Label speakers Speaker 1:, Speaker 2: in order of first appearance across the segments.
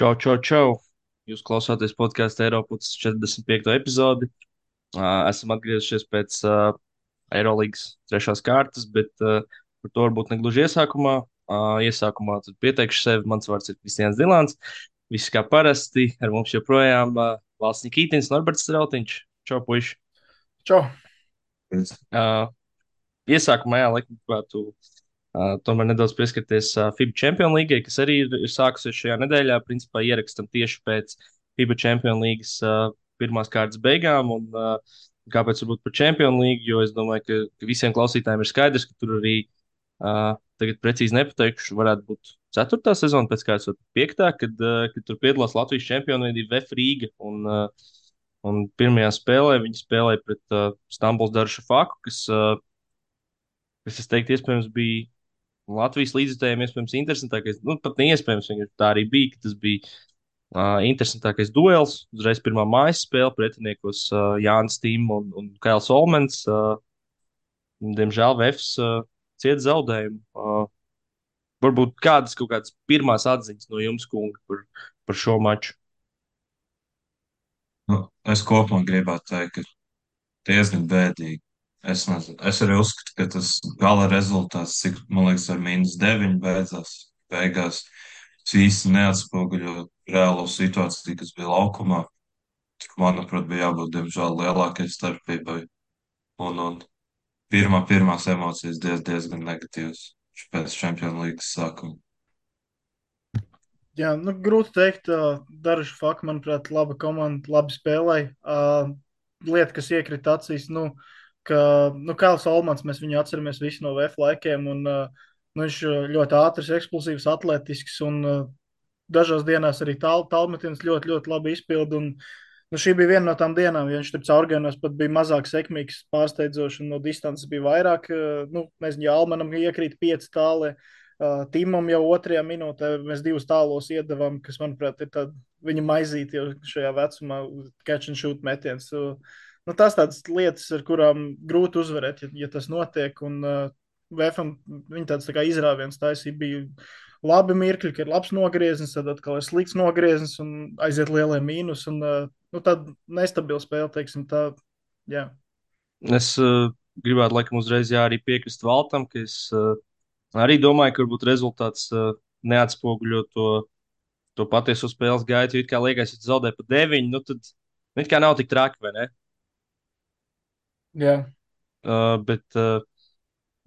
Speaker 1: Čau, čau, čau! Jūs klausāties podkāstu Eiropas 45. epizodi. Esam atgriezušies pēc Eirolandes trešās kārtas, bet par to varbūt ne gluži iesākumā. Iesākumā tad pieteikšu sevi. Mans vārds ir Kristians Dilants. Viss kā parasti. Ar mums joprojām Valsts Nikītins, Norberts Strautiņš. Čau, puiši!
Speaker 2: Čau!
Speaker 1: Uh, Iesākumā, jā, laikam, gribētu tomēr nedaudz pieskarties FIBA Champions League, kas arī ir sākusies šajā nedēļā. Principā ierakstam tieši pēc FIBA Champions League pirmās kārtas beigām. Un, kāpēc varbūt par Champions League? Jo es domāju, ka visiem klausītājiem ir skaidrs, ka tur arī tagad precīzi nepateikšu, varētu būt ceturtā sezona, pēc kādas piektā, kad tur piedalās Latvijas čempioni VF Rīga. Un pirmajā spēlē viņi spēlēja pret Stambuls Darušafaku, kas, es teiktu, iespējams bija Latvijas līdzekļiem iespējams interesantākais. Nu, pat neiespējams, vienkārši tā arī bija. Tas bija interesantākais duels. Uzreiz pirmā mājas spēle pretiniekos Jānis Tīm un Kails Olmens. Diemžēl Vēfs cieta zaudējumu. Varbūt kādas kaut kādas pirmās atziņas no jums, kungi, par šo maču.
Speaker 2: Nu, es kopumā gribētu teikt, ka diezgan bēdīgi. Es nezinu. Es arī uzskatu, ka tas gala rezultāts, cik, man liekas, ar -9 beidzās, beigās, tas īsti neatspoguļo reālo situāciju, kas bija laukumā. Tik, manuprāt, bija jābūt, diemžēl, lielākai starpībai. Un pirmās emocijas diezgan negatīvas pēc Champions League sākuma.
Speaker 3: Jā, nu, grūti teikt. Daruši fakti, manuprāt, laba komanda, labi spēlēja. Lieta, kas iekrita acīs, Kails Olmans, mēs viņu atceramies visi no VF laikiem. Viņš ļoti ātrs, eksplosīvs, atletisks un dažās dienās arī tālmetiens ļoti, ļoti labi izpilda. Šī bija viena no tām dienām, ja viņš tur caurgājienos pat bija mazāk sekmīgs, pārsteidzoši, un no distances bija vairāk. Nezinu, ja Almanam iekrīt 5 tālē. Timam jau otrajā minūtē mēs 2 tālos iedavām, kas, manuprāt, ir viņa maizīte jau šajā vecumā, catch and shoot metiens. Tās tādas lietas, ar kurām grūti uzvarēt, ja tas notiek. Un VFam viņa tāds tā kā izrāviens taisīja, bija labi mirkļi, ka ir labs nogrieznis, tad atkal ir slikts nogrieznis un aiziet lielie mīnus. Tāda nestabila spēle, teiksim tā, jā.
Speaker 1: Es gribētu, laikam, uzreiz jā, arī piekrist Valtam, ka es arī domāju, ka varbūt rezultāts neatspoguļo to patieso spēles gaitu. Jo it kā liekas, ja tu zaudē pa 9, nu tad it kā nav tik traki, vai ne?
Speaker 3: Jā.
Speaker 1: Bet,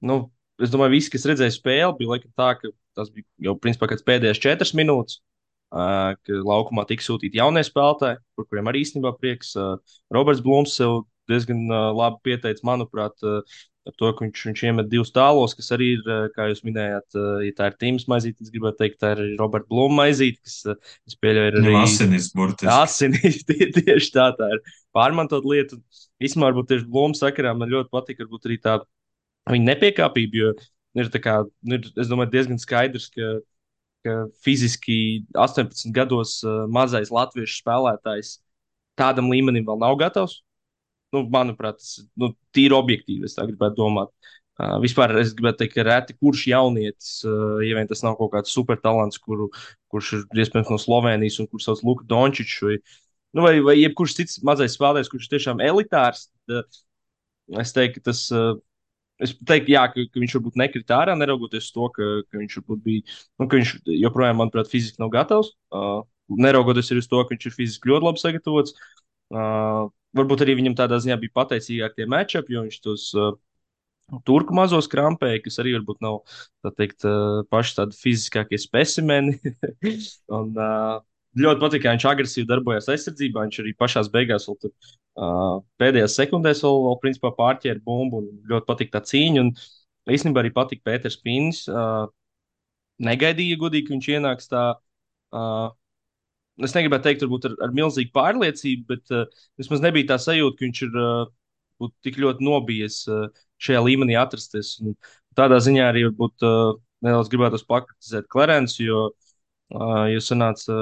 Speaker 1: nu, es domāju, visi, kas redzēja spēli, bija laikam tā, ka tas bija jau principā kāds pēdējais 4 minūtes. Ka laukumā tika sūtīti jaunie spēlētāji, par kuriem arī īstenībā prieks. Roberts Blūms sev diezgan labi pieteicis, manuprāt, ar to, ka viņš iemet 2 tālos, kas arī ir, kā jūs minējāt, ja tā ir Tīmas maizīte, es gribētu teikt, tā ir Roberta Blūma maizīte, kas, es pieļauju, ir
Speaker 2: Viņam
Speaker 1: arī
Speaker 2: asinis burtiski.
Speaker 1: asinīs. Tieši tā ir pārmantot lietu. Īsumā, varbūt tieši Blūma sakarā man ļoti patīk, varbūt arī tā viņa nepiekāpība, jo ir tā kā, es domāju, diezgan skaidrs, ka fiziski 18 gados mazais latviešu spēlētājs tādam līmenim vēl nav gatavs. Nu, manuprāt, tas tīri objektīvi, es tā gribētu domāt. Vispār es gribētu teikt, ka reti kurš jaunietis, ja vien tas nav kaut kāds supertalants, kurš ir iespējams no Slovenijas un kurš sauc Luka Dončičs, vai jebkurš cits mazais spēlētājs, kurš ir tiešām elitārs, tad es teiktu, ka tas. Es teiktu, jā, ka viņš varbūt nekrita ārā, neraugoties uz to, ka viņš varbūt bija, ka viņš joprojām, manuprāt, fiziski nav gatavs. Neraugoties arī uz to, ka viņš ir fiziski ļoti labi sagatavots. Varbūt arī viņam tādā ziņā bija pateicīgāk tie matchupi, jo viņš tos turku mazos krampēja, kas arī varbūt nav, tā teikt, paši tādi fiziskākie specimeni. Un, ļoti patīk, ka viņš agresīvi darbojās aizsardzībā. Viņš arī pašās beigās, vēl tur, pēdējās sekundēs, vēl principā pārķēra bumbu. Ļoti patīk tā cīņa. Un īstenībā arī patīk Pēters Pīns. Negaidīja, godīgi, ka viņš ienāks tā. Uh, es negribētu teikt, varbūt ar milzīgu pārliecību, bet vismaz nebija tā sajūta, ka viņš ir tik ļoti nobijies šajā līmenī atrasties. Un tādā ziņā arī varbūt nedaudz gribētu pakritizēt Klerensu, jo sanāca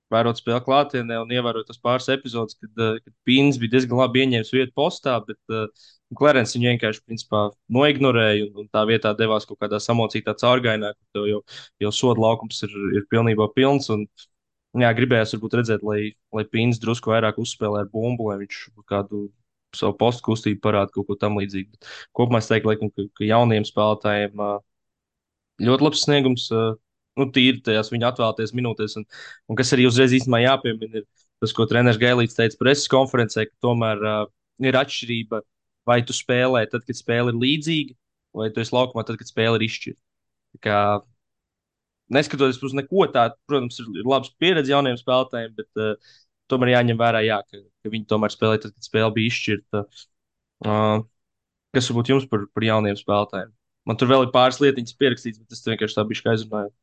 Speaker 1: vērot spēli klātienē un ievērot tas pāris epizodes, kad Pīns bija diezgan labi ieņēmis vietu postā, bet Klerens viņu vienkārši principā noignorēja un tā vietā devās kaut kādā samocītā caurgainā, kur tev jau soda laukums ir pilnībā pilns. Un Jā, gribējās varbūt redzēt, lai Pīns drusku vairāk uzspēlē ar bumbu, lai viņš kādu savu postu kustību parāda kaut ko tam līdzīgu. Bet kopumā es teiktu, laikam, ka jauniem spēlētājiem ļoti labs sniegums, nu, tīri tajās viņa atvēlēties minūtēs. Un kas arī uzreiz īstenībā jāpiemina, ir tas, ko treneris Gailīts teica preses konferencē, ka tomēr ir atšķirība, vai tu spēlē tad, kad spēle ir līdzīga, vai tu esi laukumā tad, kad spēle ir izšķirta. Tā kā, neskatoties uz neko tādu, protams, ir labs pieredze jauniem spēlētājiem, bet tomēr jāņem vērā, jā, ka viņi tomēr spēlē tad, kad spēle bija izšķirta. Uh, kas varbūt jums par jauniem spēlētājiem? Man tur vēl ir pāris lietiņas pierakstīts, bet es vienkārši tā biju aizrunājis.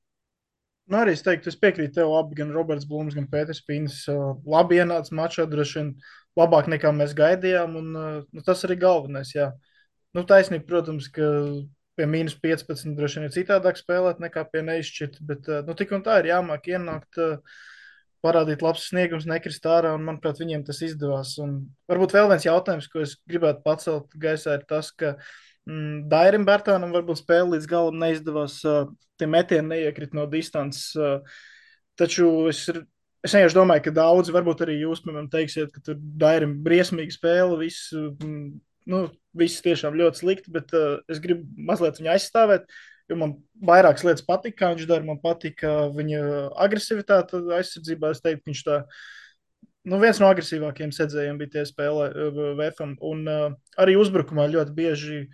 Speaker 3: Nu, arī es teiktu, es piekrītu tev, abi, gan Roberts Blūms, gan Pēters Pīns. Labi ienāca mačā, droši vien labāk nekā mēs gaidījām, un nu, tas arī galvenais. Jā. Nu, taisnība, protams, ka pie mīnus 15 droši vien ir citādāk spēlēt nekā pie neizšķirta, bet nu, tik un tā ir jāmāk ienākt, parādīt labs sniegums, nekrist ārā, un manuprāt, viņiem tas izdevās. Un varbūt vēl viens jautājums, ko es gribētu pacelt gaisā, ir tas, ka Dairim Bērtānam varbūt spēle līdz galam neizdevās. Tie metieni neiekrita no distances. Taču es vienkārši domāju, ka daudzi, varbūt arī jūs, piemēram, teiksiet, ka tur Dairim briesmīga spēle, viss tiešām ļoti slikti, bet es gribu mazliet viņu aizstāvēt, jo man vairākas lietas patika, kā viņš dara. Man patika viņa agresivitāte aizsardzībā. Es teiktu, ka viņš tā, nu, viens no agresīvākajiem sedzējiem bija tie spēlē VFam. Un arī uzbrukumā ļoti bieži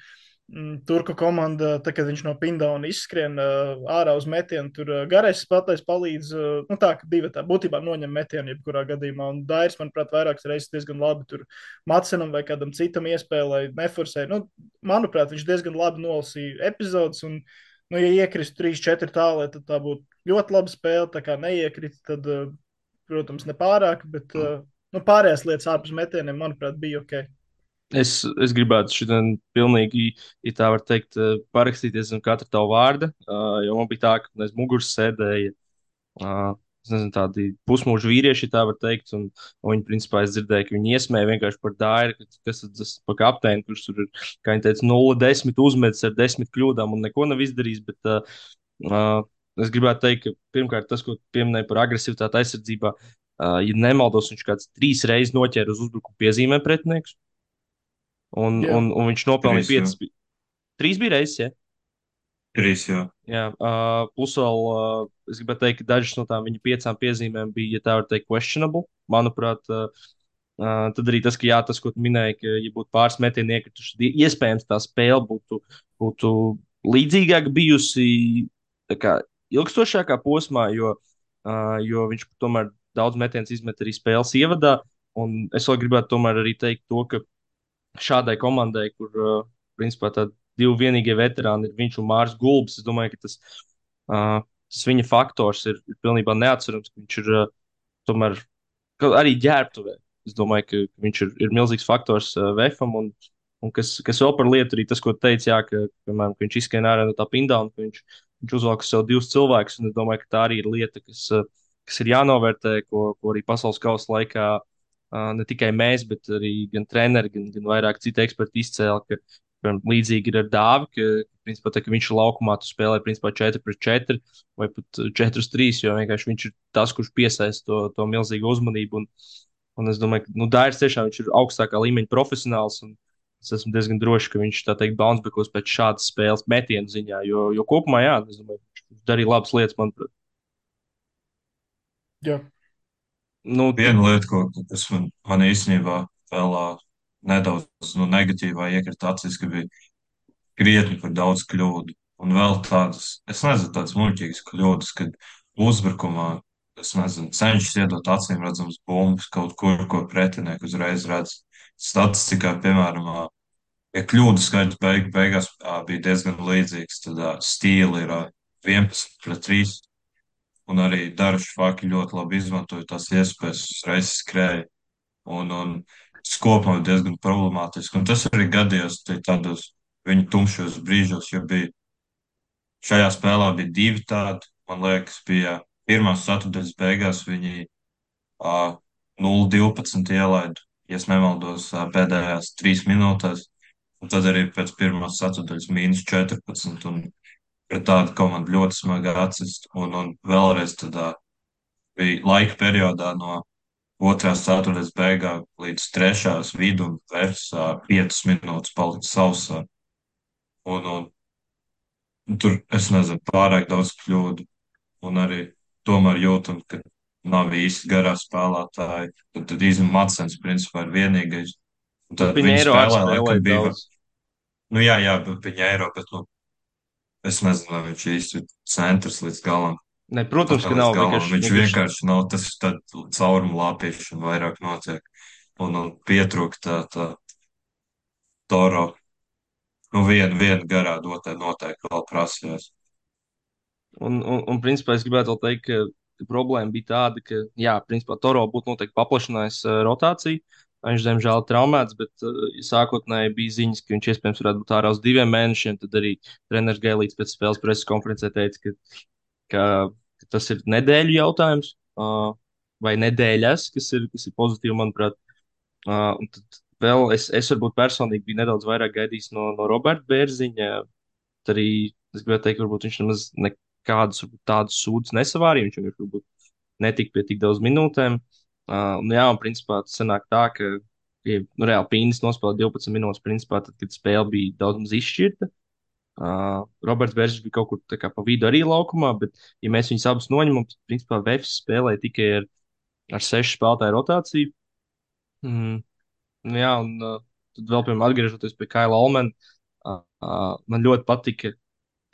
Speaker 3: turku komanda, tā, kad viņš no pindauna izskrien ārā uz metienu, tur garais spēlētājs palīdz, nu tā, ka divi tā būtībā noņem metienu jebkurā gadījumā. Un Dairis, manuprāt, vairākas reizes diezgan labi tur Matsenam vai kādam citam iespēlēja, neforsēja. Nu, manuprāt, viņš diezgan labi nolasīja epizodes, un, nu, ja iekrist 3-4 tālē, tad tā būtu ļoti laba spēle. Tā kā neiekrita, tad, protams, nepārāk, bet nu, pārējās lietas ārpus metieniem, manuprāt, bija ok.
Speaker 1: Es gribētu šodien pilnīgi, ja tā var teikt, parakstīties zem katra tava vārda, jo man bija tā, ka aiz muguras sēdēja, es nezinu, tādi pusmūža vīrieši, ja tā var teikt, un viņi, principā, es dzirdēju, ka viņi iesmēja vienkārši par Dairu, kas tas pa kapteini, kurš tur ir, kā viņi teica, 0-10 uzmetis ar 10 kļūdām un neko nav izdarījis, bet es gribētu teikt, ka pirmkārt tas, ko pieminēja par agresivitāti aizsardzībā, ja nemaldos, viņš kāds 3 reizes noķēra uz uzbrukumu piezīmēm pretinieks.
Speaker 3: Jā,
Speaker 1: Un viņš nopelnīja
Speaker 2: Trīs, jā.
Speaker 1: 5. 3 bija reizes, ja?
Speaker 2: Trīs, jā.
Speaker 1: Jā, plus vēl es gribētu teikt, ka dažas no tām viņa 5 piezīmēm bija, ja tā var teikt, questionable. Manuprāt, tad arī tas, ka jā, tas, ko tu minēji, ka, ja būtu pāris metieni iekrituši, tad iespējams tā spēle būtu līdzīgāka bijusi tā kā ilgstošākā posmā, jo viņš tomēr daudz metienus izmet arī spēles ievadā. Un es vēl gribētu tomēr arī teikt to, ka šādai komandai, kur principā tādi divi vienīgie veterāni ir viņš un Mārs Gulbs. Es domāju, ka tas viņa faktors ir pilnībā neatcerams. Viņš ir tomēr arī ģērbtuvē. Es domāju, ka viņš ir milzīgs faktors VFam. Un kas vēl par lietu, arī tas, ko teica, jā, piemēram, ka viņš izskrien ārā no tā pindauna, ka viņš uzvalk uz sev divus cilvēkus. Un es domāju, ka tā arī ir lieta, kas ir jānovērtē, ko arī pasaules kausa laikā ne tikai mēs, bet arī gan treneri, gan vairāk citu eksperti izcēla, ka piemēram, līdzīgi ir ar Dāvi, ka, principā, tā, ka viņš ir laukumā, tu spēlē principā 4-4 vai pat 4-3, jo vienkārši viņš ir tas, kurš piesaista to milzīgu uzmanību. Un es domāju, ka nu, Dairis tiešām viņš ir augstākā līmeņa profesionāls. Es esmu diezgan drošs, ka viņš tā teikt bouncebacks pēc šādas spēles metienu ziņā, jo kopumā, jā, es domāju, viņš darīja labas lietas, manuprāt.
Speaker 3: jā.
Speaker 1: Nu,
Speaker 2: Viena lieta, kas man īstenībā vēl nedaudz negatīvā iekrita acīs, ka bija krietni par daudz kļūdu. Un vēl tādas, es nezinu, tādas muļķīgas kļūdas, kad uzbrukumā, es nezinu, cenšas iedot acīm redzams bumbas kaut kur, ko pretinieki uzreiz redz. Statistikā, piemēram, ja kļūdu skaits beigās bija diezgan līdzīgs, tad stīli ir 11-3. Un arī daži faki ļoti labi izmantoja tās iespējas, uzreiz skrēja. Un tas kopumā ir diezgan problemātiski. Un tas arī gadījās tādos viņu tumšos brīžos, jo šajā spēlē bija divi tādi. Man liekas, bija pirmās ceturtdaļas beigās viņi 0-12 ielaida, ja es nemaldos, pēdējās 3 minūtēs. Un tad arī pēc pirmās ceturtdaļas -14. Un pret tādu komandu ļoti smagi atsist. Un vēlreiz tādā bija laika periodā no otrās ceturtdaļas beigām līdz trešās vidu un versā 5 minūtes palika sausā. Un tur, es nezinu, pārāk daudz kļūdu. Un arī tomēr jūtam, ka nav īsti garā spēlētāji. Tad īstenībā Matsens principā ir vienīgais. Un
Speaker 1: Nu,
Speaker 2: tad viņi
Speaker 1: Piņēro arī
Speaker 2: spēlē, laikam
Speaker 1: spēlēja
Speaker 2: bija,
Speaker 1: daudz.
Speaker 2: nu jā, bet viņa eiro, bet, nu, es nezinu, vai viņš īsti ir centrs līdz galam.
Speaker 1: Ne, protams, ka
Speaker 2: Līdz
Speaker 1: nav
Speaker 2: galam. Viņš
Speaker 1: vienkārši
Speaker 2: vienkārši nav tas caurumu lāpīšana vairāk notiek. Un pietrūkst tā Toro. Nu, viena garā dotē noteikti vēl prasījās.
Speaker 1: un principā es gribētu vēl teikt, ka problēma bija tāda, ka, jā, principā Toro būtu noteikti paplašinājis rotāciju. Viņš, diemžēl, ir traumēts, bet sākotnēji bija ziņas, ka viņš iespējams varētu būt ārā uz 2 mēnešiem. Tad arī treneris Gailīts pēc spēles preses konferencē teica, ka tas ir nedēļu jautājums, vai nedēļas, kas ir pozitīvi, manuprāt. Un tad vēl es varbūt personīgi biju nedaudz vairāk gaidījis no Roberta Bērziņa. Tad arī es gribētu teikt, ka varbūt viņš nemaz nekādus tādus sūdzes nesavārīja. Viņš vienkārši varbūt netika pie tik daudz minūtēm. Jā, un principā tas sanāk tā, ka ja, nu, reāli Pīnis nospēlēja 12 minūtes, principā, tad, kad spēle bija daudz maz izšķirta. Roberts Bērziņš bija kaut kur tā kā pa vidu arī laukumā, bet, ja mēs viņus abus noņemam, tad, principā, Vēfs spēlēja tikai ar 6 spēlētāju rotāciju. Mm, nu, jā, un tad vēl, piemēram, atgriežoties pie Kaila Olmana, man ļoti patika,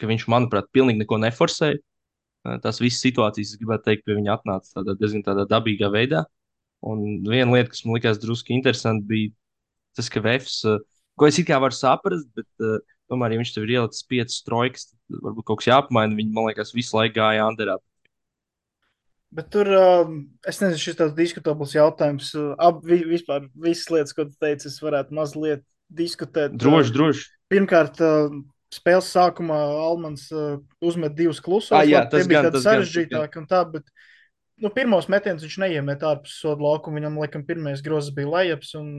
Speaker 1: ka viņš, manuprāt, pilnīgi neko neforsēja. Tās visas situācijas, es gribētu teikt, pie viņa atnāca diezgan tādā dabīgā veidā. Un viena lieta, kas man likās drusku interesanti, bija tas, ka Vēfs, ko es it kā varu saprast, bet tomēr, ja viņš tev ir ielicis 5 trojkas, tad varbūt kaut kas jāapmaina. Viņi, man liekas, visu laiku gāja Anderā.
Speaker 3: Bet tur, es nezinu, šis tāds diskutabls jautājums. Vispār visas lietas, ko tu teici, es varētu mazliet diskutēt.
Speaker 1: Droši, droši.
Speaker 3: Pirmkārt, spēles sākumā Almans uzmet 2 klusos.
Speaker 1: Jā,
Speaker 3: Labi, tie
Speaker 1: tas
Speaker 3: bija
Speaker 1: gan,
Speaker 3: tādi
Speaker 1: tas gan.
Speaker 3: sarežģītāki un tā, bet nu, pirmos metienus viņš neiemet ārpus soda laukuma. Viņam, laikam, pirmais grozs bija lejaps. Un,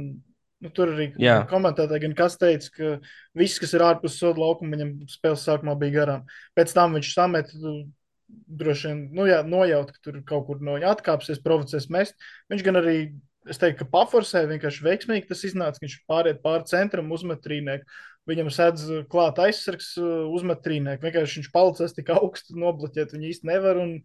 Speaker 3: nu, tur arī
Speaker 1: Jā.
Speaker 3: gan komentētāji, gan kas teica, ka viss, kas ir ārpus soda laukuma, viņam spēles sākumā bija garām. Pēc tam viņš samet, droši vien, nu, jā, nojaut, ka tur kaut kur no viņa atkāpsies, provocēs mest. Viņš gan arī, es teiktu, ka paforsēja vienkārši veiksmīgi. Tas iznāca, ka viņš pāriet pāri centram, uzmet trīnieku. Viņam sēdz klāt aizsargs, uzmet trīnieku. Vienkārši viņš palicis tik augstu, nobloķēt viņu īsti nevar. Un,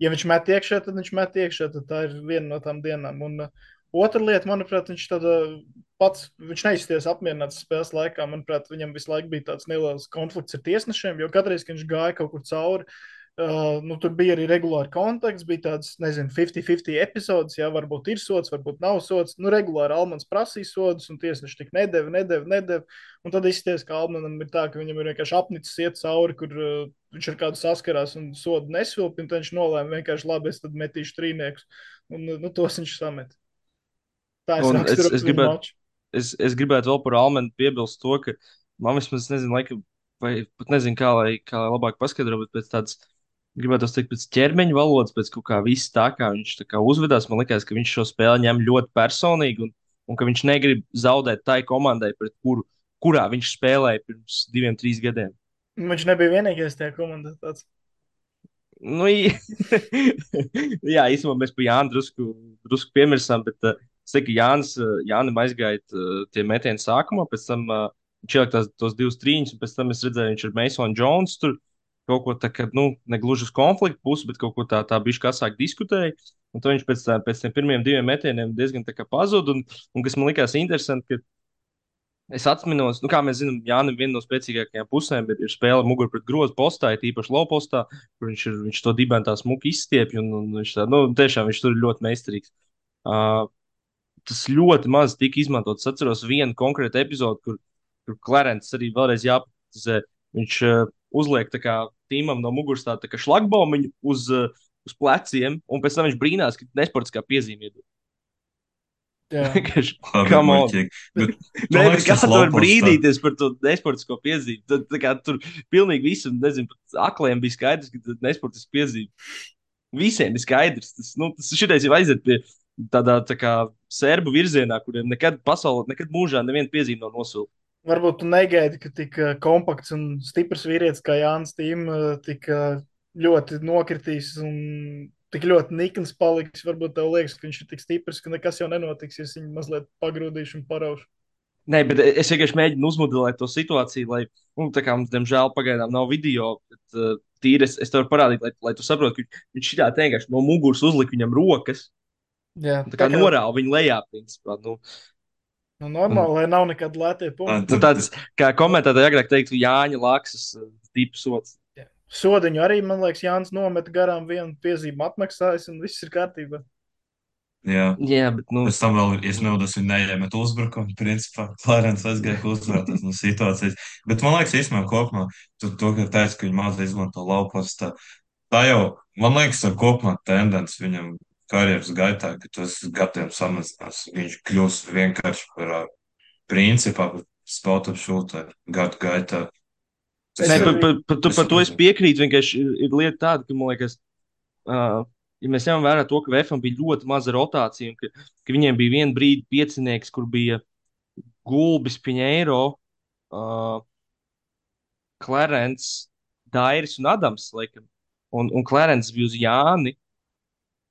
Speaker 3: ja viņš met iekšā, tad viņš met iekšā. Tad tā ir viena no tām dienām. Un otra lieta, manuprāt, viņš neizties apmierināts spēles laikā. Manuprāt, viņam visu laiku bija tāds neliels konflikts ar tiesnešiem, jo katreiz, kad viņš gāja kaut kur cauri, nu, tur bija arī regulāri kontakts, bija tāds, nezinu, 50-50 epizodes, jā, varbūt ir sots, varbūt nav sots. Nu, regulāri Almans prasīja sodus, un tiesneši tik nedeva. Un tad izties, ka Almanam ir tā, ka viņam ir vienkārši apnicis iet cauri, kur viņš ar kādu saskarās un sodu nesvilpi, un tad viņš nolēma vienkārši labi, es tad metīšu trīniekus. Un, nu, tos viņš samet. Tā es
Speaker 1: Un
Speaker 3: raksturotu viņu maču.
Speaker 1: es gribētu vēl par Almenu piebilst to, ka man vismaz nezinu, laikam, vai pat nezinu, kā lai labāk paskaidro, bet pēc tādas, gribētu teikt, pēc ķermeņa valodas, pēc kaut kā viss tā, kā viņš tā kā uzvedās, man liekas, ka viņš šo spēli ņem ļoti personīgi un ka viņš negrib zaudēt tai komandai, kurā viņš spēlēja pirms 2, 3 gadiem.
Speaker 3: Viņš nebija vienīgais tajā komandā tāds.
Speaker 1: Nu, jā, īstenībā mēs par Jānu drusku piemirsām, bet es teiktu, ka Jānis aizgāja tie metieni sākumā, pēc tam viņš ielika tos 2 trīņus, un pēc tam es redzēju, viņš ar Masonu Jones tur kaut ko tā, ka, nu, ne gluži uz konfliktu pusi, bet kaut ko tā bišķi asāk diskutēja. Un tad viņš pēc tiem pirmiem 2 metieniem diezgan tā kā pazuda, un kas man likās interesanti, ka es atceros, nu, kā mēs zinām, Jānis viena no spēcīgākajām pusēm ir spēle mugurā pret grozu postā, īpaši low postā, kur viņš to dibenu tā smuki izstiepj, un viņš tā, nu, tiešām viņš tur ir ļoti meistarīgs. Uh, Tas ļoti maz tika izmantots. Es atceros vienu konkrētu epizodi, kur Klarents arī vēlreiz jāprecizē. Viņš uzliek tā kā tīmam no muguras tā kā šlagbaumiņu uz pleciem, un pēc tam viņš brīnās, ka nesportiskā piezīme iedod.
Speaker 2: Labi,
Speaker 1: Come on.
Speaker 2: muļķīgi. Bet,
Speaker 1: Nē,
Speaker 2: liekas,
Speaker 1: kā
Speaker 2: tas
Speaker 1: tu vari
Speaker 2: lapos
Speaker 1: brīdīties par to nesportisko piezīmi? Tad, tā kā tur pilnīgi visam, nezinu, pat akliem bija skaidrs, ka tas nesportiski piezīme. Visiem ir skaidrs. Tas šitais jau aiziet pie tādā tā kā serbu virzienā, kuriem nekad pasaulē, nekad mūžā neviena piezīme nav nosūta.
Speaker 3: Varbūt tu negaidi, ka tik kompakts un stiprs vīrietis kā Jānis Tīm tik ļoti nokritīs un tik ļoti nikns paliks. Varbūt tev liekas, ka viņš ir tik stiprs, ka nekas jau nenotiks, ja viņu mazliet pagrūdīšu un paraušu.
Speaker 1: Nē, bet es vienkārši mēģinu uzmodelēt to situāciju, lai, nu, tā kā mums, diemžēl, pagaidām nav video, bet tīri es tev varu parādīt, lai tu saproti, ka viņš šitā vienkārši no muguras uzlika viņam rokas,
Speaker 3: Jā,
Speaker 1: un tā
Speaker 3: tā
Speaker 1: kā
Speaker 3: kā
Speaker 1: norāva viņu lejā, principā.
Speaker 3: nu,
Speaker 1: Un,
Speaker 3: normāli, lai nav nekāda lētie punkti.
Speaker 1: nu, tāds, kā komentētāji agrāk teiktu, Jāņa Laksas tips sots.
Speaker 3: Jā. Sodiņu arī, man liekas, Jānis nometa garām vienu piezīmu atmaksājis, un viss ir kārtībā.
Speaker 2: Jā.
Speaker 1: Jā, bet, nu,
Speaker 2: Pēc tam vēl, ja nevados, viņa neiemet uzbrukumu, principā, Klārens aizgāja uzvarētājs no situācijas. Bet man liekas, īstenībā kopumā, to, ka teica, ka viņi maz izmanto laupos, tā jau, man liekas, ar kopumā tendence viņam karjeras gaitā, ka tas gadiem samazinās. Viņš kļūs vienkārši par principā, spot-up shooter gadu gaitā. Tas
Speaker 3: Es
Speaker 1: nē,
Speaker 2: ir,
Speaker 3: arī,
Speaker 1: par to es piekrītu, vienkārši ir lieta tāda, ka, man liekas, ja mēs ņemam vērā to, ka VFam bija ļoti maza rotācija, un ka viņiem bija viena brīdi piecinieks, kur bija Gulbis, Piņēro, uh, Clarence, Dairis un Adams, laikam. Un Clarence bija uz Jāni.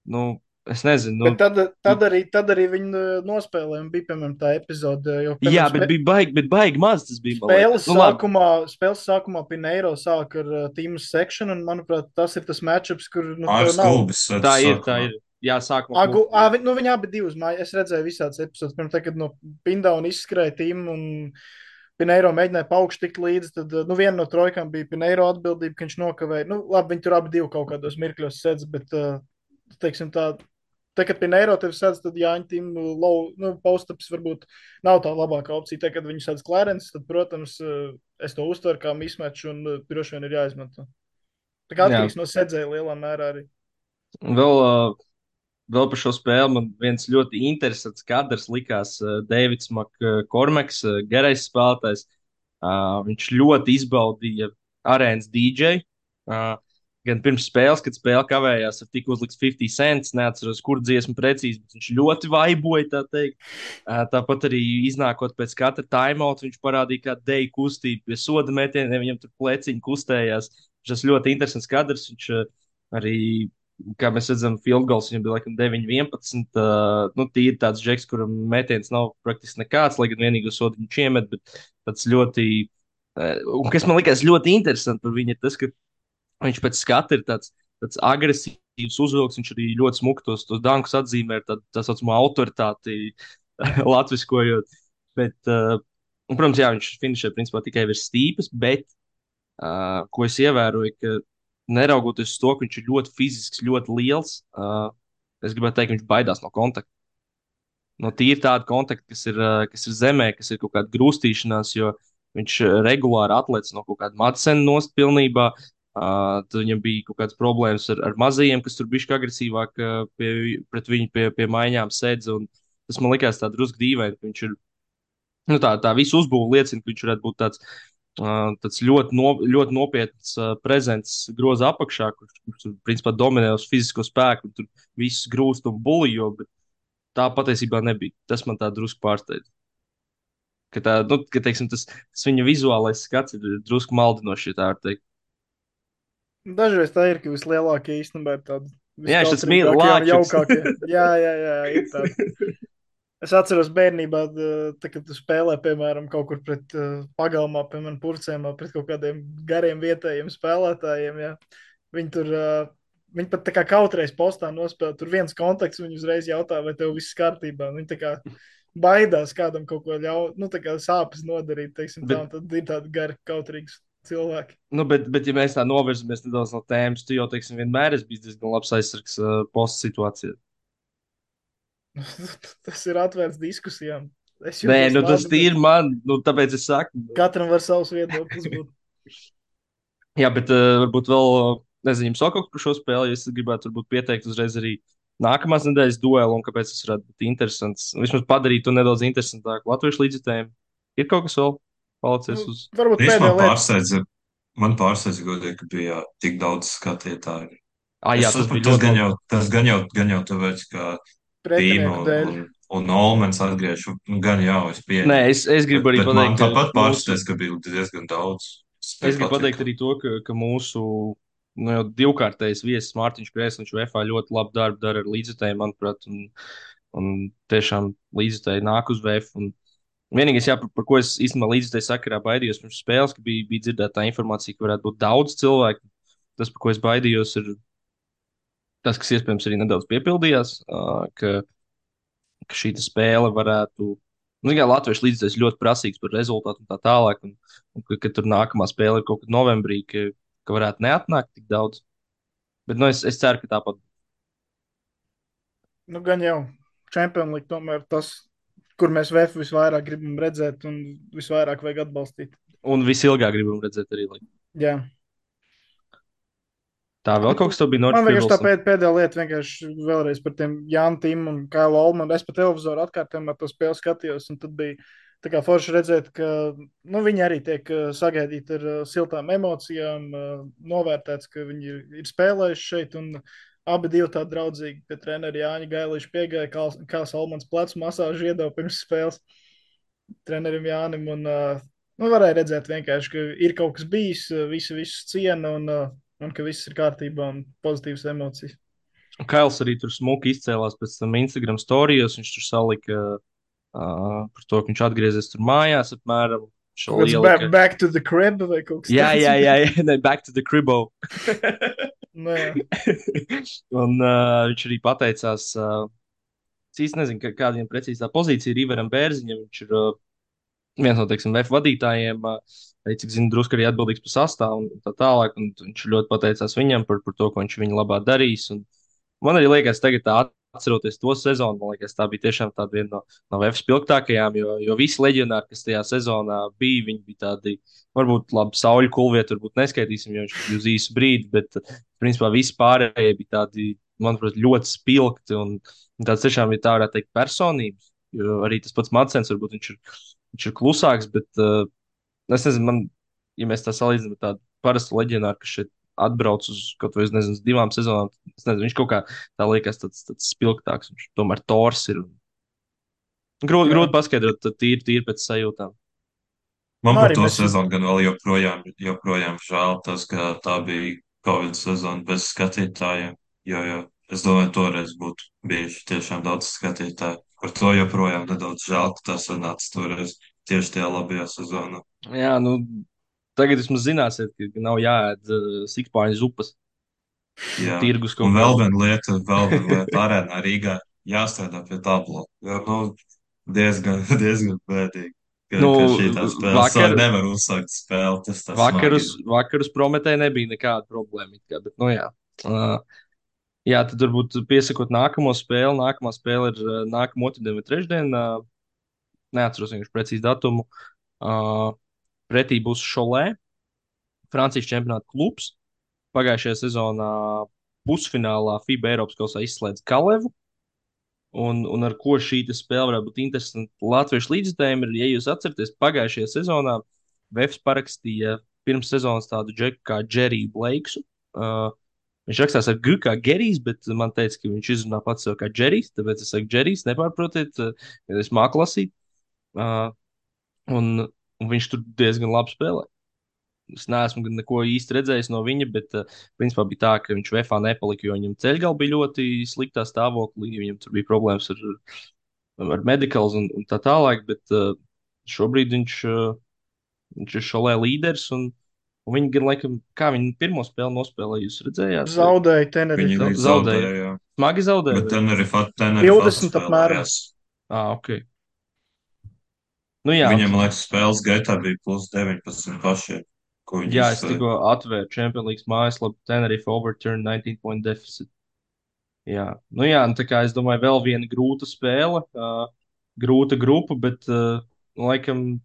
Speaker 1: Nu, es nezinu.
Speaker 3: bet
Speaker 1: Nu,
Speaker 3: tad arī viņi nospēlēja, un bija, piemēram, tā epizode, jo,
Speaker 1: jā,
Speaker 3: piemēram,
Speaker 1: bet baigi maz tas bija. Man liekas. Nu, labi.
Speaker 3: Spēles sākumā Pineiro sāk ar Team Section, un, manuprāt, tas ir tas matchups, kur, nu, tev
Speaker 2: Māris
Speaker 3: nav.
Speaker 2: Gulbis.
Speaker 1: Tā ir. Jā, sākumā.
Speaker 3: Nu, viņi abi divas mājas. Es redzēju visādas epizodes. Pirms tam, kad no Pindauna izskrēja tīmu un Pineiro mēģināja paukšt tikt līdzi, tad, nu, viena no trojkām bija Pineiro atbildība, ka viņš nokavēja. Nu, labi, viņi tur abi divi kaut kādos mirkļos sedz, bet, teiksim tā, kad Pineiro tevi sedz, tad Jāņa tīmu nu, postaps varbūt nav tā labākā opcija. Tad, kad viņi sedz Clarence, tad, protams, es to uztveru kā mismeču un droši vien ir jāizmanto. Tā kā atkarīgs no sedzēja lielā mērā arī.
Speaker 1: Vēl par šo spēli man viens ļoti interesants kadrs likās Deivids Makkormeks, gerais spēlētājs. Viņš ļoti izbaudīja arēnas DJ. Gan pirms spēles, kad spēle kavējās, tika uzlikts 50 cents. Neatceros, kur dziesmu precīzi, bet viņš ļoti vaiboja, tā teikt. Tāpat arī iznākot pēc katra timeout, viņš parādīja kādu deju kustību pie soda metieniem, viņam tur pleciņi kustējās. Tas ļoti interesants kadrs. Viņš arī, kā mēs redzam, field goals viņam bija laikam 9-11. Nu, tīri tāds džeks, kuram metiens nav praktiski nekāds, lai gan vienīgo sodu viņš iemet, bet tāds ļoti, un kas man likās ļoti interesanti par viņu, ir tas, ka viņš pēc skata ir tāds agresīvs uzvilks, viņš arī ļoti smuki tos dankus atzīmē ar tā saucamo autoritāti latviskojot. Bet, un, protams, jā, viņš finišē principā tikai virs stīpas, bet ko es ievēroju, ka neraugoties uz to, ka viņš ir ļoti fizisks, ļoti liels, es gribētu teikt, ka viņš baidās no kontakta. No tīri tāda kontakta, kas ir zemē, kas ir kaut kāda grūstīšanās, jo viņš regulāri atlec no kaut kāda Madsena nost pilnībā. Tad viņam bija kaut kādas problēmas ar mazajiem, kas tur bija agresīvāk pret viņu pie maiņām sēdz. Tas man likās tā drusku dīvaini, ka viņš ir, nu, tā visu uzbūve liecina, ka viņš varētu būt tāds ļoti nopietns prezents groza apakšā, kurš principā dominē uz fizisko spēku un tur visus grūst un bulijo, bet tā patiesībā nebija. Tas man tā drusku pārsteidz. Teiksim, tas viņa vizuālais skats ir drusku maldinošs, ja tā var teikt.
Speaker 3: Dažreiz tā ir, ka vislielākie īstenībā ir tādi
Speaker 1: viskautrīgākie
Speaker 3: un jaukākie. Jā, ir tādi. Es atceros bērnībā, kad tu spēlē, piemēram, kaut kur pret pagalmā, piemēram, purcēmā, pret kaut kādiem gariem vietējiem spēlētājiem. Jā. Viņi pat tā kā kautreiz postā nospēlē, tur viens kontakts, viņi uzreiz jautā, vai tev viss kārtībā. Viņi tā kā baidās kādam kaut ko ļaut, nu tā kā sāpes nodarīt, teiksim tā, un tad ir tādi gari kautrīgs cilvēki.
Speaker 1: Nu, bet ja mēs tā novirzamies nedaudz no tēmas, tu jau, teiksim, vienmēr esi bijis diezgan labs aizsargs posta situācijā.
Speaker 3: Tas ir atvērts diskusijām.
Speaker 1: Nē, nu tas ir man, nu tāpēc es saku.
Speaker 3: Katram var savus viedokļus būt.
Speaker 1: Jā, bet varbūt vēl, nezinu, jums vēl kaut kas par šo spēli, ja es gribētu varbūt pieteikt uzreiz arī nākamās nedēļas duelu, un kāpēc tas varētu būt interesants. Vismaz padarīt to nedaudz interesantāku latviešu līdzjutējiem. Ir kaut kas vēl palicis uz?
Speaker 3: Varbūt pēdējā lieta.
Speaker 2: Man pārsteidza, godīgi, ka bija tik daudz skatītāju.
Speaker 1: Jā,
Speaker 2: tas gan jau tāpēc, ka Tīma un Olmens atgriež, gan jau es pieņemu.
Speaker 1: Nē, es gribu arī pateikt.
Speaker 2: Man tāpat pārsteidz, ka bija diezgan daudz.
Speaker 1: Es gribu pateikt arī to, ka mūsu nu, jau divkārtais viesis Mārtiņš Krēsls VFA ļoti labu darbu dara ar līdzjutēju, manuprāt, un tiešām līdzjutēji nāk uz VF. Un vienīgais, jā, par ko es īstenībā līdzjutēju sakarā baidījos pirms spēles, ka bija dzirdēta tā informācija, ka varētu būt daudz cilvēku. Tas, par ko es baidījos, ir tas, kas iespējams arī nedaudz piepildījās, ka šī spēle varētu. Nu, kā Latvijas līdzekļs ļoti prasīgs par rezultātu un tā tālāk, un ka tur nākamā spēle ir kaut kad novembrī, ka varētu neatnākt tik daudz. Bet nu, es ceru, ka tāpat.
Speaker 3: Nu, gan jau Champions League tomēr tas, kur mēs VF visvairāk gribam redzēt un visvairāk vajag atbalstīt.
Speaker 1: Un visilgāk gribam redzēt arī.
Speaker 3: Jā.
Speaker 1: Tā vēl kaut kas tev bija
Speaker 3: Man vienkārši tā
Speaker 1: noticis.
Speaker 3: pēdējā lieta, vienkārši vēlreiz par tiem Jānu Timu un Kailu Olmanu. Es pa televizoru atkārtojumā to spēli skatījos, un tad bija tā kā forši redzēt, ka nu, viņi arī tiek sagaidīti ar siltām emocijām, novērtēts, ka viņi ir spēlējuši šeit, un abi divi tādi draudzīgi pie treneri Jāņa Gailīša piegāja, Kāls Olmans plecu masāžu iedeva pirms spēles trenerim Jānim, un nu, varēja redzēt vienkārši, ka ir kaut kas bijis, visu ciena, un ka viss ir kārtībā un pozitīvas emocijas.
Speaker 1: Un Kails arī tur smuki izcēlās pēc tam Instagram storijos. Viņš tur salika par to, ka viņš atgriezies tur mājās apmēram.
Speaker 3: Kaut kāds back to the crib vai kaut kas
Speaker 1: tāds. Jā, ne, back to the cribbo.
Speaker 3: Nē.
Speaker 1: Un viņš arī pateicās, es īsti nezinu, kāda viņam precīzi tā pozīcija ir Ivaram Bērziņam. Viņš ir viens no, teiksim, VF vadītājiem, cik zinu, drusku arī atbildīgs par sastāvu un tā tālāk. Un viņš ļoti pateicās viņam par to, ko viņš viņa labā darīs. Un man arī liekas, tagad atceroties to sezonu, man liekas, tā bija tiešām tāda viena no VF spilgtākajām, jo visi leģionāri, kas tajā sezonā bija, viņi bija tādi, varbūt labi, sauļu kulvietu, varbūt neskaitīsim, jo viņš bija uz īsu brīdi, bet principā visi pārējie bija tādi, manuprāt, ļoti spilgti un tāds tiešām, ja tā varētu teikt, personības. Jo arī tas pats Madsens, varbūt viņš ir klusāks, bet es nezinu, ja mēs tā salīdzinām ar tādu parastu leģionāru, kas šeit atbrauc uz kaut vai, nezinu, uz 2 sezonām, es nezinu, viņš kaut kā tā liekas tāds spilgtāks, viņš tomēr tors ir. Grūti paskaidrot, tīri pēc sajūtām.
Speaker 2: Man
Speaker 3: Nu,
Speaker 2: par
Speaker 3: arī
Speaker 2: to
Speaker 3: mēs-
Speaker 2: sezonu gan vēl joprojām žēl tas, ka tā bija Covid sezona bez skatītājiem. Jo es domāju, toreiz būtu bijuši tiešām daudz skatītāju. Par to joprojām nedaudz žēl, ka tā sanāca toreiz tieši tajā labajā sezonā.
Speaker 1: Jā, nu, tagad vismaz zināsiet, ka nav jāēd sikspārņu zupas.
Speaker 2: Jā,
Speaker 1: Tirgus
Speaker 2: un
Speaker 1: kaut kādā.
Speaker 2: vēl viena lieta arēnā Rīgā jāstrādā pie tablo. Jo, nu, diezgan bēdīgi.
Speaker 1: Nu,
Speaker 2: Ka šī tā spēle sāk nevar uzsākt spēli. Tas tas
Speaker 1: vakarus Prometē nebija nekāda problēma. Bet, nu jā. Jā, tad varbūt piesakot nākamo spēli. Nākamā spēle ir nākamā otrdien vai trešdien. Neatceros vienkārši precīzi datumu. Pretī būs Šolē, Francijas čempionāta klubs. Pagājušajā sezonā pusfinālā FIBA Eiropas kausā izslēdz Kalevu. Un ar ko šī spēle varētu būt interesanta latviešu līdzekļiem, ir, ja jūs atceraties, pagājušajā sezonā Vēfs parakstīja pirms sezonas tādu džeku kā Džeriju Bleiksu. Viņš rakstās ar G kā Gerijs, bet man teica, ka viņš izrunā pats sev kā Džerijs, tāpēc es saku Džerijs, nepārprotiet, ja es māku lasīt. Un viņš tur diezgan labi spēlē. Es neesmu neko īsti redzējis no viņa, bet principā bija tā, ka viņš VFā nepalika, jo viņam ceļgalā bija ļoti sliktā stāvoklī. Viņam tur bija problēmas ar medikālu un tā tālāk, bet šobrīd viņš ir šolē līderis. Un viņi gan, laikam, kā viņi pirmo spēli nospēlēja, jūs redzējāt?
Speaker 3: Zaudēja Tenerife.
Speaker 2: Viņi zaudēja, jā.
Speaker 1: Smagi zaudēja.
Speaker 2: Bet Tenerife
Speaker 3: 20 apmēram.
Speaker 1: Ok. Nu, jā,
Speaker 2: viņam, liekas, spēles gaitā bija plus 19 pašiem.
Speaker 1: Jā, es tikko atvēru Champions League mājaslapu Tenerife overturn 19-point deficit. Jā, nu jā, tā kā es domāju, vēl viena grūta spēle, grūta grupa, bet, laikam,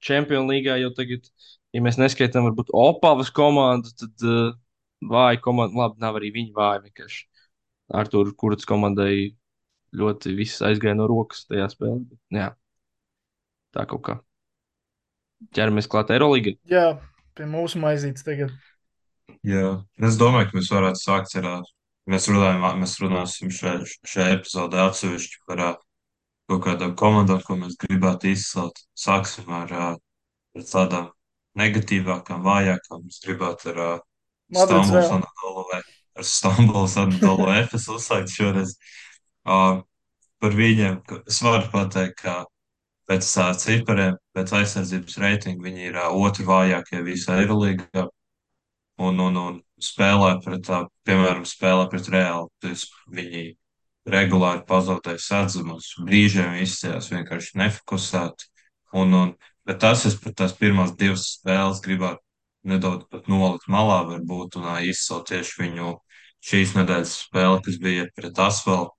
Speaker 1: Champions League jau tagad, ja mēs neskaitām, varbūt Opavas komandu, tad vāja komanda, labi, nav arī viņa vāja vienkārši. Artūra Kurts komandai ļoti viss aizgāja no rokas tajā spēlē. Jā, tā kaut kā. Ķeramies klāt Eirolīgai.
Speaker 3: Jā, pie mūsu maizītes tagad.
Speaker 2: Jā, es domāju, ka mēs varētu sākt ar, mēs runāsim šajā epizodē atsevišķi par kaut kādām komandām, ko mēs gribētu izcelt. Sāksim ar tādām negatīvākām, vājākām. Mēs gribētu ar
Speaker 3: Madrids
Speaker 2: Stambuls
Speaker 3: vēl.
Speaker 2: Anadolu, ar Stambuls Anadolu Efes uzsākt šoreiz. Uh, par viņiem es varu pateikt, ka pēc cipariem, pēc aizsardzības reitinga viņi ir otri vājākie visā Eirolīgā. Un spēlē pret, piemēram, spēlē pret Reāli. Viņi regulāri pazaudēja sadzumus, brīžiem izcījās vienkārši nefokusēti. Bet es pat tās pirmās divas spēles gribētu nedaudz pat nolikt malā varbūt un izcelt tieši viņu šīs nedēļas spēli, kas bija pret Asvelu.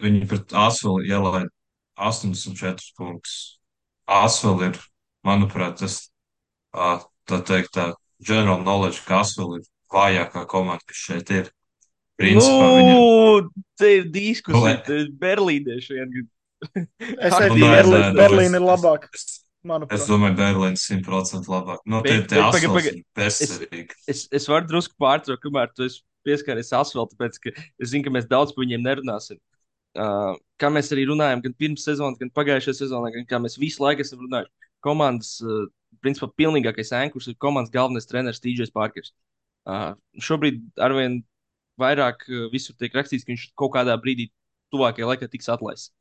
Speaker 2: Viņi pret Asvelu ielaida 84 punktus. Asvela ir, manuprāt, tā teikt, tā general knowledge, ka Asvela ir vājākā komanda, kas šeit ir. Principā viņam.
Speaker 1: Te ir diskusija, te ir berlīnieši vien.
Speaker 3: Es teiktu, Berlīna ir labāka, manuprāt.
Speaker 2: Es domāju, Berlīna 100% labāk. No, tie Asvels ir bezcerīgi.
Speaker 1: Es varu drusku pārtraukt, kamēr tu esi pieskāries Asvelu, tāpēc, ka es zinu, ka mēs daudz par viņiem nerunāsim. Kā mēs arī runājam, gan pirms sezonas, gan pagājušajā sezonā, gan kā mēs visu laiku esam runājuši. Komandas, principā, pilnīgākais ēnkurs ir komandas galvenais treneris TJs Parkers. Šobrīd arvien vairāk visur tiek rakstīts, ka viņš kaut kādā brīdī tuvākajā laikā tiks atlaists.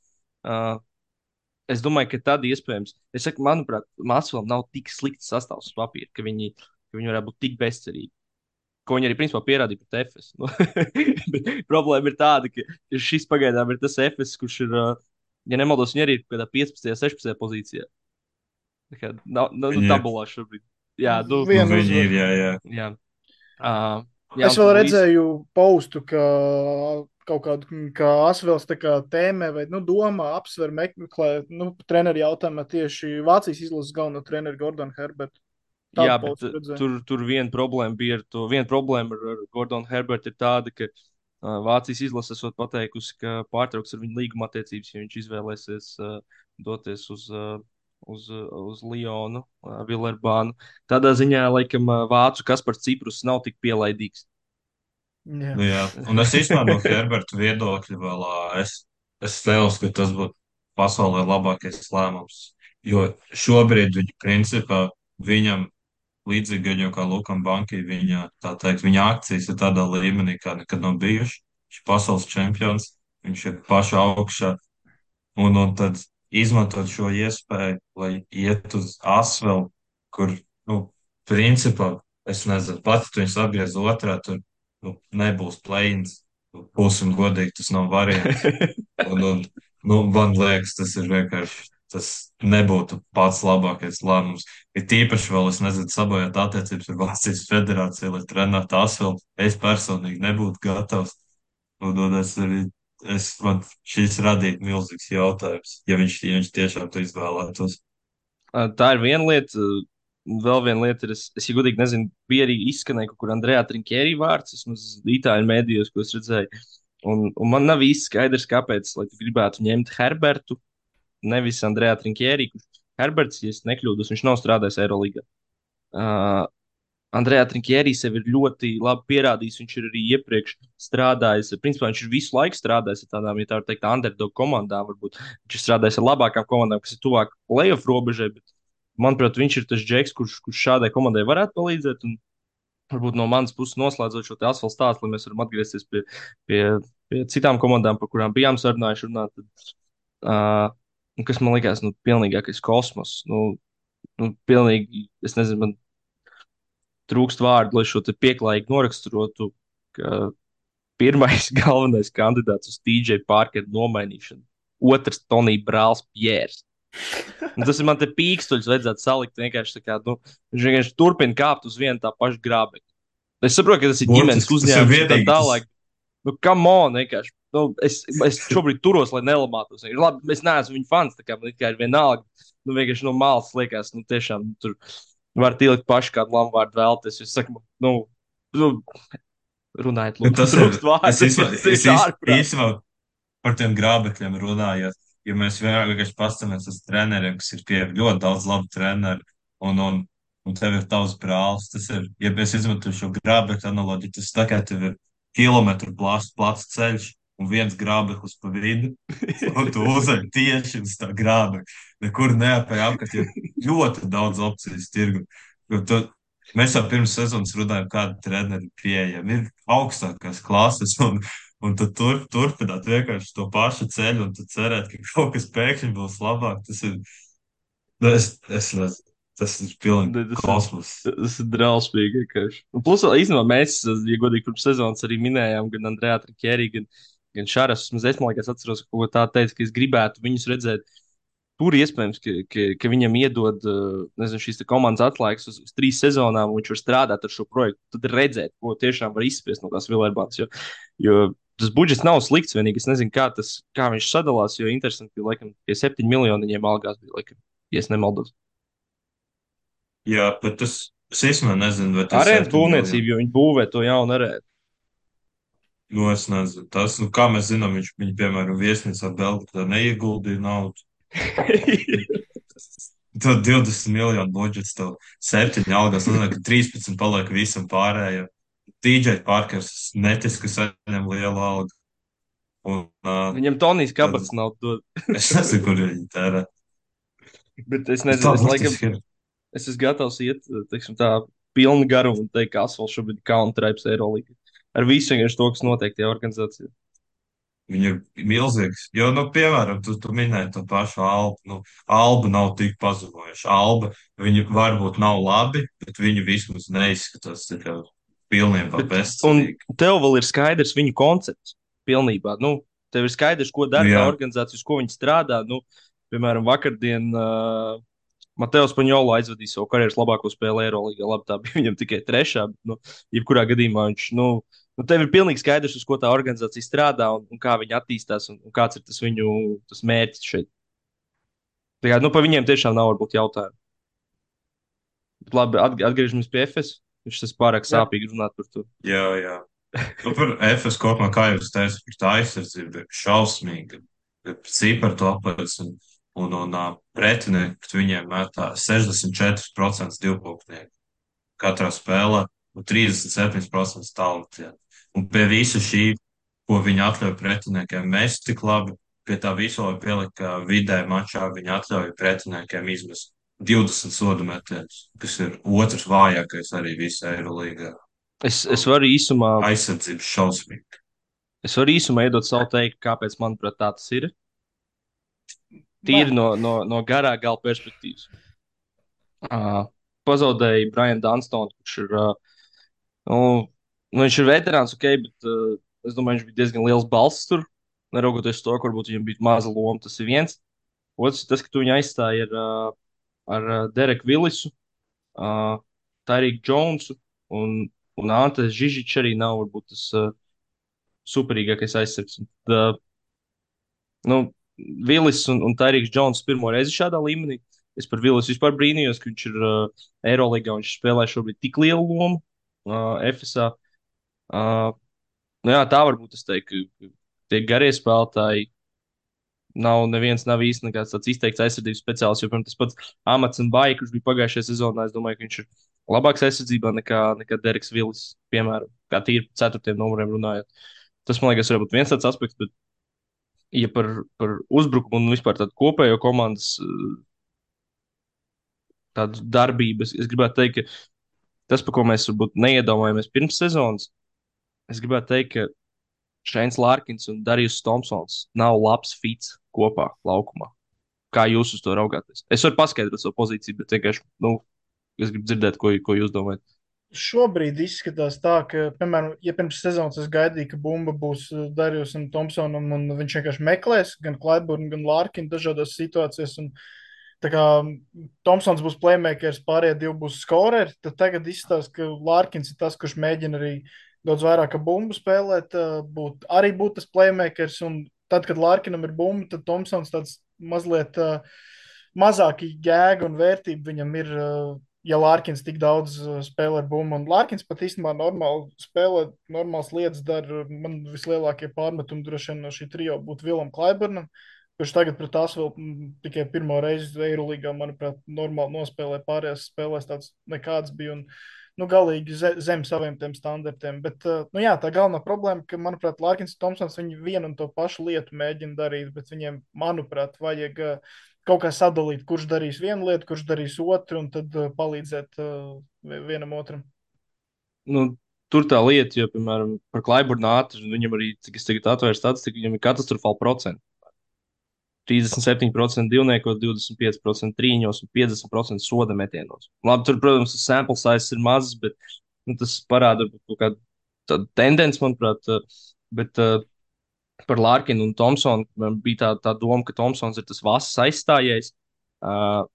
Speaker 1: Es domāju, ka tad iespējams, es saku, manuprāt, Mākslam nav tik slikts sastāvs uz papīra, ka viņi varētu būt tik bezcerīgi. Ko viņi arī principā pierādīja pret Efes. Nu, problēma ir tāda, ka šis pagaidām ir tas Efes, kurš ir, ja nemaldos, viņi arī ir kādā 15. 16. pozīcijā. Tā kā nav tabulā šobrīd. Jā,
Speaker 2: viņi ir, jā.
Speaker 1: Jā.
Speaker 3: Es vēl redzēju postu, ka kaut kādu, kā Asvels tā kā tēmē vai, domā, apsver, meklē, treneri jautājumā tieši Vācijas izlases galveno treneri Gordonu Herbertu.
Speaker 1: Jā, bet tur viena problēma bija ar to. Viena problēma ar Gordonu Herbertu ir tāda, ka Vācijas izlase esot pateikusi, ka pārtrauks ar viņu līguma attiecības, ja viņš izvēlēsies doties uz Lionu, Villerbānu. Tādā ziņā, laikam, vācu Kaspars Ciprus nav tik pielaidīgs.
Speaker 2: Jā. Un es īstenībā no Herberta viedokļa vēl es neuzskatu, ka tas būtu pasaulē labākais lēmums. Jo šobrīd viņa principā viņam līdzīgi viņam kā Lukam Bankai, viņa akcijas ir tādā līmenī, kā nekad nav bijuši. Viņš ir pasaules čempions, viņš ir pašā augšā. Un tad izmantot šo iespēju, lai iet uz Asvelu, kur, principā, es nezinu, pats tu viņus atgriez otrā, tur nebūs play-ins. Būsim godīgi, tas nav variants. Man liekas, tas ir vienkārši, tas nebūtu pats labākais lēmums. Ir tīpaši vēl, es nezinu, sabojāt attiecības ar Vācijas federāciju, lai trenētu Asvelu. Es personīgi nebūtu gatavs. Man šis radītu milzīgs jautājums, ja viņš tiešām to izvēlētos.
Speaker 1: Tā ir viena lieta. Vēl viena lieta ir, es godīgi nezinu, bija arī izskanēja kaut kur Andrejā Trinkieri vārds, vismaz itāļu mēdījos, ko es redzēju. Un man nav īsti skaidrs, kāpēc, lai tu gribētu ņemt Herbertu, nevis Andrejā Trinkieri. Herberts, ja es nekļūdos, viņš nav strādājis Eirolīgā. Andrejā Trinkieri sev ir ļoti labi pierādījis, viņš ir arī iepriekš strādājis, principā viņš ir visu laiku strādājis ar tādām, ja tā var teikt, underdog komandām, varbūt viņš ir strādājis ar labākām komandām, kas ir tuvāk playoff robežai, bet manuprāt, viņš ir tas džeks, kurš šādai komandai varētu palīdzēt. Un varbūt no manas puses noslēdzot šo Asfalt stāstu, lai mēs varam atgriezties pie citām komandām, par kurām bijām sarunājuši runāt. Kas man likās, pilnīgākais kosmos. Pilnīgi, es nezinu, man trūkst vārdu, lai šo te pieklājīgi noraksturotu, ka pirmais galvenais kandidāts uz TJ Parkeru nomainīšanu. Otrs Tonija brālis Pjērs. Tas ir man te pīkstuļs, vajadzētu salikt vienkārši tā kā, viņš vienkārši turpina kāpt uz vienu tā pašu grābekli. Es saprotu, ka tas ir ģimenes uzņēmums un tā tālāk. Come on, vienkārši. Es šobrīd turos, lai nelamātos. Labi, es neesmu viņa fans, tā kā man ir vienalga. Vienkārši no malas liekas, tiešām tur var ielikt paši kādu lamvārdu vēlties. Es saku, runājiet, lūdzu.
Speaker 2: Tas trūkst vārdu. Es īstenībā par tiem grābekļiem runājot. Ja mēs vienkārši paskatāmies uz treneriem, kas ir pie ļoti daudz labu treneru, un tev ir tavs brālis, tas ir, ja mēs izmantojam šo grābekļu analoģiju, tas tā kā tev ir kilometru plats ceļš un viens grābeklis pa vidu, un tu uzēji tieši uz tā grābekļa. Nekur neapēj apkārt, ir ļoti daudz opcijas tirgu. Mēs jau pirms sezonas runājām, kāda treneri pieejama ir augstākās klases, un tad turpināt vienkārši to pašu ceļu, un tad cerēt, ka kaut kas pēkšņi būs labāk. Es nezinu, tas ir pilnīgi
Speaker 1: Tas ir,
Speaker 2: kosmos.
Speaker 1: tas ir drausmīgi vienkārši. Un plus, vēl īstenībā mēs, ja godīgi, pirms sezonas arī minējām gan Andrejā Trikērī, gan Šāras. Es man liekas, atceros, ka kaut ko tādu teicu, ka es gribētu viņus redzēt. Tur iespējams, ka viņam iedod nezinu, šīs komandas atlaides uz 3 sezonām, un viņš var strādāt ar šo projektu. Tad redzēt, ko tiešām var izspiest no tās Vilērbānas. Jo tas budžets nav slikts. Vienīgi es nezinu, kā viņš sadalās. Jo interesanti, ka laikam tie 7 miljoni viņiem algās bija, laikam, ja es nemaldos.
Speaker 2: Jā, bet es īstenībā nezinu, vai tie
Speaker 1: Arēnas
Speaker 2: 7 miljoni.
Speaker 1: būvniecība, jo viņi būvē to jaunu arēnu.
Speaker 2: Nu, es nezinu. Kā mēs zinām, viņi piemēram, viesnīcā Belgradā neieguldīja naudu. Tad 20 miljonu budžets, tev 7 algas, un 13 paliek visam pārējiem. DJ Parkers netic, ka saņem lielu algu. Un,
Speaker 1: Viņam Tonijs
Speaker 2: tad
Speaker 1: Kabaks nav dod.
Speaker 2: es nezinu, kur viņi tērē.
Speaker 1: Bet es
Speaker 2: Bet
Speaker 1: nezinu,
Speaker 2: tā
Speaker 1: es laikam,
Speaker 2: burtiski ir.
Speaker 1: es esmu gatavs iet, teiksim, tā pilnu garumu un teikt, ka Asfalt šobrīd ir counter-types Eirolandā. Ar visu vienkārši to, kas notiek tajā organizācijā.
Speaker 2: Viņa ir milzīgs. Jo, nu, piemēram, tu minēji to pašu Albu. Nu, Alba nav tik pazemojuša. Alba, viņi varbūt nav labi, bet viņi vismaz neizskatās tā kā pilnībā
Speaker 1: Un
Speaker 2: bezcerīgi.
Speaker 1: tev vēl ir skaidrs viņu koncepts pilnībā. Nu, tev ir skaidrs, ko
Speaker 2: Nu,
Speaker 1: dara tā
Speaker 2: jā,
Speaker 1: organizācija, uz ko viņi strādā. Nu, piemēram, vakardien Mateo Spaņolo aizvadīja savu karjeras labāko spēli Eirolandā. Labi, tā bija viņam tikai trešā, bet, nu, jebkurā gadījumā viņš, tev ir pilnīgi skaidrs, uz ko tā organizācija strādā un kā viņi attīstās un kāds ir tas viņu tas mērķis šeit. Tā kā, par viņiem tiešām nav varbūt jautājumu. Bet labi, atgriežamies pie FS. Viņš tas pārāk
Speaker 3: Jā.
Speaker 1: sāpīgi runāt par to.
Speaker 2: jā, jā. Nu, par FS kopumā, kā jūs teicat, par tā aizsardzību ir šausmīga. Cipari to apliecina. Un pretinieki pret viņiem metā 64% divpunktnieku katrā spēlē un 37% tālrunī. Un pie visa šī, ko viņi atļauj pretiniekiem mest tik labi, pie tā visu var pielikt, ka vidē mačā viņi atļauj pretiniekiem izmest 20 sodu metienus, kas ir otrs vājākais arī visā Eirolīgā.
Speaker 1: Es varu īsumā,
Speaker 2: Aizsardzības šausmīgi.
Speaker 1: iedot savu teikumu, kāpēc, manuprāt, tā tas ir.
Speaker 3: Nē,
Speaker 1: Tīri no garā gala perspektīvas. Pazaudēja Brian Dunstonu, kurš ir, nu, viņš ir veterāns, ok, bet es domāju, viņš bija diezgan liels balss tur. Neraugoties to, ka varbūt viņam bija maza loma, tas ir viens. Otrs ir tas, ka tu viņu aizstāji ar Dereku Villisu, Tariku Jonesu un Antes Žižičs arī nav varbūt tas superīgākais aizsargs. Un tad, nu, Villis un Tariks Jones pirmo reizi šādā līmenī. Es par Villisu vispār brīnījos, ka viņš ir Eirolandā un viņš spēlē šobrīd tik lielu lomu FSA. Uh, nu jā, tā varbūt es teiktu, ka tie garie spēlētāji nav īsti nekāds tāds izteikts aizsardzības speciālists. Jo, piemēram, tas pats Amats un Baija, kurš bija pagājušajā sezonā, es domāju, ka viņš ir labāks aizsardzībā nekā Dereks Villis, piemēram, kā tīri ceturtiem numuriem runājot. Tas, man liekas, varbūt viens tāds aspekts, bet, ja par uzbrukumu un vispār tādu kopējo komandas tādu darbību, es gribētu teikt, ka tas, par ko mēs varbūt neiedomājamies pirms sezonas, es gribētu teikt, ka Šeins Lārkins un Darījus Thompsons nav labs fits kopā laukumā. Kā jūs uz to raugāties? Es varu paskaidrot savu pozīciju, bet vienkārši es gribu dzirdēt, ko jūs domājat.
Speaker 3: šobrīd izskatās tā, ka, piemēram, ja pirms sezonas es gaidīju, ka bumba būs Darījus un Thompsonam, un viņš vienkārši meklēs gan Klaiburnu, gan Lārkinu dažādās situācijās. Un, tā kā Thompsons būs playmakers, pārējie divi būs skoreri, tad tagad izstāsta, ka Lārkins ir tas, kurš mēģina arī daudz vairāk ar bumbu spēlēt, arī būt tas playmakers. Un tad, kad Lārkinam ir bumba, tad Thompsons tāds mazliet mazāk jēga un vērtība viņam ir. Ja Lārkins tik daudz spēlē ar bumbu, un Lārkins pat īstenībā normāli spēlē, normāls lietas dara, man vislielākie pārmetumi droši vien no šī trio būtu Vilam Klaiburnam, kurš tagad pret tās vēl tikai pirmo reizi Eirolīgā, manuprāt, normāli nospēlē, pārējās spēlēs tāds nekāds bija un, nu, galīgi zem saviem tiem standartiem. Bet, nu jā, tā galvenā problēma, ka, manuprāt, Lārkins un Thompsons viņi vienu un to pašu lietu mēģina darīt, bet viņiem, manuprāt, vajag kaut kā sadalīt, kurš darīs vienu lietu, kurš darīs otru, un tad palīdzēt vienam otram.
Speaker 1: Nu, tur tā lieta, jo, piemēram, par Klaiburnu ātru, viņam arī, cik es tagad atvēru statistiku, viņam ir katastrofāli procenti. 37% divniekos, 25% trīņos un 50% soda metienos. Labi, tur, protams, tas sample size ir mazs, bet tas parāda kaut kādu tādu tendenci, manuprāt. Bet par Lārkinu un Thompsonu man bija tā doma, ka Thompsons ir tas vasas aizstājies. Uh,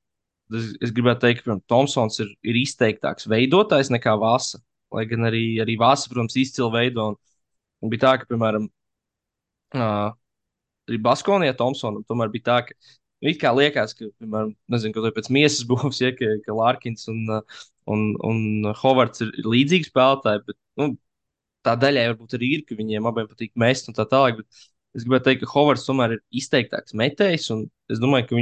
Speaker 1: es gribētu teikt, ka Thompsons ir izteiktāks veidotājs nekā Vasa. Lai gan arī Vasa, protams, izcili veido. Un bija tā, ka, piemēram, arī Baskonijā Thompsonam tomēr bija tā, ka it kā liekas, ka, piemēram, nezinu, kaut vai pēc miesas būvs, ja, ka Lārkins un Hovards ir līdzīgi spēlētāji, bet nu, tā daļai varbūt arī ir, ka viņiem abiem patīk mest un tā tālāk. Bet es gribētu teikt, ka Hovards tomēr ir izteiktāks metējs, un es domāju, ka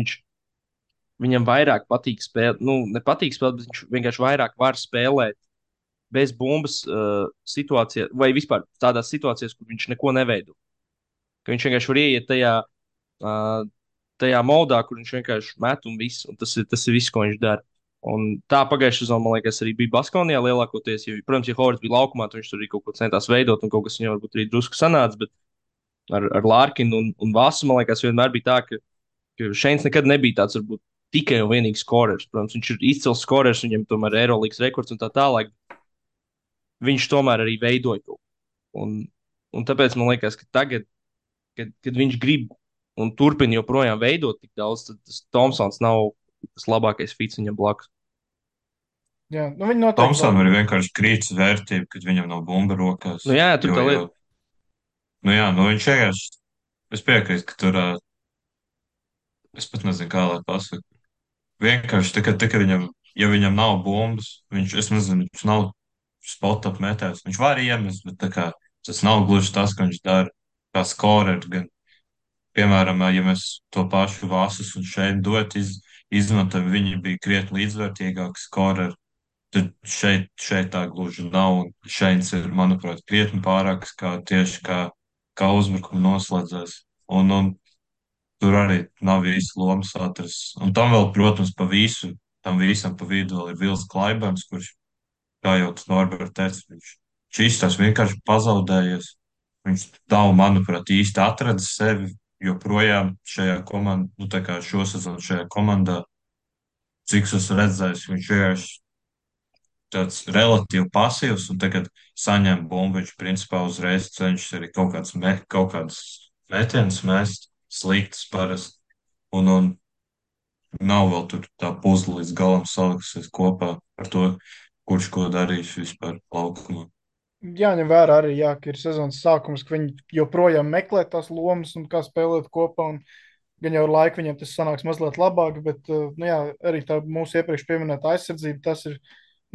Speaker 1: viņam vairāk patīk spēlēt, nu, nepatīk spēlēt, bet viņš vienkārši vairāk var spēlēt bez bumbas situācijā, vai vispār tādās situācijās, kur viņš neko neveido. Ka viņš vienkārši var ieiet uh, tajā modā, kur viņš vienkārši met un viss, un tas ir viss, ko viņš dara. Un tā pagājušā sezonā, man liekas, arī bija Baskonijā lielākoties. Jo, protams, ja Hovards bija laukumā, tad viņš tur arī kaut ko centās veidot, un kaut kas viņam varbūt arī drusku sanāca. Bet ar Lārkinu un Vasu, man liekas, vienmēr bija tā, ka Šeins nekad nebija tāds, varbūt, tikai un vienīgi skorers. Protams, viņš ir izcils skorers, viņam tomēr ir Eirolandes rekords un tā tālāk. Viņš tomēr arī veidoja to. Un tāpēc man liekas, ka tagad, kad viņš grib un turpina joprojām veidot tik daudz, tad tas Thompsons nav tas labākais fits viņam blakus.
Speaker 3: Jā, nu viņi noteikti
Speaker 2: Thompsonam ir vienkārši krītas vērtība, kad viņam nav bumba rokās.
Speaker 1: Nu, jā, tur tā lieta.
Speaker 2: Nu jā, nu viņš vienkārši, es piekrītu, ka tur, es pat nezinu, kā lai pasaku. Vienkārši tā, ka viņam, ja viņam nav bumbas, es nezinu, viņš nav spot-up metējs. Viņš var iemest, bet tā kā tas nav gluži tas, ko viņš dara kā scorer. Gan, piemēram, ja mēs to pašu Vāsas un šeit izmantojam, viņi bija krietni līdzvērtīgāki scoreri. Tad šeit tā gluži nav. Un Šeins ir, manuprāt, krietni pārāks tieši kā uzbrukuma noslēdzējs. Un tur arī nav īsti lomas atrasts. Un tam vēl, protams, tam visam pa vidu vēl ir Vils Klaibans, kurš, kā jau tas Norberts teica, viņš izstāsta vienkārši pazaudējies. Viņš nav, manuprāt, īsti atradis sevi joprojām šajā komandā, nu tā kā šosezon šajā komandā. Cik es esmu redzējis, viņš vienkārši tāds relatīvi pasīvs, un tagad saņem bumbu. Viņš principā uzreiz cenšas arī kaut kādas metienas mest, sliktas parasti. Un nav vēl tur tā puzle līdz galam salikusies kopā ar to, kurš ko darīs vispār laukumā.
Speaker 3: jāņem vērā arī, jā, ka ir sezonas sākums, ka viņi joprojām meklē tās lomas un kā spēlēt kopā. Un gan jau ar laiku viņiem tas sanāks mazliet labāk, bet nu, jā, arī tā mūsu iepriekš pieminēta aizsardzība, tas ir,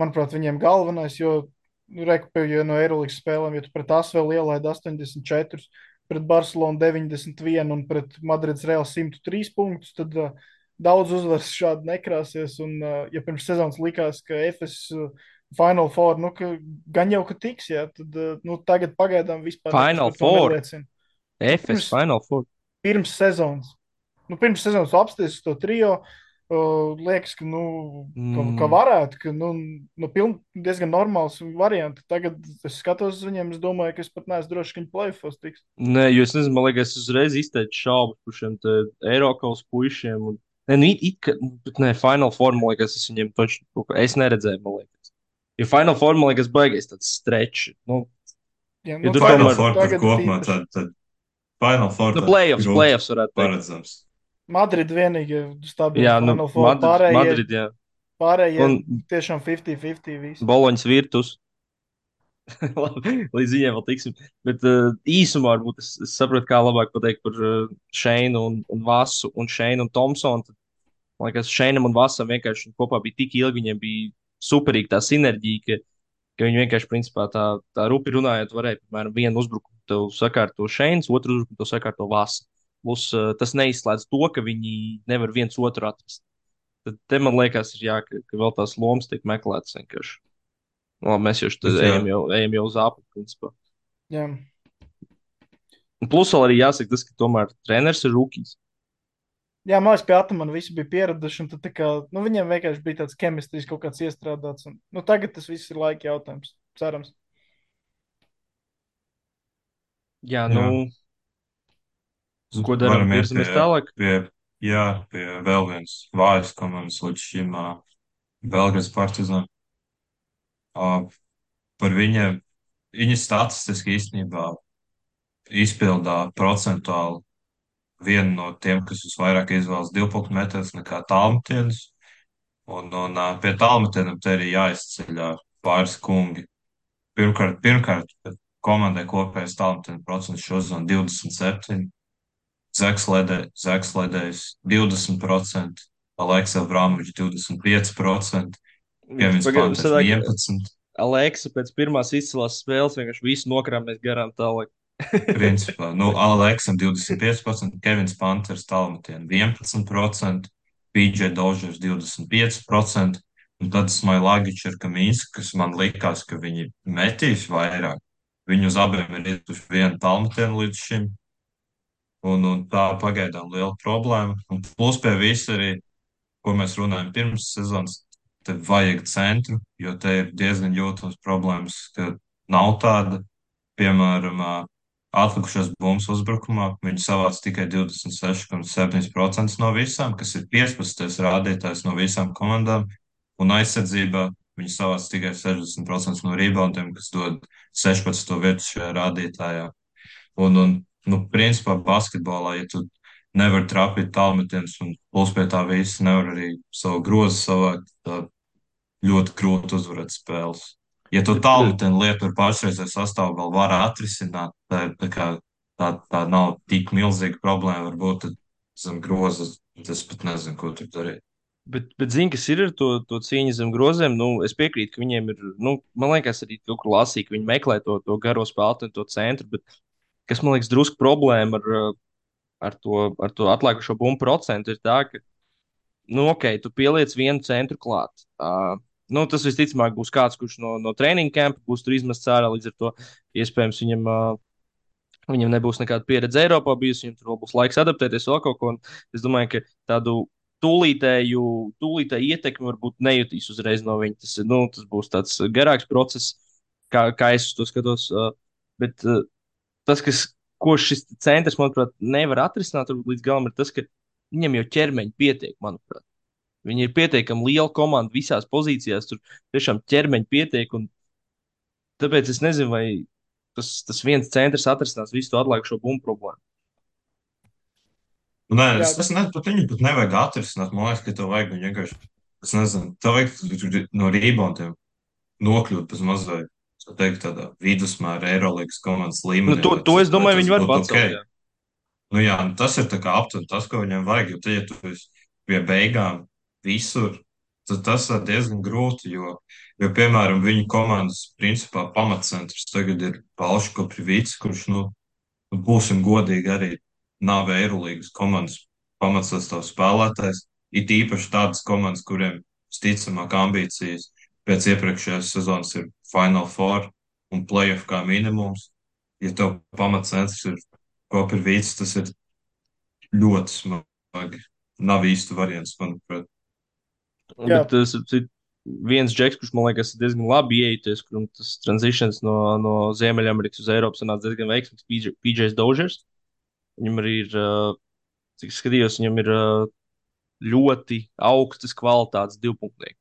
Speaker 3: manuprāt, viņiem galvenais. Jo, nu, ja no Eirolandes spēlēm, ja tu pret ASV ielaidi 84, pret Barcelonu 91 un pret Madrides Real 103 punktus, tad daudz uzvaras šādi nekrāsies. Un, ja pirms sezonas likās, ka FS Final Four, nu, ka gan jau, ka tiks, jā, tad nu, tagad pagaidām vispār
Speaker 1: Final Four.
Speaker 3: Neliecina.
Speaker 1: FS Final Four.
Speaker 3: Pirms sezonas. Nu, pirms sezonas apstāties to trio, liekas, ka, nu, ka varētu, ka nu, diezgan normāls variants. Tagad es skatos uz viņiem, es domāju, ka es pat neesmu drošs, ka viņi play-offs tiks.
Speaker 1: Nē, jo es nezinu, man liekas, es uzreiz izteicu šaubas par šiem Eiropas puišiem. Bet nē, Final Four, man liekas, es viņiem toču, es neredzēju, man liekas. Jo Final Four, man liekas, baigais tāds stretch. Nu,
Speaker 3: Jā,
Speaker 1: ja
Speaker 3: nu,
Speaker 1: tur
Speaker 2: Final
Speaker 1: tomēr
Speaker 2: Four
Speaker 3: tagad
Speaker 2: kopumā,
Speaker 3: tīpaši.
Speaker 2: tad Final Four.
Speaker 1: nu, playoffs varētu teikt.
Speaker 2: Paredzams.
Speaker 3: Madrid vienīgi stabili
Speaker 1: Jā, nu,
Speaker 3: Final Four.
Speaker 1: Madrid, jā.
Speaker 3: Pārējie
Speaker 1: Un
Speaker 3: tiešām 50-50 visi.
Speaker 1: Boloņas virtus. Līdz viņiem vēl tiksim. Bet īsumā varbūt es saprotu, kā labāk pateikt par Šeinu un Vasu un Šeinu un Thompsonu. Tad, man liekas, Šeinam un Vasam vienkārši kopā bija tik ilgi, viņiem bija superīga tā sinerģija, ka viņi vienkārši, principā, tā rupi runājot, varēja, piemēram, vienu uzbrukumu tev sakārto Šeins, otru uzbrukumu tev sakārto Vasa. Plus tas neizslēdz to, ka viņi nevar viens otru atrast. Tad te man liekas, ir jā, ka vēl tās lomas tiek meklētas vienkārši. Labi, mēs ejam jau uz apli, principā.
Speaker 3: Jā.
Speaker 1: Un plus vēl arī jāsaka tas, ka tomēr treneris ir rūkīs.
Speaker 3: Jā, man liekas, pie Atamana visi bija pieraduši, un tad tā kā, nu, viņiem vienkārši bija tāds ķemistrijs kaut kāds iestrādāts, un, nu, tagad tas viss ir laika jautājums, cerams.
Speaker 1: Jā, nu,
Speaker 2: Jā,
Speaker 1: ko darām?
Speaker 2: varam iet
Speaker 1: Virzamies tālāk.
Speaker 2: jā, pie vēl vienas vājas komandas līdz šim Belgrades Partizan. Par viņiem, viņi statistiski īstenībā izpildā procentuāli vienu no tiem, kas visvairāk izvēlas divpunktu metējus nekā tālmetienus. Un pie tālmetieniem te arī jāizceļ pāris kungi. Pirmkārt, komandai kopējais tālmetienu procents šo sezonu 27, Zeks Ledējs 20%, Aleksa Abramovičs 25%, Kevins Panters
Speaker 1: Sanāk,
Speaker 2: 11%.
Speaker 1: Aleksa pēc pirmās izcilās spēles vienkārši visu nokrāmēs garām tālāk.
Speaker 2: Principā, nu, Aleksam 25%, Kevins Panters tālmetienu 11%, PJ Dožers 25%, un tad Smailagičs ar Kamīnsku, kas man likās, ka viņi metīs vairāk. Viņi uz abiem ir ietuši vienu tālmetienu līdz šim, un tā pagaidām liela problēma. Un plus pie visa arī, ko mēs runājam pirms sezonas, te vajag centru, jo te ir diezgan jūtams problēmas, ka nav tāda. Piemēram, atlikušās bumbas uzbrukumā viņi savāc tikai 26,7% no visām, kas ir 15. rādītājs no visām komandām, un aizsardzībā viņi savāc tikai 60% no reboundiem, kas dod 16. vietu šajā rādītājā. Nu, principā basketbolā, ja tu nevari trapīt tālmetienus un plus pie tā visa nevar arī savu grozu savākt, tad ļoti grūti uzvarēt spēles. Ja tu
Speaker 1: Bet,
Speaker 2: tālmetienu lietu ar pašreizēju sastāvu vēl var atrisināt, tā nav tik milzīga problēma, varbūt tad zem groza es pat nezinu, ko tur darīt.
Speaker 1: bet zini, kas ir ar to cīņu zem groziem? Nu, es piekrītu, ka viņiem ir, nu, man liekas, arī kaut kur lasīt, ka viņi meklē to garo spēlētāju, to centru, bet kas man liekas drusku problēma ar to atlikušo bumbu procentu ir tā, ka, nu, ok, tu pieliec vienu centru klāt. Nu, tas visticamāk būs kāds, kurš no treniņa kampa būs tur izmests ārā, līdz ar to iespējams viņam nebūs nekāda pieredze Eiropā bijusi, viņam tur vēl būs laiks adaptēties vēl kaut ko. Es domāju, ka tādu tūlītēju ietekmi varbūt nejutīs uzreiz no viņa. Tas būs tāds garāks process, kā es uz to skatos. Bet tas, ko šis centrs, manuprāt, nevar atrisināt līdz galam, ir tas, ka viņam jau ķermeņa pietiek, manuprāt. Viņi ir pietiekami liela komanda visās pozīcijās, tur tiešām ķermeņa pietiek. Tāpēc es nezinu, vai tas viens centrs atrisinās visu to atlikušo bumbu problēmu.
Speaker 2: Nē,
Speaker 3: Jā,
Speaker 2: es nezinu, pat viņu pat nevajag atrisināt. Man liekas, ka tev vajag viņu vienkārši, es nezinu, tev vajag no reboundiem nokļūt bez mazliet, tā teikt, tādā vidusmēra Eirolandes komandas
Speaker 1: Nu,
Speaker 2: līmenī,
Speaker 1: to es
Speaker 2: lai
Speaker 1: domāju,
Speaker 2: tas
Speaker 1: viņi var
Speaker 2: būtu ok.
Speaker 1: pacelt. Jā.
Speaker 2: Nu jā, nu tas ir tā kā aptuveni tas, ko viņam vajag, jo te, ja tu esi pie beigām visur, tad tas ir diezgan grūti, piemēram, viņu komandas principā pamatcentrs tagad ir Palško Privīts, kurš, nu, būsim godīgi, arī nav Eirolīgas komandas pamatsastāvs spēlētājs, it īpaši tādas komandas, kuriem visticamāk ambīcijas pēc iepriekšējās sezonas ir Final Four un playoff kā minimums. Ja tev pamatcentrs ir Koprivīts, tas ir ļoti smagi. Nav īsti variants, manuprāt.
Speaker 3: jā,
Speaker 1: Bet tas ir viens džeks, kurš man liekas diezgan labi ieities, kuram tas tranzīcijas no Ziemeļamerikas uz Eiropu sanāca diezgan veiksmīgs. PJs Dožers. Viņam arī ir, cik es skatījos, viņam ir ļoti augstas kvalitātes divpunktnieki.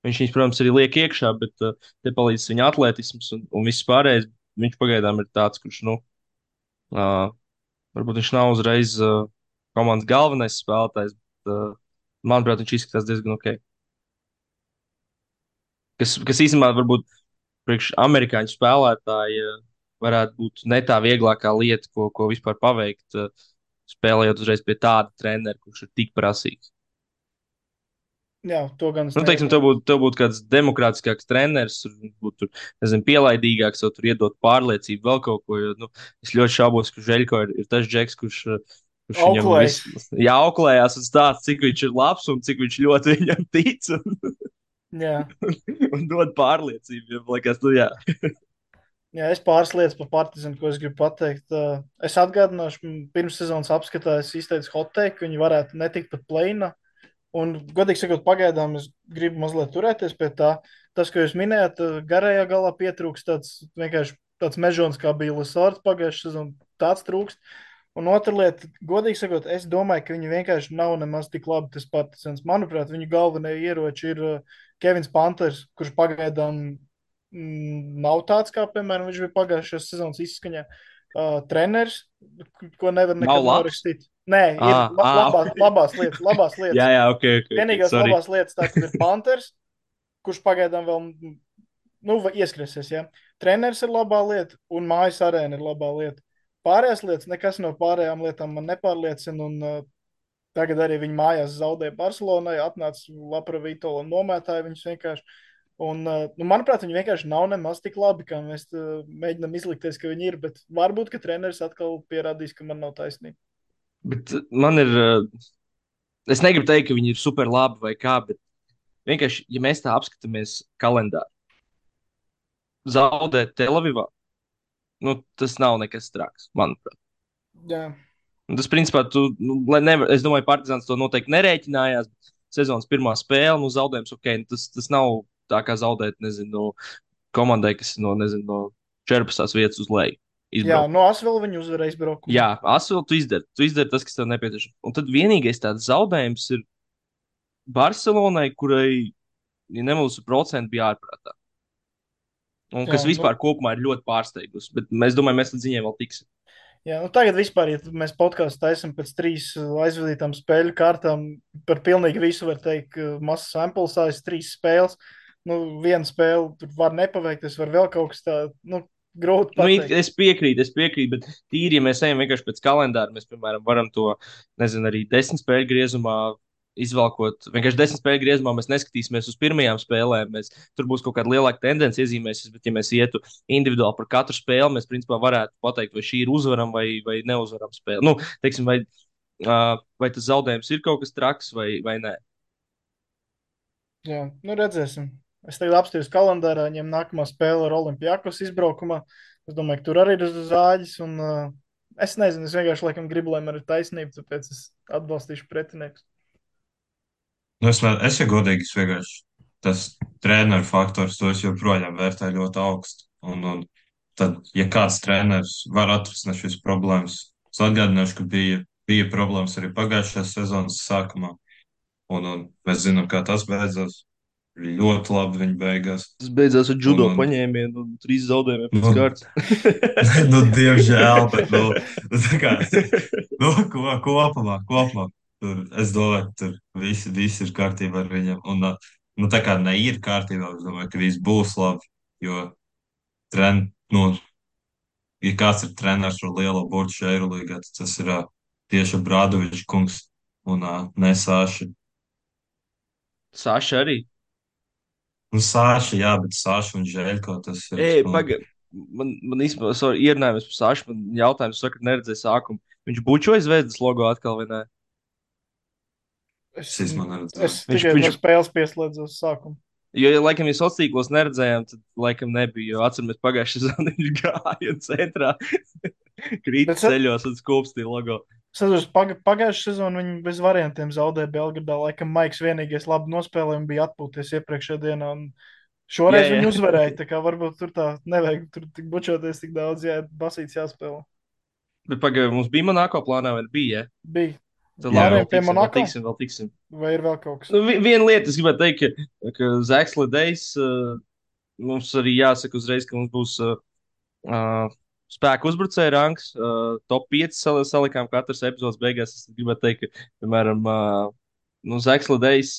Speaker 1: Viņš, protams, arī liek iekšā, bet te palīdz viņa atletisms un viss pārējais. Viņš pagaidām ir tāds, kurš, nu, uh, varbūt viņš nav uzreiz komandas galvenais spēlētājs, bet, manuprāt, viņš izskatās diezgan ok. Kas īstenībā varbūt priekš amerikāņu spēlētāji varētu būt ne tā vieglākā lieta, ko vispār paveikt, spēlējot uzreiz pie tāda trenera, kurš ir tik prasīgs.
Speaker 3: jā, to gan es
Speaker 1: Nu, teiksim,
Speaker 3: neiebilstu.
Speaker 1: tev būtu kāds demokrātiskāks treneris, būtu, nezinu, pielaidīgāks, vai tur iedot pārliecību, vēl kaut ko. Jo, nu, es ļoti šaubos, ka Žeļko ir tas džeks, kurš viņam
Speaker 3: Auklējs.
Speaker 1: jāauklējās un stāsta, cik viņš ir labs un cik viņš ļoti viņam tic
Speaker 3: Jā,
Speaker 1: un dod pārliecību. Jo, liekas, nu, jā.
Speaker 3: Jā, es pāris lietas par Partizanu, ko es gribu pateikt. Es atgādināšu, pirms sezonas apskatā es izteicu hot take, ka viņi varētu netikt pat play-inā. Un, godīgi sakot, pagaidām es gribu mazliet turēties pie tā. Tas, ko jūs minējāt, garajā galā pietrūkst tāds vienkārši tāds mežons, kā bija Lasārds pagājušajā sezonā. Tāds trūkst. Un otra lieta, godīgi sakot, es domāju, ka viņi vienkārši nav nemaz tik labi tas Partizans. Manuprāt, viņu galvenie ieroči ir Kevins Panters, kurš pagaidām nav tāds, kā, piemēram, viņš bija pagājušajā sezonas izskaņā. Treneris, ko nevar
Speaker 1: Nav
Speaker 3: nekad
Speaker 1: labs?
Speaker 3: norakstīt. Nē, ir
Speaker 1: Ok.
Speaker 3: labās lietas, labās
Speaker 1: Jā,
Speaker 3: lietas.
Speaker 1: jā, ok, ok, ok,
Speaker 3: Vienīgās
Speaker 1: sorry.
Speaker 3: labās lietas tā tad ir Panthers, kurš pagaidām vēl, nu, ieskrēsies, ja. Treneris ir labā lieta un mājas arēna ir labā lieta. Pārējās lietas, nekas no pārējām lietām man nepārliecina, un tagad arī viņi mājās zaudēja Barcelonai, atnāca Lapra Vitola un nomētāja viņus vienkārši. Un, nu, manuprāt, viņi vienkārši nav nemaz tik labi, kā mēs mēģinām izlikties, ka viņi ir, bet varbūt, ka treneris atkal pierādīs, ka man nav taisnība.
Speaker 1: Bet man ir, es negribu teikt, ka viņi ir super labi vai kā, bet vienkārši, ja mēs tā apskatāmies kalendāru, zaudēt Telavivā, nu, tas nav nekas traks, manuprāt.
Speaker 3: Jā.
Speaker 1: Un tas, principā, nevar, es domāju, Partizans to noteikti nerēķinājās. Sezonas pirmā spēle, nu, zaudējums, ok, nu, tas nav tā kā zaudēt, nezinu, no komandai, kas ir no, nezinu, no 14. vietas uz leju.
Speaker 3: Jā,
Speaker 1: Izbraukt.
Speaker 3: no Asvela viņi uzvarēja izbraukumā.
Speaker 1: Jā, Asvel, tu izdari tas, kas tev nepieciešams. Un tad vienīgais tāds zaudējums ir Barcelonai, kurai, ja nemaldos, procenti bija ārprātā. Un
Speaker 3: Jā,
Speaker 1: kas
Speaker 3: nu,
Speaker 1: vispār kopumā ir ļoti pārsteigusi. Bet mēs domājam, mēs līdz viņai vēl tiksim.
Speaker 3: jā, nu tagad vispār, ja mēs podkāstu taisam pēc 3 aizvadītām spēļu kārtām, par pilnīgi visu var teikt, ka mazs sample size, 3 spēles. Nu, viena spēle tur var nepaveikties, var vēl kaut kas tāds, nu, grūti
Speaker 1: Nu,
Speaker 3: pateikt.
Speaker 1: es piekrītu, bet tīri, ja mēs ejam vienkārši pēc kalendāra, mēs, piemēram, varam to, nezinu, arī 10 spēļu griezumā izvelkot. Vienkārši 10 spēļu griezumā mēs neskatīsimies uz pirmajām spēlēm. Tur būs kaut kāda lielāka tendence iezīmēsies, bet, ja mēs ietu individuāli par katru spēli, mēs, principā, varētu pateikt, vai šī ir uzvarama vai neuzvarama spēle. Nu, teiksim, vai tas zaudējums ir kaut kas traks vai nē.
Speaker 3: Jā, nu redzēsim. Es tagad apstīos kalendārā, ņem nākamā spēle ar Olimpijakos izbraukumā. Es domāju, ka tur arī ir zāģis, un es nezinu, es vienkārši laikam gribu, lai man ir taisnība, tāpēc es atbalstīšu pretiniekus.
Speaker 2: Nu, es ja godīgi, es vienkārši tas treneru faktors, to es joprojām vērtēju ļoti augstu. Un tad, ja kāds treneris var atrisināt šīs problēmas, es atgādināšu, ka bija problēmas arī pagājušās sezonas sākumā. Un mēs zinām, kā tas beidzās. Ļoti labi viņi beigās.
Speaker 1: Tas beidzās ar judo
Speaker 2: Un,
Speaker 1: paņēmienu un 3 zaudējumiem pēc
Speaker 2: nu,
Speaker 1: kārtas.
Speaker 2: nu, diemžēl, bet, tā kā, kopumā, es domāju, ka tur viss ir kārtībā ar viņiem. Un, tā kā ne ir kārtībā, es domāju, ka viss būs labi, jo, nu, ja kāds ir treneris ar lielo burtu šajā Eirolīgā, tad tas ir tieši Brādovičs kungs un Nesāši.
Speaker 1: Saša arī.
Speaker 2: Nu, Sāša, jā, bet Sāša un Žēļko tas ir.
Speaker 1: Ej, pagaidi. Man īstenībā ierunājums par Sašu. Man jautājums, saka, neredzēju sākumu. Viņš bučoja zvezdas logo atkal vai nē?
Speaker 3: Es,
Speaker 2: Es īstenībā
Speaker 3: es
Speaker 2: neredzēju.
Speaker 3: tikai no
Speaker 1: Viņš,
Speaker 3: spēles pieslēdzos sākumu.
Speaker 1: jo, ja, laikam, ja sociālos tīklos neredzējām, tad, laikam, nebija. Jo atceramies, pagājušajā sezonā viņš gāja centrā, krīt
Speaker 3: Bet
Speaker 1: ceļos un skūpstīja logo.
Speaker 3: Sazurs, pagājušā sezonā viņi bez variantiem zaudēja Belgradā. Laikam Maiks vienīgais labi nospēlēja un bija atpūties iepriekšējā dienā. Un
Speaker 1: Jā,
Speaker 3: šoreiz
Speaker 1: jā.
Speaker 3: viņi uzvarēja. Tā kā varbūt tur tā nevajag tur tik bučoties tik daudz, jā, basīts jāspēlē.
Speaker 1: Bet pagaidi, mums bija Monako plānā vai bija?
Speaker 3: Bija.
Speaker 1: Tad labi,
Speaker 3: Pārējiem
Speaker 1: vēl
Speaker 3: pie
Speaker 1: tiksim, vēl
Speaker 3: Monako?
Speaker 1: tiksim, vēl tiksim.
Speaker 3: Vai ir vēl kaut kas?
Speaker 1: Nu, viena lieta, es gribētu teikt, ka Zaks Ledejs mums arī jāsaka uzreiz, ka mums būs spēku uzbrucēja rangs, top 5 salikām katras epizodes beigās. Es gribētu teikt, ka, piemēram, nu, Zaks Ledejs,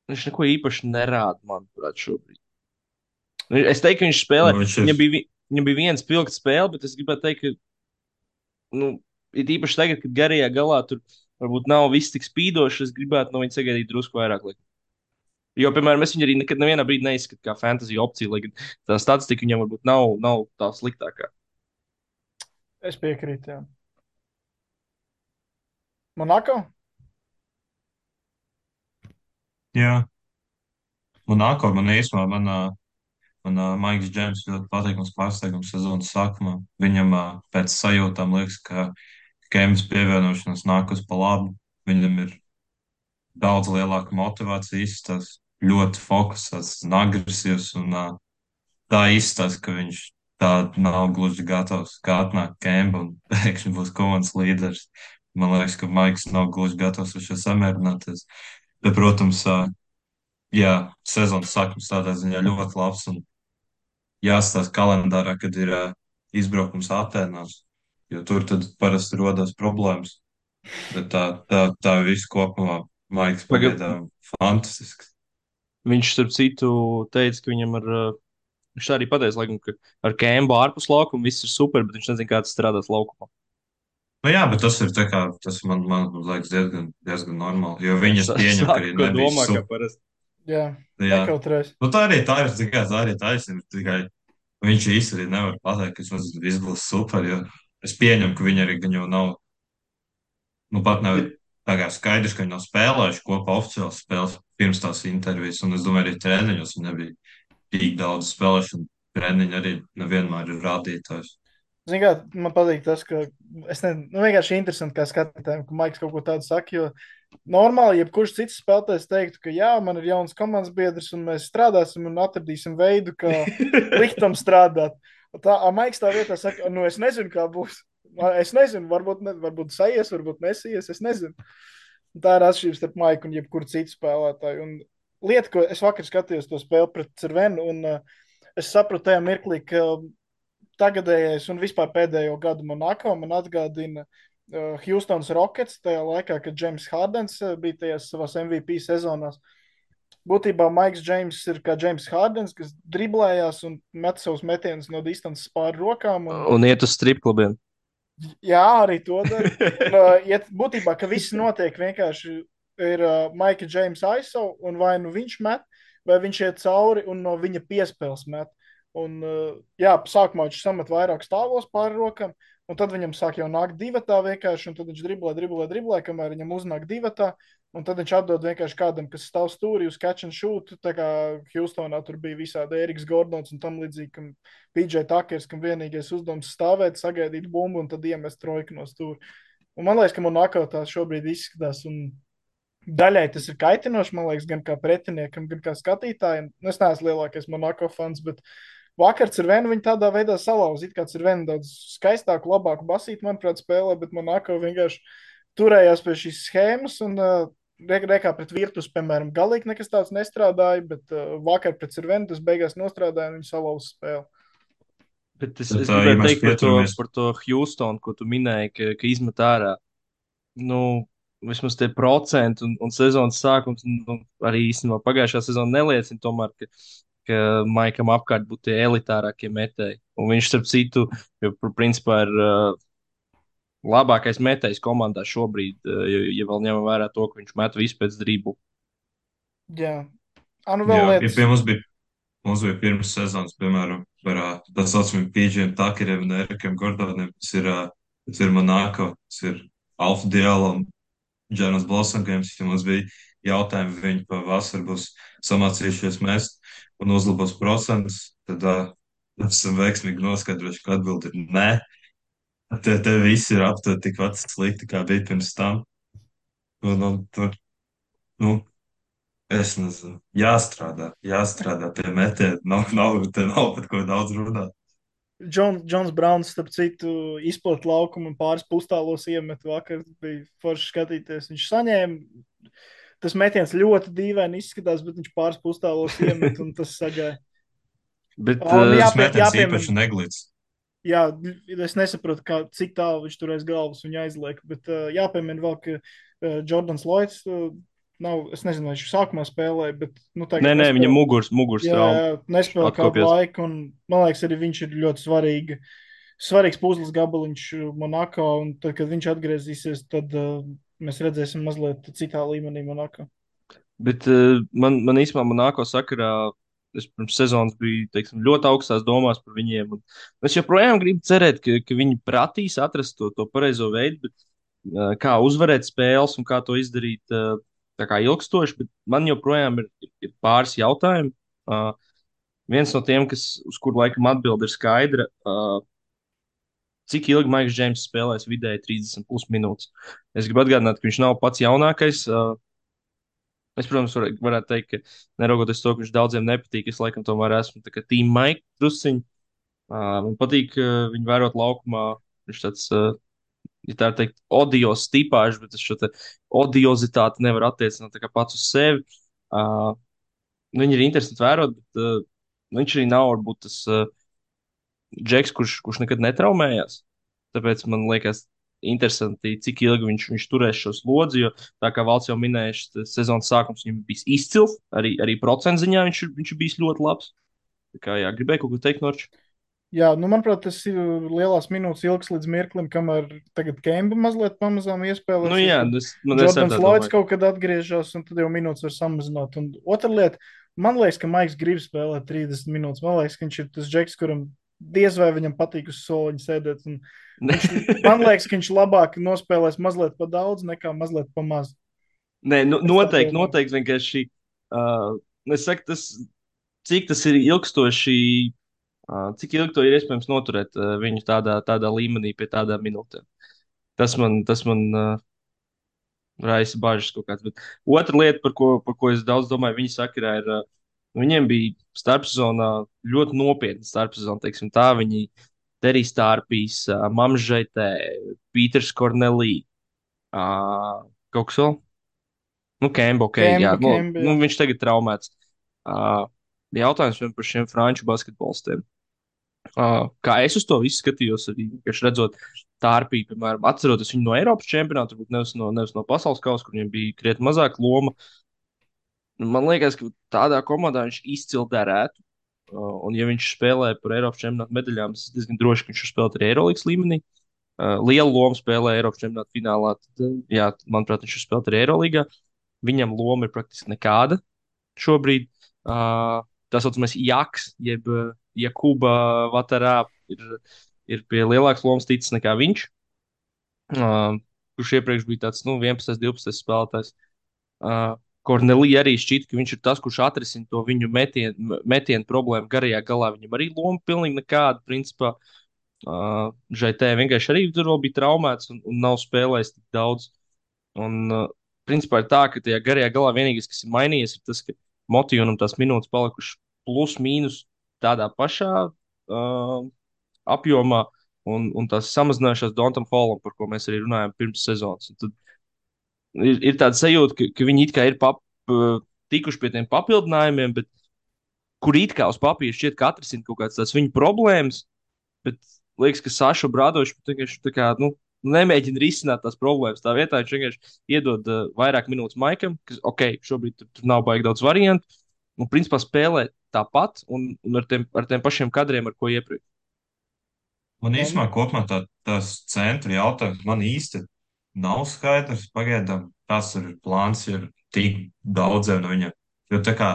Speaker 1: viņš neko īpaši nerāda, manuprāt, šobrīd. Es teiktu, ka viņš spēlē,
Speaker 2: Nu, viņš ir.
Speaker 1: viņam bija viens pilns spēle, bet es gribētu teikt, ka, nu, ir īpaši tagad, kad garajā galā tur varbūt nav viss tik spīdošs, es gribētu no viņa sagaidīt drusku vairāk. Jo, piemēram, es viņu arī nekad nevienā brīdī neizskatu kā fantasy opciju, lai gan tā statistika viņam varbūt nav tā sliktākā.
Speaker 3: Es piekrītu, jā. Monako?
Speaker 2: Jā. Monako man īstenībā, Un Maiks Džeims ļoti patīkams pārsteigums sezonas sākumā. Viņam pēc sajūtām liekas, ka Kemps pievienošanās nāk uz pa labu. Viņam ir daudz lielāka motivācija izstāst, ļoti fokusēts un agresīvs. Un, tā izstāsta, ka viņš tā nav gluži gatavs, kā atnāk Kempa un pēkšņi būs komandas līderis. Man liekas, ka Maiks nav gluži gatavs ar šo samierināties. Bet, protams, jā, sezonas sākums tādā ziņā ļoti labs un jāstāsta kalendārā, kad ir izbraukums Atēnās, jo tur tad parasti rodas problēmas. Bet tā viss kopumā Maiks
Speaker 1: Paga-
Speaker 2: pagaidām fantastisks.
Speaker 1: Viņš, starp citu, teica, ka viņam viņš tā arī pateica, laikam, ka ar Kēmu ārpus laukuma viss ir super, bet viņš nezina, kā tas strādās laukumā.
Speaker 2: Nu jā, bet tas ir tā kā, tas man liekas diezgan normāli, jo viņi es pieņem, ka
Speaker 1: Saka,
Speaker 2: arī
Speaker 1: ko
Speaker 2: nebija
Speaker 1: domā, kā
Speaker 2: super.
Speaker 1: parasti.
Speaker 3: Jā,
Speaker 2: Jā.
Speaker 3: nekautrēs.
Speaker 2: Nu tā ir, tā ir taisnība, tikai viņš īsti arī nevar pateikt, ka viss būs super, jo es pieņemu, ka viņi arī gan jau nav, nu pat nav tā kā skaidrs, ka viņi nav spēlējuši kopā oficiāls spēles pirms tās intervijas, un es domāju, arī treniņos viņi nebija tik daudz spēlēšanu. Treniņi arī nevienmēr ir rādītājs.
Speaker 3: Zini, kā man patīk tas, ka es nezinu, nu, vienkārši interesanti, kā skatītājiem, ka Maiks kaut ko tādu saka. Jo normāli, jebkurš cits spēlētājs teiktu, ka jā, man ir jauns komandas biedrs, un mēs strādāsim un atradīsim veidu, kā likt tam strādāt. Tā Maiks tā vietā saka, nu es nezinu, kā būs. Es nezinu, varbūt sajies, varbūt nesies, es nezinu. Un tā ir atšķirība starp Maiku un jebkuru citu spēlētāju. Un lieta, ko es vakar skatījos to spēli pret Cervenu, un es sapratu tajā mirklī, ka tagadējais un vispār pēdējo gadu Monako man atgādina Houstons Rockets tajā laikā, kad James Hardens bija tajās savās MVP sezonās. Būtībā Maiks Džeims ir kā James Hardens, kas driblējās un met savus metienus no distances pāri rokām.
Speaker 1: Un iet uz stripklubiem.
Speaker 3: Jā, arī to dara. Būtībā, ka viss notiek vienkārši ir Maika Džeimsa ISO un vai nu viņš met, vai viņš iet cauri un no viņa piespēles met. Un, jā, sākumā viņš samet vairāk stāvos pāri rokām, un tad viņam sāk jau nākt divatā vienkārši, un tad viņš driblē, kamēr viņam uznāk divatā, un tad viņš atdod vienkārši kādam, kas stāv stūrī uz catch and shoot, tā kā Houstonā tur bija visādi Eriks Gordons un tam līdzīgi, kam PJ Takers, kam vienīgais uzdevums stāvēt, sagaidīt bumbu un tad iemest trojku no stūra. Un man liekas, ka Monako tās šobrīd izskatās, un daļai tas ir kaitinoši, man liekas, gan kā pretiniekam, gan kā skatītājiem. Es neesmu lielākais Monako fans, bet vakar Cervenu viņi tādā veidā salauza. It kā Cervenu daudz skaistāku, labāku basītu, manuprāt, spēlē, bet Monako vienkārši turējās pie šīs schēmas un rekā pret Virtus, piemēram, galīgi nekas tāds nestrādāja, bet vakar pret Cervenu tas beigās nostrādāja un viņi salauza spēli.
Speaker 1: Bet es
Speaker 2: Bet, ja
Speaker 1: gribēju
Speaker 2: mēs
Speaker 1: teikt
Speaker 2: pieturamies,
Speaker 1: par to Houstonu, ko tu minēji, ka izmet ārā. Nu, vismaz tie procenti un sezonas sākums, un arī īstenībā pagājušā sezona neliecina tomēr, ka Maikam apkārt būtu tie elitārākie metēji. Un viņš, starp citu, jau principā ir labākais metējs komandā šobrīd, ja vēl ņemam vērā to, ka viņš met visu pēc driblu.
Speaker 3: Jā, nu vēl
Speaker 2: jā,
Speaker 3: lietas.
Speaker 2: ja mums bija pirms sezonas, piemēram, par tā saucamiem PJ Takeriem un Erikiem Gordoniem, tas ir Monako, tas ir Alfa Diallo un Džanas Blosomgēms, ja mums bija jautājumi, viņi pavasar būs samācījušies mest un uzlabos procentus, tad esam veiksmīgi noskaidrojuši, ka atbildi ir nē. Te visi ir aptuveni tikpat slikti, kā bija pirms tam. Tur, nu, es nezinu, jāstrādā pie metiena. Nav par ko daudz runāt.
Speaker 3: Džons Browns, starp citu, izplata laukumu un pāris pustālos iemet vakar. Bija forši skatīties. Viņš saņēma. Tas metiens ļoti dīvaini izskatās, bet viņš pāris pustālos iemet un tas sagāja.
Speaker 1: Bet,
Speaker 2: Tas metiens īpaši neglīts.
Speaker 3: Jā, es nesaprotu, cik tālu viņš tur aiz galvas viņa aizliek, bet jāpiemina vēl, ka Jordans Lloyds nav, es nezinu, vai viņš sākumā spēlēja, bet, nu, tagad
Speaker 1: nē, viņa mugurs
Speaker 3: jā, nespēlē kādu laiku, un, man liekas, arī viņš ir ļoti svarīgs puzles gabaliņš Monako, un tad, kad viņš atgriezīsies, tad mēs redzēsim mazliet citā līmenī Monako.
Speaker 1: Bet man īstenībā Monako sakarā es pirms sezonas biju teiksim, ļoti augstās domās par viņiem. Es joprojām gribu cerēt, ka viņi prasīs atrast to pareizo veidu, bet kā uzvarēt spēles un kā to izdarīt tā kā ilgstoši. Bet man joprojām ir pāris jautājumi. viens no tiem, uz kuru laikam atbildi ir skaidra. Cik ilgi Maiks Džeims spēlēs vidēji 30 minūtes? Es gribu atgādināt, ka viņš nav pats jaunākais. Es, protams, varētu teikt, ka neraugoties to, ka viņš daudziem nepatīk, es laikam tomēr esmu tā kā Team Mike drusciņš. Man patīk viņu vērot laukumā. Viņš tāds, ja tā teikt, odios tipāžs, bet es šo te odiozitāti nevaru attiecināt tā kā pats uz sevi. Uh, Viņi ir interesanti vērot, bet viņš arī nav varbūt tas džeks, kurš nekad netraumējās. Tāpēc man liekas, interesanti, cik ilgi viņš turēs šo slodzi. Jo, tā kā Valds jau minēja, šis sezonas sākums viņam bija izcils. Arī procentu ziņā viņš ir bijis ļoti labs. Tā kā jā, gribēju kaut ko teikt, Norčs.
Speaker 3: Jā, nu, manuprāt, tas ir lielās minūtes ilgs līdz mirklim, kamēr tagad Kemba mazliet pamazām
Speaker 1: Nu
Speaker 3: iespēlēsies.
Speaker 1: jā,
Speaker 3: Tad
Speaker 1: es arī
Speaker 3: Jordans
Speaker 1: tā
Speaker 3: Lloyds
Speaker 1: domāju.
Speaker 3: kaut kad atgriežas, un tad jau minūtes var samazināt. Un otra lieta, man liekas, ka Maiks grib spēlēt 30 minūtes. Man liekas, ka viņš ir tas džeks, kuram diez vai viņam patīk uz soliņa sēdēt. Un man liekas, ka viņš labāk nospēlēs mazliet pa daudz nekā mazliet pa maz.
Speaker 1: Nē,
Speaker 3: Es tā
Speaker 1: noteikti,
Speaker 3: domāju.
Speaker 1: noteikti vienkārši. Es saku, cik tas ir ilgstoši, cik ilgi to ir iespējams noturēt viņu tādā līmenī, pie tādām minūtēm. Tas man raisa bažas kaut kāds. Bet otra lieta, par ko es daudz domāju, viņa sakarā ir, viņiem bija starpsezonā ļoti nopietna starpsezona, teiksim tā. Viņi Terijs Tārpīs, Mamžaitē, Pīters Kornelī, kaut kas vēl. Nu, Kemba, ok, jā.
Speaker 3: Kemba,
Speaker 1: Nu,
Speaker 3: jā.
Speaker 1: viņš tagad traumēts. Uh, Jautājums vien par šiem franču basketbolistiem. Kā es uz to visu skatījos, arī vienkārši redzot Tārpī, piemēram, atceroties viņu no Eiropas čempionāta, varbūt nevis no pasaules kausa, kur viņam bija krietni mazāka loma. Man liekas, ka tādā komandā viņš izcili derētu. Un, ja viņš spēlē par Eiropas čempionāta medaļām, es esmu diezgan drošs, ka viņš var spēlēt arī Eirolandes līmenī. Lielu lomu spēlē Eiropas čempionāta finālā. Tad, jā, manuprāt, viņš var spēlēt arī Eirolandā. Viņam loma ir praktiski nekāda šobrīd. Tā saucamais Jaks, jeb Jakuba Vatarā, ir pie lielākas lomas ticis nekā viņš, kurš iepriekš bija tāds 11, 12 spēlētājs. Kornelija arī šķita, ka viņš ir tas, kurš atrisina to viņu metienu problēmu garajā galā. Viņam arī loma pilnīgi nekāda, principā. Žaitē vienkārši arī tur vēl bija traumēts un nav spēlējis tik daudz. Un, principā ir tā, ka tajā garajā galā vienīgais, kas ir mainījies, ir tas, ka Motīnam tās minūtes palikušas plus mīnus tādā pašā apjomā, un tās samazinājušās Dontam Holam, par ko mēs arī runājām pirms sezonas. Un tad ir tāda sajūta, ka viņi it kā ir tikuši pie tiem papildinājumiem, bet kur it kā uz papīra šķiet, ka atrisina kaut kādas tās viņu problēmas, bet liekas, ka Saša Brādošs vienkārši tā kā, nemēģina risināt tās problēmas. Tā vietā viņš vienkārši iedod vairāk minūtes Maikam, kas, ok, šobrīd tur nav baigi daudz variantu, un principā spēlē tāpat un ar tiem pašiem kadriem, ar ko iepriekš.
Speaker 2: Man
Speaker 3: Tom?
Speaker 2: īstenībā kopumā tās centra jautājums man īsti nav skaidrs pagaidām, kas ir plāns, ja ir tik daudziem no viņiem. Jo tā kā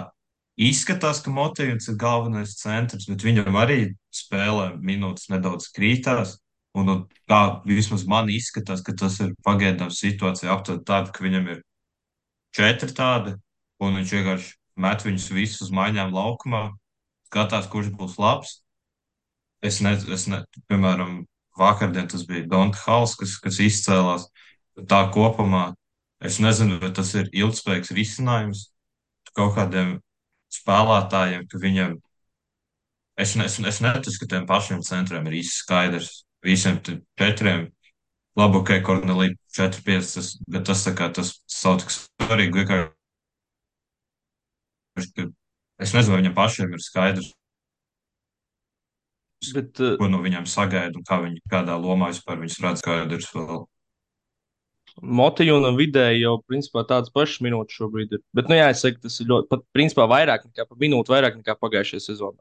Speaker 2: izskatās, ka Motīvs ir galvenais centrs, bet viņam arī spēlē minūtes nedaudz krītās. Un kā vismaz man izskatās, ka tas ir pagaidām situācija aptuveni tāda, ka viņam ir četri tādi, un viņš vienkārši met viņus visus uz maiņām laukumā, skatās, kurš būs labs. Piemēram, vakardien tas bija Donta Hals, kas izcēlās. Tā kopumā es nezinu, vai tas ir ilgspējīgs risinājums kaut kādiem spēlētājiem, ka viņiem, es neticu, ka tiem pašiem centriem ir īsti skaidrs. Visiem četriem, labi, ok, Kornelī 4-5, bet tas tā kā tas sauc tik svarīgi, vienkārši, ka es nezinu, vai viņiem pašiem ir skaidrs,
Speaker 1: Bet
Speaker 2: ko no viņiem sagaida un kādā lomā vispār viņus redz skaidrs vēl.
Speaker 1: Motīna vidēji jau principā tādas pašas minūtes šobrīd ir. Bet, nu jā, es saku, tas ir ļoti, pat principā vairāk nekā pa minūti, vairāk nekā pagājušajā sezonā.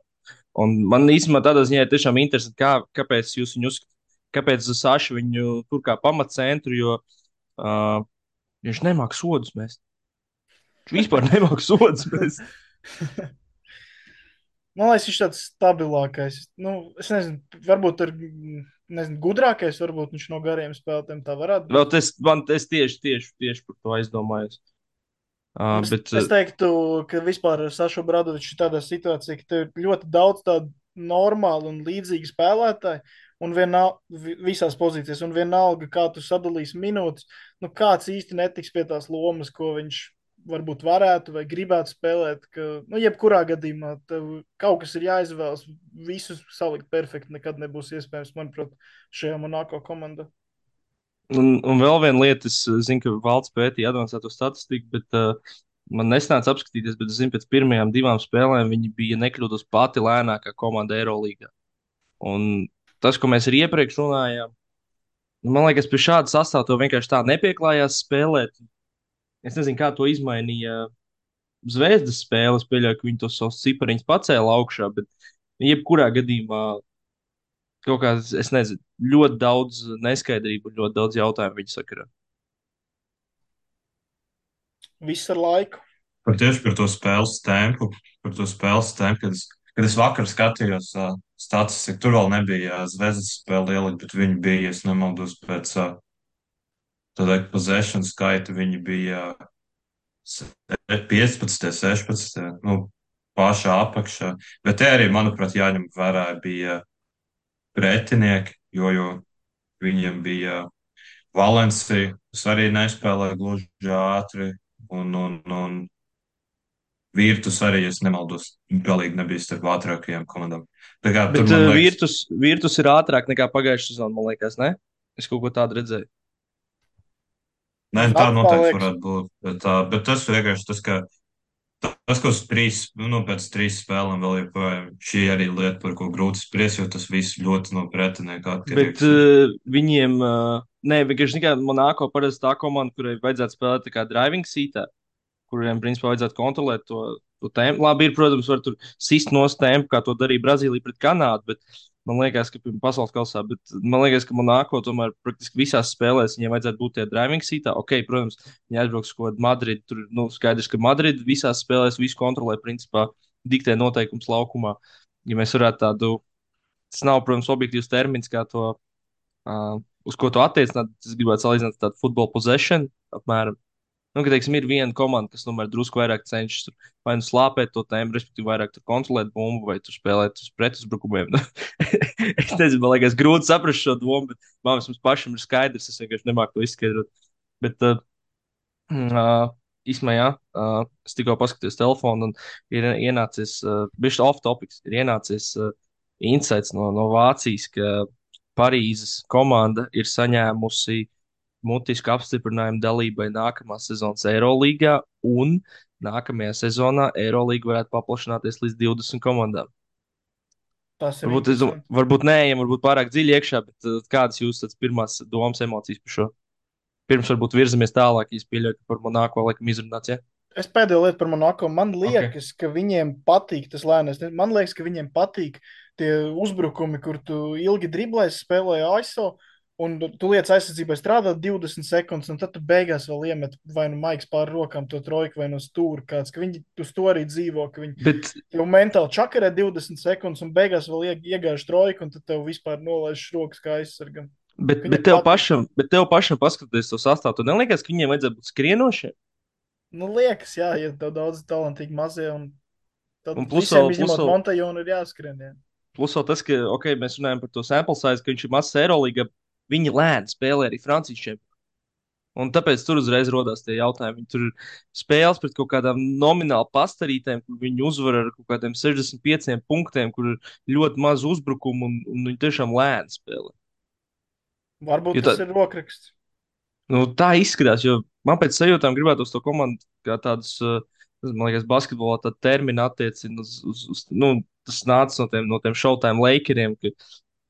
Speaker 1: Un man īstenībā tādā ziņā ir tiešām interesanti, kāpēc jūs viņu uzskatāt, kāpēc Saša viņu tur kā pamatcentru, jo viņš nemāk sodus mest. Viņš vispār nemāk sodus mest.
Speaker 3: Man liekas, viņš ir tāds stabilākais. Nu, es nezinu, varbūt ir gudrākais, varbūt viņš no gariem spēlētājiem tā varētu
Speaker 1: Vēl
Speaker 3: būt.
Speaker 1: es tieši par to aizdomājos.
Speaker 3: Es,
Speaker 1: Bet
Speaker 3: es teiktu, ka vispār Saša Bradovičs ir tādā situācijā, ka tev ir ļoti daudz tādu normālu un līdzīgu spēlētāju, un visās pozīcijās, un vienalga, kā tu sadalīsi minūtes, nu kāds īsti netiks pie tās lomas, ko viņš varbūt varētu vai gribētu spēlēt, ka, nu, jebkurā gadījumā tev kaut kas ir jāizvēlas, visus salikt perfekti nekad nebūs iespējams, manuprāt, šajā Monako komandā.
Speaker 1: un vēl viena lieta, es zinu, ka valsts pētīja avansēto statistiku, bet man nesnāca apskatīties, bet es zinu, pēc pirmajām divām spēlēm viņi bija nekļūdos pati lēnākā komanda Eirolīgā. Un tas, ko mēs arī iepriekš runājām, nu, man liekas, pie šāda sastāvā to vienkārši tā nepieklājās spēlēt. Es nezinu, kā to izmainīja Zvezdas spēles. Pieļauju, ka viņi tos savus cipariņus pacēla augšā, bet jebkurā gadījumā kaut kā, es nezinu, ļoti daudz neskaidrību un ļoti daudz jautājumu viņa sakarā.
Speaker 3: Viss ar laiku.
Speaker 2: Tieši par to spēles tempu, kad es vakar skatījos statistiku, tur vēl nebija Zvezdas spēle ielikt, bet viņi bija, es nemaldos, pēc tāda possession skaita, viņi bija 15, 16, nu, pašā apakšā. Bet te arī, manuprāt, jāņem vērā bija pretinieki, jo viņiem bija Valencija, kas arī nespēlēja gluži ātri, un Virtus arī, ja nemaldos, galīgi nebija starp ātrākajām komandām. Tā kā tur
Speaker 1: Bet
Speaker 2: man liekas,
Speaker 1: Virtus ir ātrāk nekā pagājušā sezonā, man liekas, ne? Es kaut ko tādu redzēju.
Speaker 2: nē, tā
Speaker 3: Man
Speaker 2: noteikti
Speaker 3: liekas,
Speaker 2: varētu būt. Bet tas vienkārši tas, ka tas, ko pēc 3 spēlēm vēl joprojām, šī arī lieta, par ko grūti spriest, jo tas viss ļoti no pretinieka
Speaker 1: Bet
Speaker 2: atkarīgs ir.
Speaker 1: viņiem, nē, vienkārši kā Monako parasti tā komanda, kurai vajadzētu spēlēt tā kā driving seatā, kuriem, principā, vajadzētu kontrolēt to tempu. Labi, ir, protams, var tur sist no tempa, kā to darīja Brazīlija pret Kanādu, bet man liekas, ka pasaules kausā, bet man liekas, ka Monako tomēr praktiski visās spēlēs viņiem vajadzētu būt tie driving seatā. Ok, protams, viņi aizbrauks uz kaut kādu Madridu, tur, nu, skaidrs, ka Madrida visās spēlēs visu kontrolē, principā, diktē noteikums laukumā. Ja mēs varētu tādu, tas nav, protams, objektīvs termins, kā to, uz ko to attiecināt, es gribētu salīdzināt tādu futbola possession apmēram. Nu, ka, teiksim, ir viena komanda, kas tomēr drusku vairāk cenšas tur, vai nu slāpēt to tēmu, respektīvi, vairāk tur kontrolēt bumbu, vai tur spēlēt uz pretuzbrukumiem. Es nezinu, man liekas, grūti saprast šo domu, bet man vismaz pašam ir skaidrs. Es vienkārši nemāku to izskaidrot. Bet, īsumā, jā, es tikko paskatījos telefonu, un ir ienācis, bišķi off topics, ir ienācis insights no Vācijas, ka Parīzes komanda ir saņēmusi mutisku apstiprinājumu dalībai nākamās sezonas Eirolīgā, un nākamajā sezonā Eirolīga varētu paplašināties līdz 20 komandām.
Speaker 3: tas ir
Speaker 1: Varbūt,
Speaker 3: interesanti.
Speaker 1: varbūt neejam, varbūt pārāk dziļi iekšā, bet kādas jūsu pirmās domas, emocijas par šo? Pirms varbūt virzamies tālāk, ja es pieļauju, ka par Monako laikam izrunāts, ja?
Speaker 3: Es pēdējo lietu par Monako. Man
Speaker 1: Ok.
Speaker 3: liekas, ka viņiem patīk tas lēnais. Man liekas, ka viņiem patīk tie uzbrukumi, kur tu ilgi driblēsi, spēlēji ASO, un tu lietas aizsardzībai strādā 20 sekundes, un tad tu beigās vēl iemet vai nu maigs pār rokām to trojku vai no stūra kāds, ka viņi uz to arī dzīvo, ka viņi
Speaker 1: Bet,
Speaker 3: tev mentāli čakarē 20 sekundes, un beigās vēl iegāž trojku, un tad tev vispār nolaiž rokas kā aizsargam.
Speaker 1: bet,
Speaker 3: Viņiem patīk tā.
Speaker 1: bet tev pašam paskatoties to sastāvu, tu neliekas, ka viņiem vajadzētu būt skrienošiem?
Speaker 3: Nu, liekas, jā, ja tev daudz talantīgi mazie, un tad
Speaker 1: Un plus
Speaker 3: visiem
Speaker 1: vēl, plus
Speaker 3: izņemot
Speaker 1: vēl,
Speaker 3: Montajonu ir jāskrien. Jā.
Speaker 1: plus vēl tas, ka, ok, mēs runājam par to sample size, ka viņš ir mazs Eirolīga, viņi lēni spēlē arī Francijas čempionātā. Un tāpēc tur uzreiz rodās tie jautājumi. Viņi tur ir spēles pret kaut kādām nomināli pastarītēm, kur viņi uzvar ar kaut kādiem 65 punktiem, kur ir ļoti maz uzbrukumu un viņi tiešām lēni spēlē.
Speaker 3: Varbūt
Speaker 1: Jo
Speaker 3: tas ir rokraksts.
Speaker 1: tā izskatās, jo man pēc sajūtām gribētos to komandu kā tādus, man liekas, basketbolā tādu terminu attiecina tas nāca no tiem showtime Lakeriem,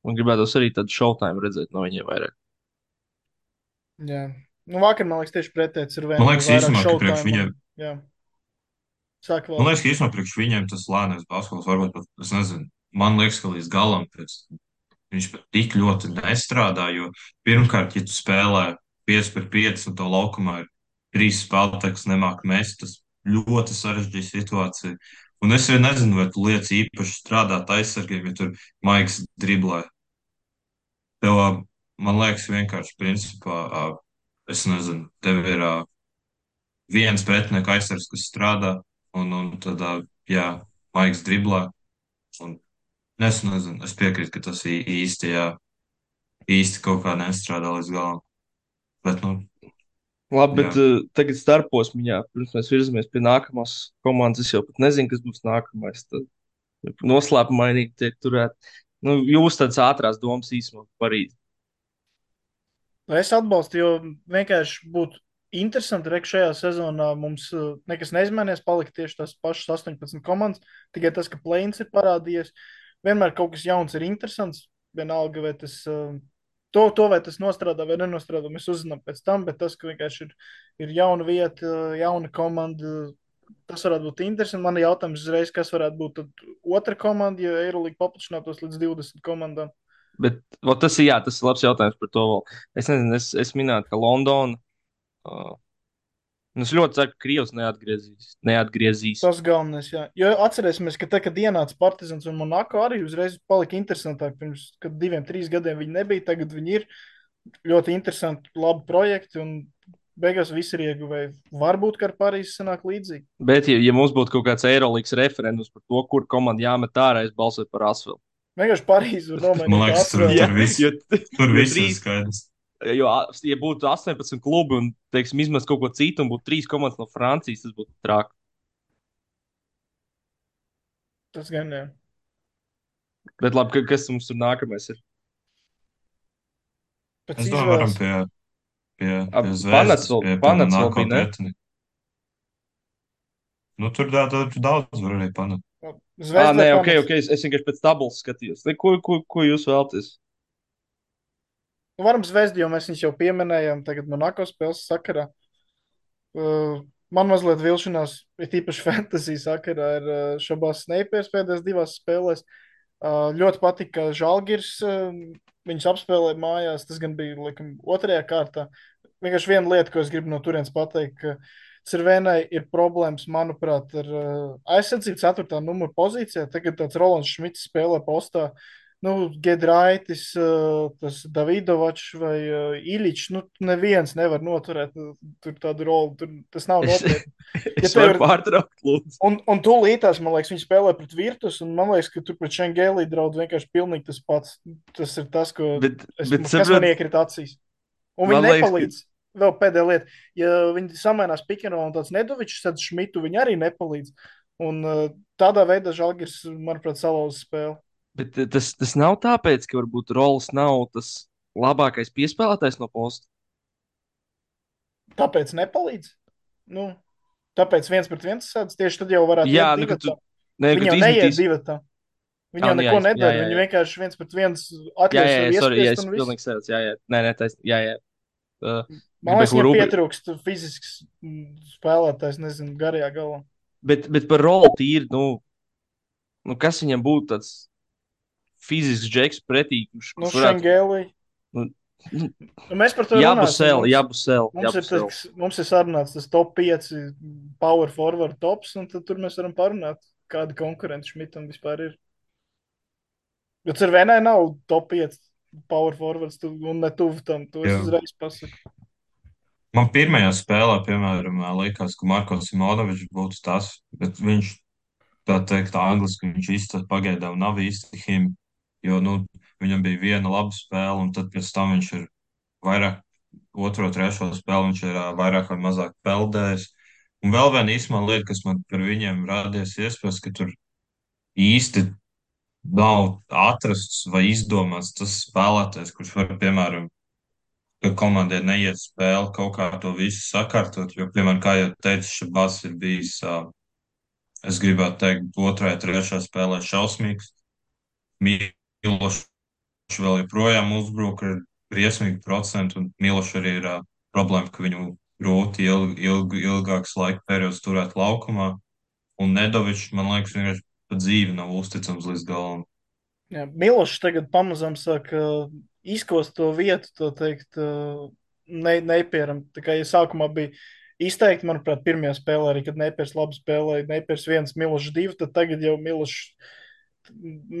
Speaker 1: un gribētos arī tādu showtime redzēt no viņiem vairāk.
Speaker 3: Jā. Nu, vakar, man liekas, tieši pretēji ir
Speaker 2: Man
Speaker 3: vien
Speaker 2: liekas,
Speaker 3: vairāk
Speaker 2: īstenībā, ka priekš
Speaker 3: showtime. Un,
Speaker 2: viņiem,
Speaker 3: jā, sāk
Speaker 2: man
Speaker 3: vēl.
Speaker 2: liekas, ka īstenībā priekš viņiem tas lēnais basketbols varbūt pat, es nezinu, man liekas, ka līdz galam viņš pat tik ļoti nestrādā, jo pirmkārt, ja tu spēlē 5 pret 5 un to laukumā ir 3 spēlētāji, kas nemāk mest, tas ļoti sarežģīja situāciju. Un es arī nezinu, vai tu liec īpaši strādāt aizsargiem, ja tur maigs driblē. Tev, man liekas, vienkārši principā, es nezinu, tev ir viens pretinieku aizsargs, kas strādā, un tad, jā, Maiks driblā. Un es nezinu, es piekrītu, ka tas īsti, jā, īsti kaut kā nestrādā līdz galam. Bet, nu,
Speaker 1: Labi, bet
Speaker 2: jā.
Speaker 1: tagad starposmiņā, pirms mēs virzamies pie nākamās komandas, es jau pat nezinu, kas būs nākamais. Tad noslēpumainīgi tiek turēt. Nu, jūs tādas ātrās domas īsumā parīt.
Speaker 3: Es atbalstu, jo vienkārši būtu interesanti, ka šajā sezonā mums nekas neizmainīs, palika tieši tās pašas 18 komandas, tikai tas, ka plēns ir parādījies. Vienmēr kaut kas jauns ir interesants, vienalga, vai tas, vai tas nostrādā vai nenostrādā, mēs uzzinām pēc tam, bet tas, ka vienkārši ir jauna vieta, jauna komanda, tas varētu būt interesanti. Man ir jautājums uzreiz, kas varētu būt tad otra komanda, ja Eirolīga paplašinātos līdz 20 komandām.
Speaker 1: Bet tas ir, jā, tas ir labs jautājums par to vēl. Es nezinu, es minēju, ka Londona. Uh, es ļoti ceru, ka Krievs neatgriezīs.
Speaker 3: Tas galvenais, jā. Jo atcerēsimies, ka tā, kad ienāca Partizans un Monako, arī uzreiz palika interesantāk. Pirms 2, 3 gadiem viņi nebija, tagad viņi ir ļoti interesanti, labi projekti, un beigās visi ir ieguvēji. Varbūt, ka ar Parīzi sanāk līdzīgi.
Speaker 1: Bet, ja mums būtu kaut kāds Eirolandes referendums par to, kur komanda jāmet ārā, es balsotu par Asvelu.
Speaker 3: Vienkārši Parīzi var
Speaker 2: Man
Speaker 3: nomainīt
Speaker 2: liekas, tur
Speaker 3: Asvelu.
Speaker 2: viss tur viss ir skaidrs.
Speaker 1: Jo, ja būtu 18 klubi un, teiksim, izmest kaut ko citu un būtu 3 komandas no Francijas, tas būtu traki.
Speaker 3: Tas gan jā.
Speaker 1: Bet labi, kas mums tur nākamais ir?
Speaker 3: Pēc
Speaker 2: Es domāju, varam
Speaker 3: izvēles.
Speaker 2: pie
Speaker 1: Panets
Speaker 2: zvezdas,
Speaker 1: vēl,
Speaker 2: pie
Speaker 1: Panets vēl
Speaker 2: Monako
Speaker 1: bija, ne?
Speaker 2: pretinieku. Nu, tur daudz var arī panākt.
Speaker 3: Zvezda
Speaker 1: Nē,
Speaker 3: vai
Speaker 1: ok,
Speaker 3: Panets?
Speaker 1: es vienkārši pēc tabulas skatījos. Ko jūs vēlaties?
Speaker 3: Nu, varam Zvezdu, jo mēs viņus jau pieminējām tagad Monako spēles sakarā. Man mazliet vilšanās, ir tīpaši fantasy sakarā, ir Šabās Snipers pēdējās 2 spēlēs. Ļoti patika, ka Žalgiris viņus apspēlēja mājās. Tas gan bija, laikam, otrajā kārtā. Vienkārši viena lieta, ko es gribu no turienes pateikt, ka Cirvēnai ir problēmas, manuprāt, ar aizsardzību 4. numura pozīcijā. Tagad tāds Rolands Šmits spēlē postā. Nu, Gedraitis, tas Davidovačs vai Iličs, nu, neviens nevar noturēt tur tādu roli. Tas nav nopietni.
Speaker 1: Es varu pārtraukt, lūdzu.
Speaker 3: Un tūlītās, man liekas, viņi spēlē pret Virtus, un man liekas, ka tur pret Šengēlī draud vienkārši pilnīgi tas pats. Tas ir tas, kas man iekrita acīs. Un viņi nepalīdz. Vēl pēdējā lieta, ja viņi samainās Pikeno un tāds Nedovičs, tad Šmitu viņi arī nepalīdz. Un tādā veidā Žalgiris, manuprāt, salauza spēli.
Speaker 1: Bet tas nav tāpēc, ka varbūt Rols nav tas labākais piespēlētājs no posta.
Speaker 3: Tāpēc nepalīdz. Nu, tāpēc 1-1 sēdz. Tieši tad jau varētu iet divatā. Viņi jau neiet divatā. Viņi jau neko nedara. Viņi vienkārši 1-1 atļaus sev iespiest un viss.
Speaker 1: Pilnīgi sēdz, jā. Nē, jā.
Speaker 3: Man liekas, viņam pietrūkst fizisks spēlētājs, nezinu, garajā galā.
Speaker 1: Bet par rolu tīri, kas viņam būtu tāds fizisks džeks pretī?
Speaker 3: Nu, Šengēlī. Mēs par to
Speaker 1: runāsim.
Speaker 3: Mums ir sarunāts tas top 5 power forward tops, un tad tur mēs varam parunāt, kādi konkurenti Šmitam vispār ir. Jo Cirvēnai nav top 5 power forwards, un ne tuvu tam. To es uzreiz pasaku.
Speaker 2: Man pirmajā spēlē, piemēram, likās, ka Marko Simonovičs būtu tas, bet viņš, tā teikt, angliski viņš īsti pagaidām nav īsti him, jo, viņam bija viena laba spēle, un tad pēc tam viņš ir vairāk, 2, 3 spēli viņš ir vairāk vai mazāk peldējis. Un vēl viena īsumā lieta, kas man par viņiem rādies iespējas, ka tur īsti nav atrasts vai izdomāts tas spēlētājs, kurš var, piemēram, ka komandai neiet spēle kaut kā to visu sakārtot, jo, piemēram, kā jau teicu, Šabas ir bijis, es gribētu teikt, 2, 3 spēlē šausmīgs. Milošs vēl joprojām uzbruka ar briesmīgu procentu, un Milošs arī ir problēma, ka viņu grūti ilgāks laika periods turēt laukumā, un Nedovičs, man liekas, vienkārši pa dzīvi nav uzticams līdz galam.
Speaker 3: Jā, Milošs tagad pamazām sāk izkost to vietu, to teikt, Neipieram. Tā kā ja sākumā bija izteikti, manuprāt, pirmajā spēlē arī, kad Neipieris labi spēlēja, Neipieris 1, Milošs 2, tad tagad jau Milošs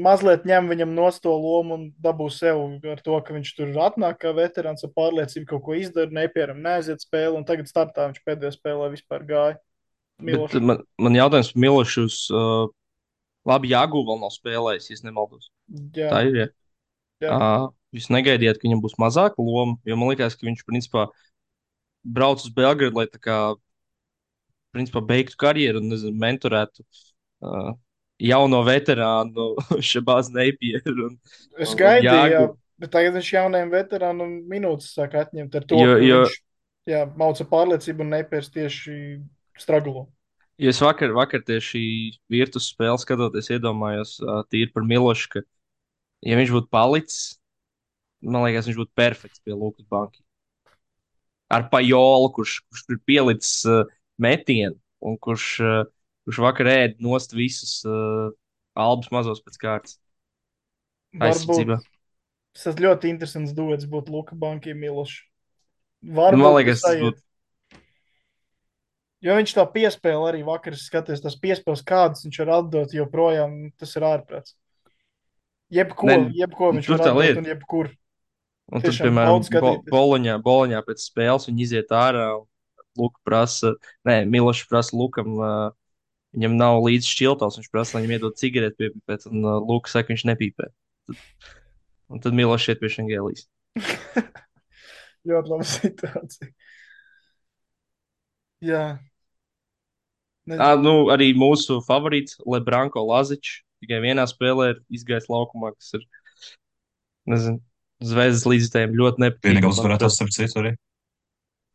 Speaker 3: mazliet ņem viņam nost to lomu un dabū sev ar to, ka viņš tur atnāk kā veterāns ar pārliecību, kaut ko izdara, nepieram, neaiziet spēli, un tagad startā viņš pēdējā spēlē vispār gāja.
Speaker 1: Bet
Speaker 3: Miloš.
Speaker 1: man jautājums par Milošus. Labi, Jāgu vēl nav spēlējis, ja nemaldos.
Speaker 3: Jā,
Speaker 1: Tā ir. Ja?
Speaker 3: jā.
Speaker 1: Jūs negaidījāt, ka viņam būs mazāka loma, jo man liekas, ka viņš principā brauc uz Belgradu, lai tā kā principā beigtu karjeru un nezinu, mentorētu uh, jauno veterānu Šabāzu Neipieru
Speaker 3: Es
Speaker 1: un
Speaker 3: gaidīju, jā,
Speaker 1: Jāgu.
Speaker 3: bet tagad viņš jaunajiem veterānam minūtes sāk atņemt ar to,
Speaker 1: Jo,
Speaker 3: ka
Speaker 1: jo,
Speaker 3: viņš, jā, mauca pārliecību un nepērs tieši straglo.
Speaker 1: jo es vakar tieši virtus spēli skatoties, iedomājos tīri par Milošu, ka, ja viņš būtu palicis, man liekas, viņš būtu perfekts pie Lukas Banki. Ar Pajolu, kurš ir pielicis metienu un kurš vakar ēd nost visus albus mazos pēc kārtas
Speaker 3: Varbūt
Speaker 1: aizsardzībā.
Speaker 3: tas ļoti interesants duets būtu Luka Banki Miloš.
Speaker 1: Nu, man
Speaker 3: Varbūt tas
Speaker 1: liekas, tas
Speaker 3: aiziet.
Speaker 1: būtu.
Speaker 3: Jo viņš tā piespēle arī vakar, es skatījos, tas piespēles kādas viņš var atdot joprojām, tas ir ārprāts.
Speaker 1: Ne,
Speaker 3: Jebko viņš
Speaker 1: tur
Speaker 3: var
Speaker 1: tā
Speaker 3: atdot
Speaker 1: lieta.
Speaker 3: un jebkur.
Speaker 1: Un tad,
Speaker 3: Tiešām
Speaker 1: piemēram,
Speaker 3: baudi skatīties.
Speaker 1: Boloņā pēc spēles viņi iziet ārā. Luka prasa, nē, Milošs prasa Lukam, viņam nav līdzi šķiltavs. Viņš prasa, lai viņam iedod cigareti piepīpēt, un Luka saka, viņš nepīpē. Un tad Milošs iet pie Šengelijas.
Speaker 3: Ļoti laba situācija. Jā.
Speaker 1: Nu, arī mūsu favorīts Lebranko Lazičs tikai vienā spēlē ir izgājis laukumā, kas ir, nezinu, Zvezdas līdzstājiem ļoti
Speaker 2: Vienīgā
Speaker 1: nepatīkami, manuprāt.
Speaker 2: uzvarētājs, starp citu, arī.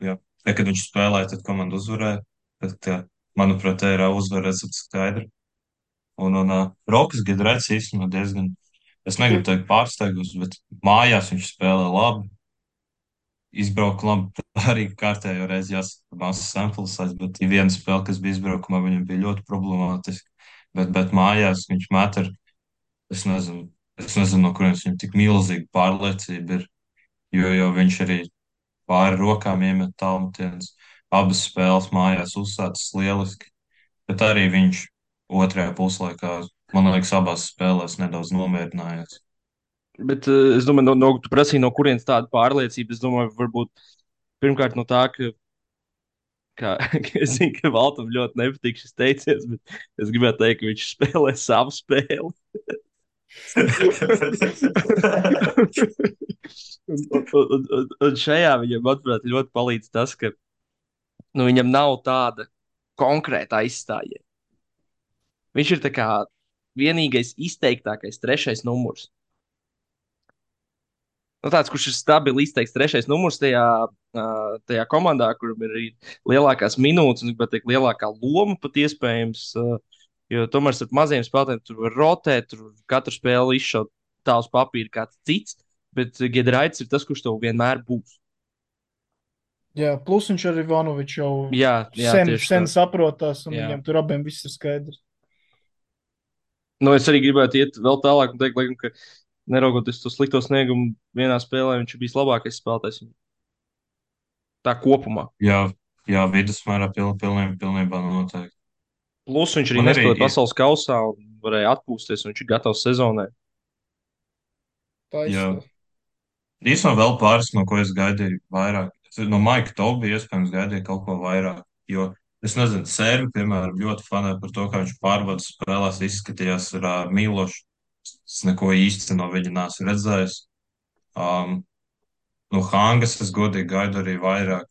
Speaker 2: Jā. Te, kad viņš spēlēja, tad komanda uzvarēja. Bet, manuprāt, tā ir uzvara recepte skaidra. Un Rokas Giedraits īstenībā diezgan, es negribu teikt pārsteigums, bet mājās viņš spēlē labi. Izbrauka labi, arī kārtējo reizi jāsaka, mazs samples size, bet ir viena spēle, kas bija izbraukumā, viņam bija ļoti problemātiski. Bet mājās viņš met ar, es nezinu, no kurienes viņam tik milzīga pārliecība ir, jo viņš arī pāri rokām iemet tālmetienus. Abas spēles mājās uzsācis lieliski, bet arī viņš otrajā puslaikā, man liekas, abās spēlēs nedaudz nomierinājās.
Speaker 1: Bet es domāju, tu prasīji, no kurienes tāda pārliecība. Es domāju, varbūt pirmkārt no tā, ka es zinu, ka Valtam ļoti nepatīk šis teiciens, bet es gribētu teikt, ka viņš spēlē savu spēli. Un šajā viņam, manuprāt, ļoti palīdz tas, ka viņam nav tāda konkrēta aizstājēja. Viņš ir tā kā vienīgais izteiktākais trešais numurs. Nu, tāds, kurš ir stabili izteikts trešais numurs tajā komandā, kuram ir arī lielākās minūtes un teikt, lielākā loma pat iespējams. Jo tomēr ar maziem spēlētājiem tur var rotēt, tur katru spēli izšaut tā uz papīra kāds cits, bet Giedraits ir tas, kurš tev vienmēr būs.
Speaker 3: Jā, plus viņš ar Ivanoviču jau
Speaker 1: Jā,
Speaker 3: sen
Speaker 1: tieši tā.
Speaker 3: saprotās, un
Speaker 1: Jā.
Speaker 3: viņam tur abiem viss ir skaidrs.
Speaker 1: Nu, es arī gribētu iet vēl tālāk un teikt, laikam, ka neraugoties to slikto sniegumu, vienā spēlē viņš ir bijis labākais spēlētājs. Tā kopumā.
Speaker 2: Jā, vidusmērā pilnībā noteikti.
Speaker 1: Plus viņš arī
Speaker 2: Man arī
Speaker 1: nespēlēja
Speaker 2: ir-
Speaker 1: pasaules kausā un varēja atpūsties, un viņš ir gatavs sezonai.
Speaker 3: Tā
Speaker 2: Jā.
Speaker 3: izskatās.
Speaker 2: Īsumā vēl pāris, no ko es gaidīju vairāk. No Maika Tobija iespējams gaidīju kaut ko vairāk, jo es nezinu, Sērbi, piemēram, ļoti fanē par to, kā viņš pārbaudas spēlēs izskatījās ar Milošu. Es neko īsti no viņa neesmu redzējis. No Hangas es godīgi gaidu arī vairāk.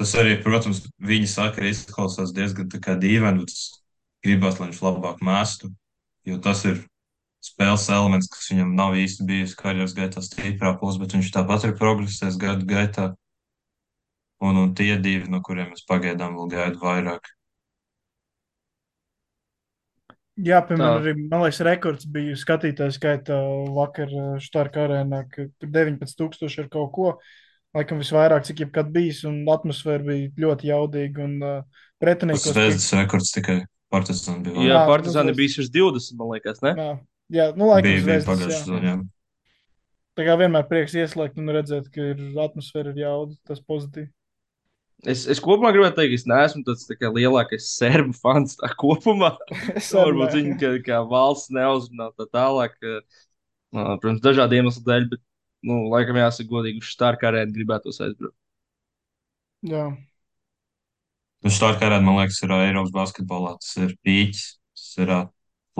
Speaker 2: Tas arī, protams, viņa saka, izklausās diezgan tā kā dīvaini, bet es gribētu, lai viņš labāk mēstu, jo tas ir spēles elements, kas viņam nav īsti bijis karjeras gaitā stiprā puse, bet viņš tāpat ir progresējis gadu gaitā. Un tie divi, no kuriem es pagaidām vēl gaidu vairāk.
Speaker 3: Jā, piemēram,
Speaker 1: Tā.
Speaker 3: arī, man liekas, rekords bija skatītāju skaitā vakar Štārka arēnā, ka tur 19,000 ar kaut ko. Laikam visvairāk, cik jebkad bijis, un atmosfēra bija ļoti jaudīga. Un
Speaker 2: Tas
Speaker 3: pretiniekos
Speaker 2: Zvezdas rekords tikai Partizāna bija
Speaker 1: Jā,
Speaker 2: vairāk.
Speaker 1: Partizāni
Speaker 3: nu,
Speaker 1: bija virs 20, man liekas, ne?
Speaker 3: Jā, nu laikam
Speaker 2: Bija
Speaker 3: Zvezdas,
Speaker 2: pagājušajā
Speaker 3: jā.
Speaker 2: sezonā.
Speaker 3: Tā kā vienmēr prieks ieslēgt un redzēt, ka ir atmosfēra ir jauda, tas pozitīvi.
Speaker 1: Es kopumā gribētu teikt, ka es neesmu tāds tā kā lielākais serbu fans tā kopumā.
Speaker 3: Es
Speaker 1: Nu,
Speaker 3: arī
Speaker 1: varbūt viņi
Speaker 3: nē.
Speaker 1: kā valsts neuzrunā tā tālāk. Protams, dažādu iemeslu dēļ, bet, nu, laikam jāsaka godīgi, uz Stark arēnu gribētos aizbraukt.
Speaker 3: Jā.
Speaker 2: Nu, Štārkārēt, man liekas, ir Eiropas basketbolā. Tas ir pīķis. Tas ir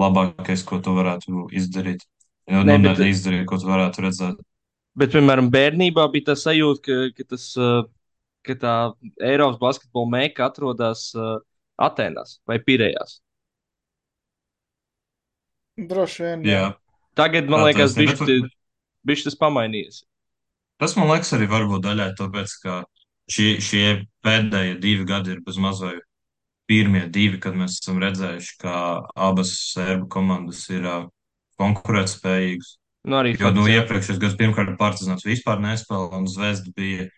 Speaker 2: labākais, ko tu varētu izdarīt. Ja,
Speaker 1: Nē,
Speaker 2: nu, ne
Speaker 1: bet,
Speaker 2: izdarīt, ko tu varētu redzēt.
Speaker 1: piemēram, bērnībā bija tā sajūta, ka tā Eiropas basketbola meika atrodas Atenās vai Pirējās.
Speaker 3: Droši vien, jā.
Speaker 2: Jā,
Speaker 1: Tagad, man
Speaker 2: tā
Speaker 1: liekas,
Speaker 2: taisnība.
Speaker 1: bišķi tas pamainījies.
Speaker 2: Tas man liekas arī varbūt daļai tāpēc, ka šie pēdējie 2 gadi ir bez mazai pirmie 2, kad mēs esam redzējuši, ka abas sērbu komandas ir konkurētspējīgas.
Speaker 1: Nu, arī
Speaker 2: Jo nu,
Speaker 1: fakts, jā.
Speaker 2: iepriekšējos gados pirmkārt Partizāns vispār nespēlēja, un Zvezda bija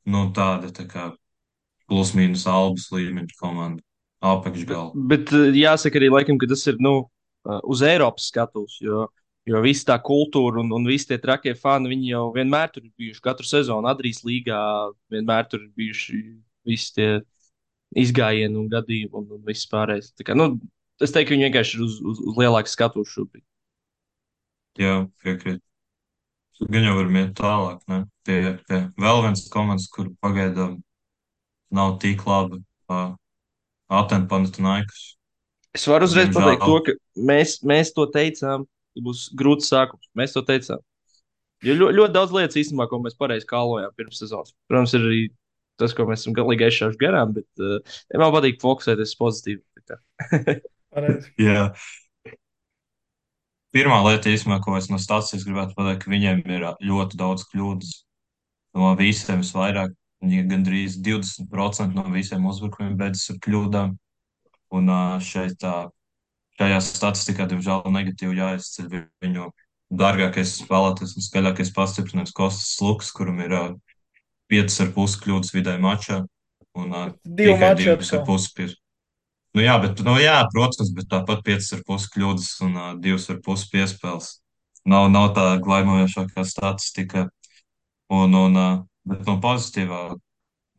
Speaker 2: nu, tāda tā kā plus-mínus albas līmeņa komanda. Apakšgala.
Speaker 1: Bet jāsaka arī, laikam, ka tas ir nu, uz Eiropas skatuves, jo visa tā kultūra un visi tie trakie fani, viņi jau vienmēr tur ir bijuši. Katru sezonu Adrijas līgā vienmēr tur ir bijuši visi tie izgājieni un gadījumi un viss pārējais. Tā kā, nu, es teiktu, ka viņi vienkārši ir uz lielākas skatuves šobrīd.
Speaker 2: Jā, piekrīt. Gan jau varam iet tālāk, ne? Pie vēl viens komandas, kur pagaidām nav tik labi. Atēnu Panathinaikos.
Speaker 1: Es varu uzreiz pateikt to,
Speaker 2: Diemžēl.
Speaker 1: ka mēs to teicām, ka būs grūts sākums. Mēs to teicām. Jo ļoti daudz lietas īstenībā, ko mēs pareizi kālojām pirms sezonas. Protams, ir arī tas, ko mēs esam galīgi aizšāvuši garām, bet man patīk fokusēties uz pozitīvu. Tā kā.
Speaker 3: Pareizi.
Speaker 2: Jā. Pirmā lieta, īstenībā, ko es no stācijas gribētu pateikt, ka viņiem ir ļoti daudz kļūdas. No visiem visvairāk, viņi gandrīz 20% no visiem uzbrukumiem beidzas ar kļūdām. Un šajā statistikā, diemžēl, negatīvi jāizceļ viņu dārgākais spēlētājs un skaļākais pastiprinājums Kostas Lukas, kuram ir 5,5 kļūdas vidēji mačā un
Speaker 3: Divu
Speaker 2: tikai
Speaker 3: maču atkal.
Speaker 2: 2,5 pie. Nu jā, bet, nu jā, protams, bet tāpat 5,5 kļūdas un 2,5 piespēles. Nav tā glaimojošākā statistika. Bet no pozitīvā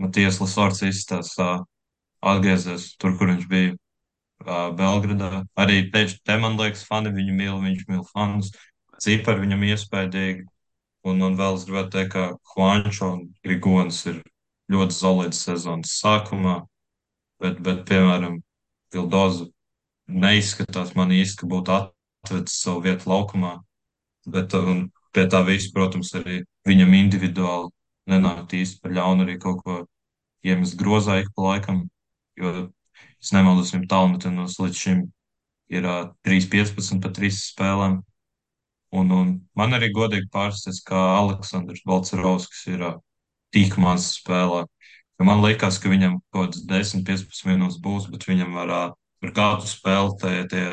Speaker 2: Matijas Lasorts izstāsta atgriezies tur, kur viņš bija Belgradā. Arī te, man liekas, fani viņu mīl, viņš mīl fanus. Cipari viņam iespaidīgi. Un vēl es gribētu teikt, ka Juančo un Grigonis ir ļoti solids sezonas sākumā, bet piemēram, Vildoza neizskatās man īsti, ka būtu atvedis savu vietu laukumā. Bet pie tā visa, protams, arī viņam individuāli nenāk īsti par ļaunu arī kaut ko iemest grozā ik pa laikam. Jo, es nemaldos, viņam tālmetienus līdz šim ir 3,15 pa 3 spēlēm. Un man arī godīgi pārsteidz, ka Aleksandrs Balcerovskis ir tik maz spēlē. Jo man liekas, ka viņam kaut kāds 10, 15 minūtes būs, bet viņam ar katru spēli tie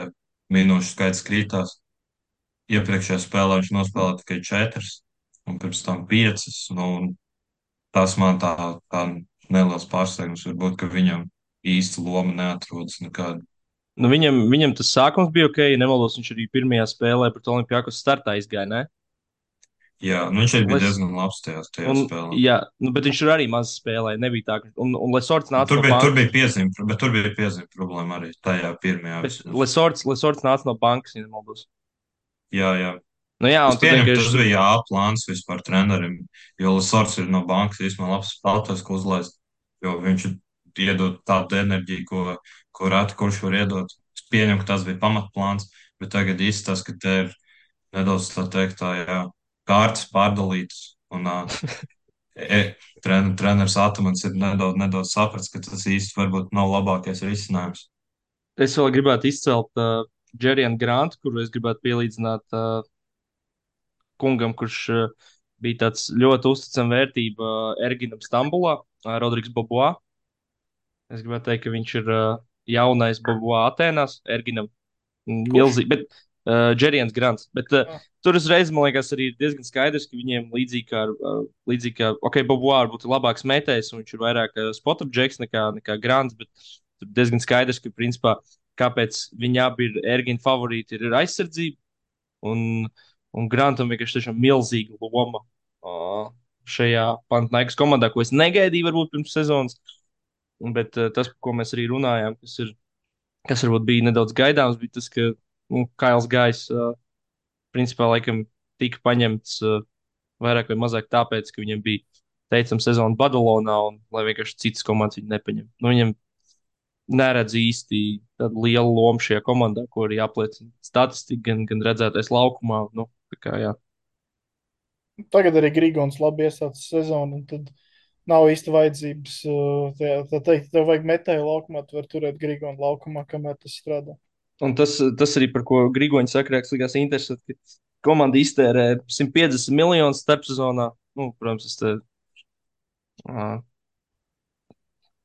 Speaker 2: minūšu skaits krītās. Iepriekšējā spēlē viņš nospēlēja tikai 4, un pirms tam 5. Nu, un tas man tā neliels pārsteigums varbūt, ka viņam īsti loma neatrodas nekāda.
Speaker 1: Nu, viņam tas sākums bija ok, ja nemaldos, viņš arī pirmajā spēlē pret Olimpijākos startā izgāja, ne?
Speaker 2: Jā, nu viņš arī bija
Speaker 1: Les,
Speaker 2: diezgan labs tajā
Speaker 1: un,
Speaker 2: spēlē.
Speaker 1: jā, nu, bet viņš tur arī maz spēlēja, nebija tā, ka, un Lesorts nāca
Speaker 2: Tur
Speaker 1: no
Speaker 2: bija, tur
Speaker 1: bankas,
Speaker 2: bija piezīme, bet tur bija piezīme problēma arī tajā pirmajā
Speaker 1: bet
Speaker 2: vismaz.
Speaker 1: Lesorts nāca no bankas, ja nemaldos.
Speaker 2: Jā, jā.
Speaker 1: Nu jā,
Speaker 2: Es
Speaker 1: un tad
Speaker 2: pieņemu, tas
Speaker 1: vienkārši,
Speaker 2: bija plāns vispār trenerim, jo Lasors ir no bankas īstenībā labs spēlētājs, ko uzlaist, jo viņš iedod tādu enerģiju, ko reti kurš var iedot. Es pieņemu, ka tas bija pamatplāns, bet tagad izstāsta, ka te ir nedaudz tā teikt, jā, kārtas pārdalītas, un treneris Atamans ir nedaudz sapratis, ka tas īsti varbūt nav labākais risinājums.
Speaker 1: es vēl gribētu izcelt Džerianu Grantu, kuru es gribētu pielīdzināt kungam, kurš bija tāds ļoti uzticama vērtība Erginam Stambulā, Rodrigs Boboā. Es gribētu teikt, ka viņš ir jaunais Boboā Atēnās, Erginam
Speaker 3: Kurš?
Speaker 1: milzīgi, bet Džerians Grants. Bet
Speaker 3: Ah,
Speaker 1: tur uzreiz, man liekas, arī ir diezgan skaidrs, ka viņiem līdzīgi kā ok, Boboā varbūt ir labāks metējs, un viņš ir vairāk spot-up džeks nekā Grants, bet tur diezgan skaidrs, ka principā kāpēc viņi abi ir Ergina favorīti, ir aizsardzība. Un, un Grantam vienkārši tiešām milzīga loma šajā Panathinaikos komandā, ko es negaidīju varbūt pirms sezonas. Bet tas, par ko mēs arī runājām, kas varbūt bija nedaudz gaidāms, bija tas, ka Kails Gājs principā laikam tika paņemts vairāk vai mazāk tāpēc, ka viņam bija teicama sezona Badalonā un lai vienkārši citas komandas viņu nepaņem. Nu, viņam neredz īsti tādu lielu lomu šajā komandā, ko arī apliecina statistika, gan redzētais laukumā. Nu, tā kā, jā.
Speaker 3: Tagad arī Grigons labi iesācis sezonu, un tad nav īsti vajadzības. Tā teikt, tev vajag metēju laukumā, tu vari turēt Grigonu laukumā, kamēr tas strādā.
Speaker 1: Un tas arī, par ko Grigoņš saka, likās interesanti, ka komanda iztērē 150 miljonus starpsezonā. Nu, protams, uh,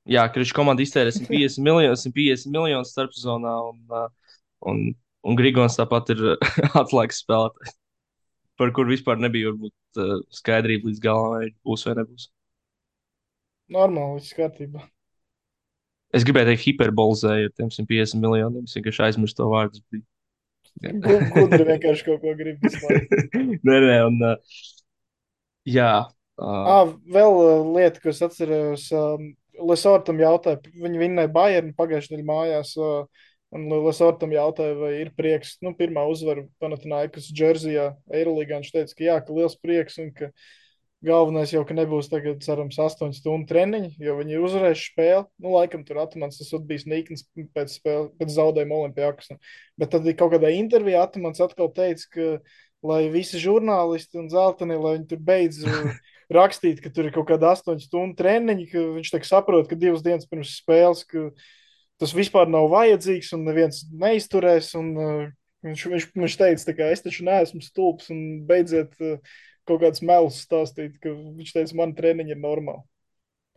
Speaker 1: jā, ka viņš komanda iztērē 150 miljonus starpsezonā, un, un Grigons tāpat ir atslēgas spēlētājs, par kur vispār nebija varbūt skaidrība līdz galam, vai būs vai nebūs.
Speaker 3: Normāli, viss kārtībā.
Speaker 1: Es gribēju teikt, hiperbolizēju ar tiem 150 miljoniem. Es vienkārši aizmirsu to vārdu.
Speaker 3: Gudri vienkārši kaut ko grib visu laiku.
Speaker 1: Nē, un jā.
Speaker 3: Vēl lieta, ko es atceros, Lesortam jautāja, viņi vinnēja Bayernu pagājušajā nedēļā mājās, un Lesortam jautāja, vai ir prieks, nu, pirmā uzvara Panathinaikos Džersijā, Eirolīgā, viņš teica, ka jā, ka liels prieks, un ka galvenais jau, ka nebūs tagad, cerams, 8 stundu treniņi, jo viņi ir uzvarējuši spēli. Nu, laikam tur Atamans tas bijis nīknis pēc zaudējuma Olimpijakos. Bet tad kaut kādā intervijā Atamans atkal teica, ka, lai visi žurnālisti un zelteni, lai viņi tur beidz rakstīt, ka tur ir kaut kāda 8 stundu treniņi, ka viņš tā saprot, ka 2 dienas pirms spēles, ka tas vispār nav vajadzīgs un neviens neizturēs. Un, viņš teica, tā kā es taču neesmu stulbs un beidziet kaut kāds melus stāstīt, ka viņš teica, man treniņi ir normāli.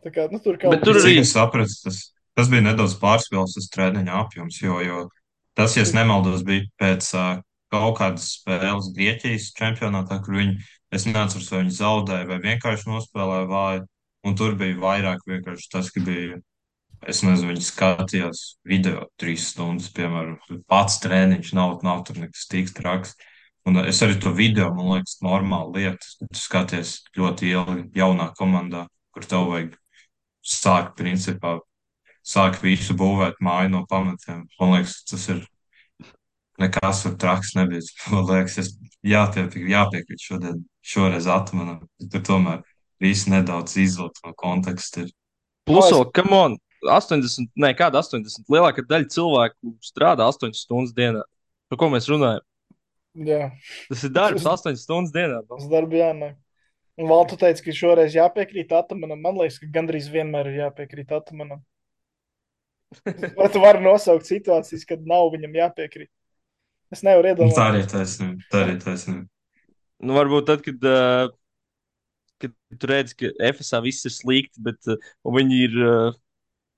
Speaker 3: Tā kā, nu, tur kaut
Speaker 1: tur arī
Speaker 2: Cik es sapratu, tas bija nedaudz pārspīlēts tas treniņa apjoms, jo tas, ja es nemaldos, bija pēc kaut kādas spēles Grieķijas čempionātā, kur es neatceros, vai viņi zaudēja vai vienkārši nospēlēja vāju, un tur bija vairāk vienkārši tas, ka bija, es nezinu, viņi skatījās video 3 stundas, piemēram, pats treniņš, nav tur nekas tik traks. Un es arī to video, man liekas, normāla lieta. Tu skaties ļoti ilgi jaunā komandā, kur tev vajag principā, sāk visu būvēt māju no pamatiem. Man liekas, tas ir nekas tur traks nebija. Man liekas, es jāpiekrīt šoreiz atmanam. Tur tomēr viss nedaudz izvilkt no konteksta.
Speaker 1: plus vēl, come on, 80, ne, kāda 80, lielākā daļa cilvēku strādā 8 stundas dienā. Par ko mēs runājam?
Speaker 3: Jā.
Speaker 1: Tas ir darbs 8 stundas dienā.
Speaker 3: Tas darbs jānāk. Un Valtu teica, ka šoreiz jāpiekrīt Atamanam. Man liekas, ka gandrīz vienmēr ir jāpiekrīt Atamanam. Vai tu vari nosaukt situācijas, kad nav viņam jāpiekrīt? Es nevaru iedomāties.
Speaker 2: Tā arī taisnība.
Speaker 1: Nu, varbūt tad, kad tu redzi, ka FSA viss ir slikti, bet viņi ir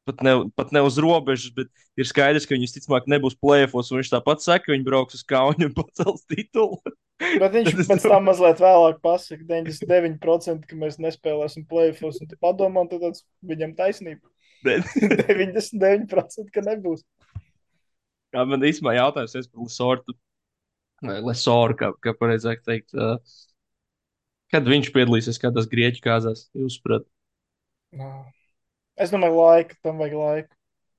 Speaker 1: pat ne uz robežas, bet ir skaidrs, ka viņi visticamāk nebūs plēfos, un viņš tāpat saka, ka viņi brauks uz Kaunu un pacels titulu.
Speaker 3: Bet viņš pēc tam mazliet vēlāk pasaka 99%, ka mēs nespēlēsim plēfos, un tu padomā, un tad viņam taisnība. 99%, ka nebūs.
Speaker 1: Jā, man īstenībā jautājums ir par Lesortu. Vai Lesoru, kā pareizāk teikt. Kad viņš piedalīsies kādās grieķu kāzās, jūs saprotat?
Speaker 3: Es domāju, tam vajag laiku.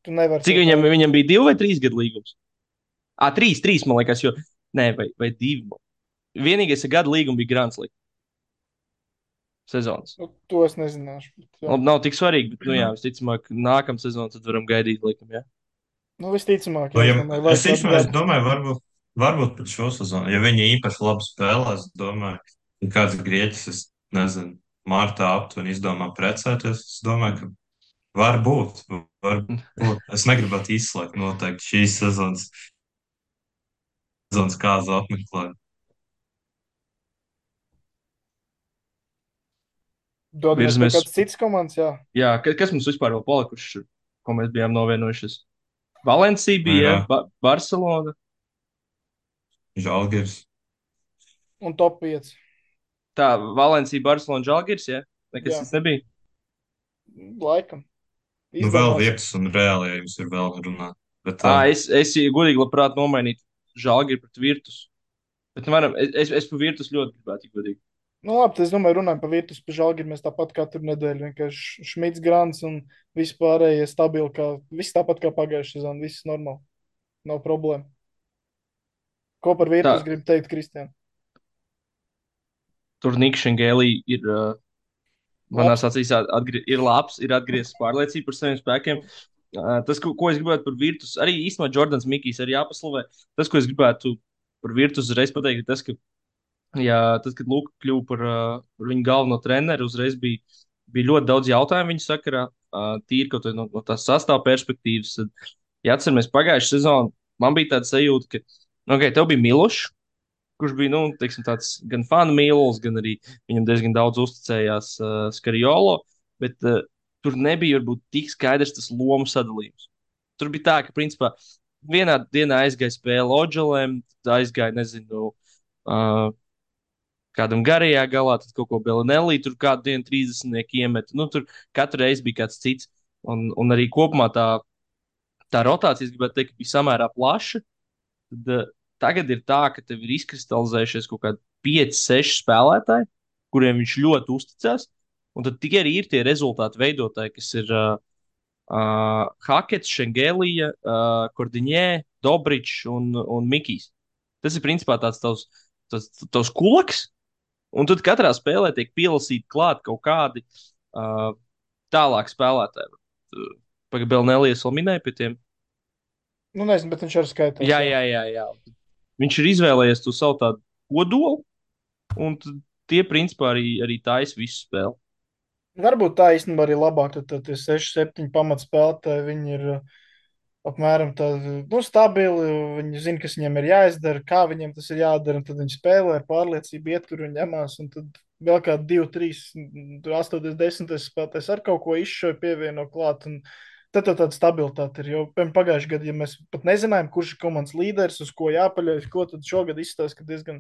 Speaker 3: Tu nevari.
Speaker 1: Cik viņam bija 2 vai 3 gadu līgums? 3, man liekas, jo. Nē, vai 2. Vienīgais gada līgums bija Grants Līga. Sezonas.
Speaker 3: Nu, to es nezināšu.
Speaker 1: Nav tik svarīgi, bet, jā, visticamāk, nākamā sezona tad varam gaidīt, laikam, jā.
Speaker 3: Nu, visticamāk,
Speaker 2: es domāju, varbūt pat šo sezonu, ja viņi īpaši labi spēlēs, domāju, ka kāds grieķis, es nezinu, martā aptuveni izdomā precēties, es domāju, ka varbūt. Es negribētu izslēgt noteikti šīs sezonas kāzu apmeklēt.
Speaker 3: Dodamies pie kāds cits komandas, jā.
Speaker 1: Jā, kas mums vispār vēl palikuši, ko mēs bijām novienojušies? Valencija bija, Barcelona.
Speaker 2: Žalgiris.
Speaker 3: Un top 5.
Speaker 1: Tā, Valencija, Barcelona, Žalgiris, jā? Nekas tas nebija?
Speaker 3: Laikam.
Speaker 2: Nu, vēl vietas un reāli, ja jums ir vēl runāt. Bet,
Speaker 1: es godīgi labprāt nomainītu Žalgiri pret Virtus. Bet, nu, varam, es par Virtus ļoti gribētu, godīgi.
Speaker 3: Nu, labi, tad es domāju, runājot par Virtus, par Žalgiru mēs tāpat katru nedēļu vienkārši Šmits, Grants un vispārējie stabili, viss tāpat kā pagājušajā sezonā, viss normāli, nav problēma. Ko par
Speaker 1: Tā,
Speaker 3: Virtus gribu teikt, Kristian?
Speaker 1: tur Niks Šengēlī ir, manās
Speaker 3: Labs.
Speaker 1: acīs, ir labs, ir atgriezis pārliecību par saviem spēkiem. Tas, ko es gribētu par Virtus, arī īstenībā Jordans Mikijs arī jāpaslavē. Tas, ko es gribētu par Virtus uzreiz pateikt, ir tas, ka jā, tad, kad Luka kļuva par viņu galveno treneru, uzreiz bija ļoti daudz jautājumu viņa sakarā. Tīri kaut no tās sastāvā perspektīvas. Tad, ja atceramies pagājušā sezonu, man bija tāda sajūta, ka, nu, okay, tev bija Milošs, kurš bija, nu, teiksim, tāds gan fanu mīlulis, gan arī viņam diezgan daudz uzticējās Skariolo, bet tur nebija varbūt tik skaidrs tas lomu sadalījums. Tur bija tā, ka, principā, vienā dienā aizgāja spēle Oģelēm, tad aizgāja, nezinu, uh, kādam garajā galā, tad kaut ko Belinelli, tur kādu dienu 30 iemet. Nu, tur katru reizi bija kāds cits. Un arī kopumā tā rotācija, es gribētu teikt, bija samērā plaša. Tad, tagad ir tā, ka tev ir izkristalizējušies kaut kādi 5, 6 spēlētāji, kuriem viņš ļoti uzticas. Un tad tie arī ir tie rezultātu veidotāji, kas ir Hakets, Šengelija, Kordiņē, Dobričs un Mikijs. Tas ir principā tāds tavs kulaks, un tad katrā spēlē tiek pielasīti klāt kaut kādi tālāk spēlētāji. Pagaidām, Nelijas vēl minēja pie tiem.
Speaker 3: Nu, nezinu, bet viņš arī skaitās.
Speaker 1: Jā. Viņš ir izvēlējies to savu tādu kodolu, un tie principā arī taisa visu spēli.
Speaker 3: Varbūt tā īstenībā arī labāk, tad tie 6, 7 pamatspēlētāji, viņi ir apmēram tādi, nu, stabili, viņi zina, kas viņiem ir jāizdara, kā viņiem tas ir jādara, un tad viņi spēlē ar pārliecību, ietur un ņemās, un tad vēl kā 2, 3, 8, 10 spēlētājs ar kaut ko izšauj pievieno klāt, un tad tāda stabilitāte ir, jo pagājušajā gadā, ja mēs pat nezinājām, kurš ir komandas līderis, uz ko jāpaļaujas, ko tad šogad izstāsta, ka diezgan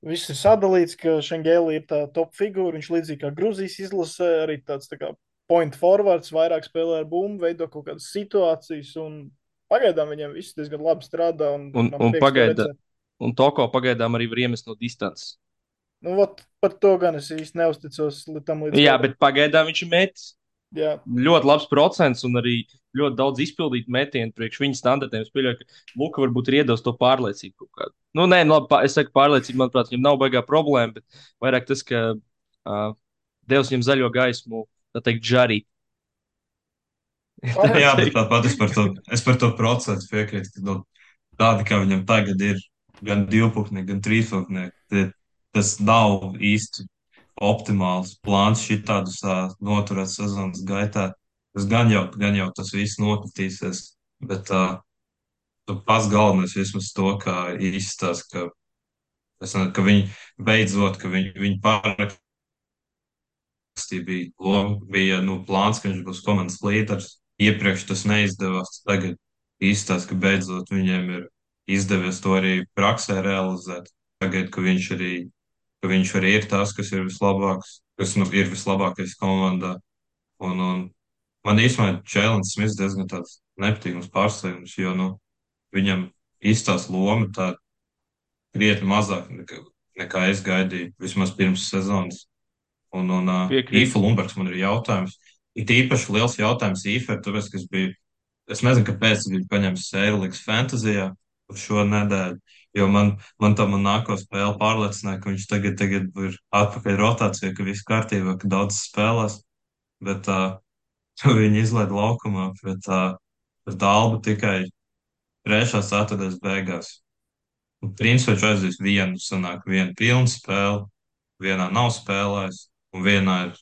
Speaker 3: viss ir sadalīts, ka Šengēlī ir tā top figūra. Viņš līdzīgi kā Grūzijas izlasē, arī tāds tā kā point forwards, vairāk spēlē ar bumbu, veido kaut kādas situācijas. Pagaidām viņiem viss diezgan labi strādā. Man
Speaker 1: Un
Speaker 3: prieks to
Speaker 1: pagaidām,
Speaker 3: redzēt.
Speaker 1: un Toko pagaidām arī var iemest no distances.
Speaker 3: Nu, ot, par to gan es īsti neusticos tam līdz
Speaker 1: Jā,
Speaker 3: galam.
Speaker 1: bet pagaidām viņš ir metis.
Speaker 3: Jā.
Speaker 1: Ļoti labs procents un arī ļoti daudz izpildītu metienu priekš viņa standartiem. Es pieļauju, ka Luka varbūt ir iedos to pārliecību kaut kādu. Nu, nē, nu, labi, es saku pārliecību, manuprāt, viņam nav baigā problēma, bet vairāk tas, ka Devs viņam zaļo gaismu, tā teikt, žarī. Tā
Speaker 2: Jā, bet
Speaker 1: teikt.
Speaker 2: tāpat es par to procentu piekrītu, ka nu, tādi, kā viņam tagad ir, gan divpusnieki, gan trīspusnieki, tas nav īsti optimāls plāns šitādus noturēt sezonas gaitā. Tas gan jau tas viss nokritīsies, bet pats galvenais vismaz to, kā izstāsta, ka viņi beidzot, ka viņi parakstīja, bija nu, plāns, ka viņš būs komandas līderis. Iepriekš tas neizdevās, tagad izstāsta, ka beidzot viņiem ir izdevies to arī praksē realizēt. Tagad, ka viņš arī ir tas, kas ir vislabāks, kas nu, ir vislabākais komandā. Un man īstenībā Čēlins Smits diezgan tāds nepatīkams pārsteigums, jo nu, viņam izstāsta loma tā krietni mazāk nekā es gaidīju, vismaz pirms sezonas. Un
Speaker 1: Piekrīt.
Speaker 2: Īfa Lumbergs man ir jautājums. Ir īpaši liels jautājums Īfa, tāpēc, ka es nezinu, kāpēc viņš bija paņēmis Sērlīgas fantāzijā uz šo nedēļu, jo man nāko spēle pārliecināja, ka viņš tagad ir atpakaļ rotācijā, ka viss kārtībā, ka daudz spēlēs, bet viņi izlaid laukumā pret Albu tikai 3. ceturtdaļas beigās. Principā viņš aizies vienu, sanāk vienu pilnu spēli, vienā nav spēlējis, un vienā ir,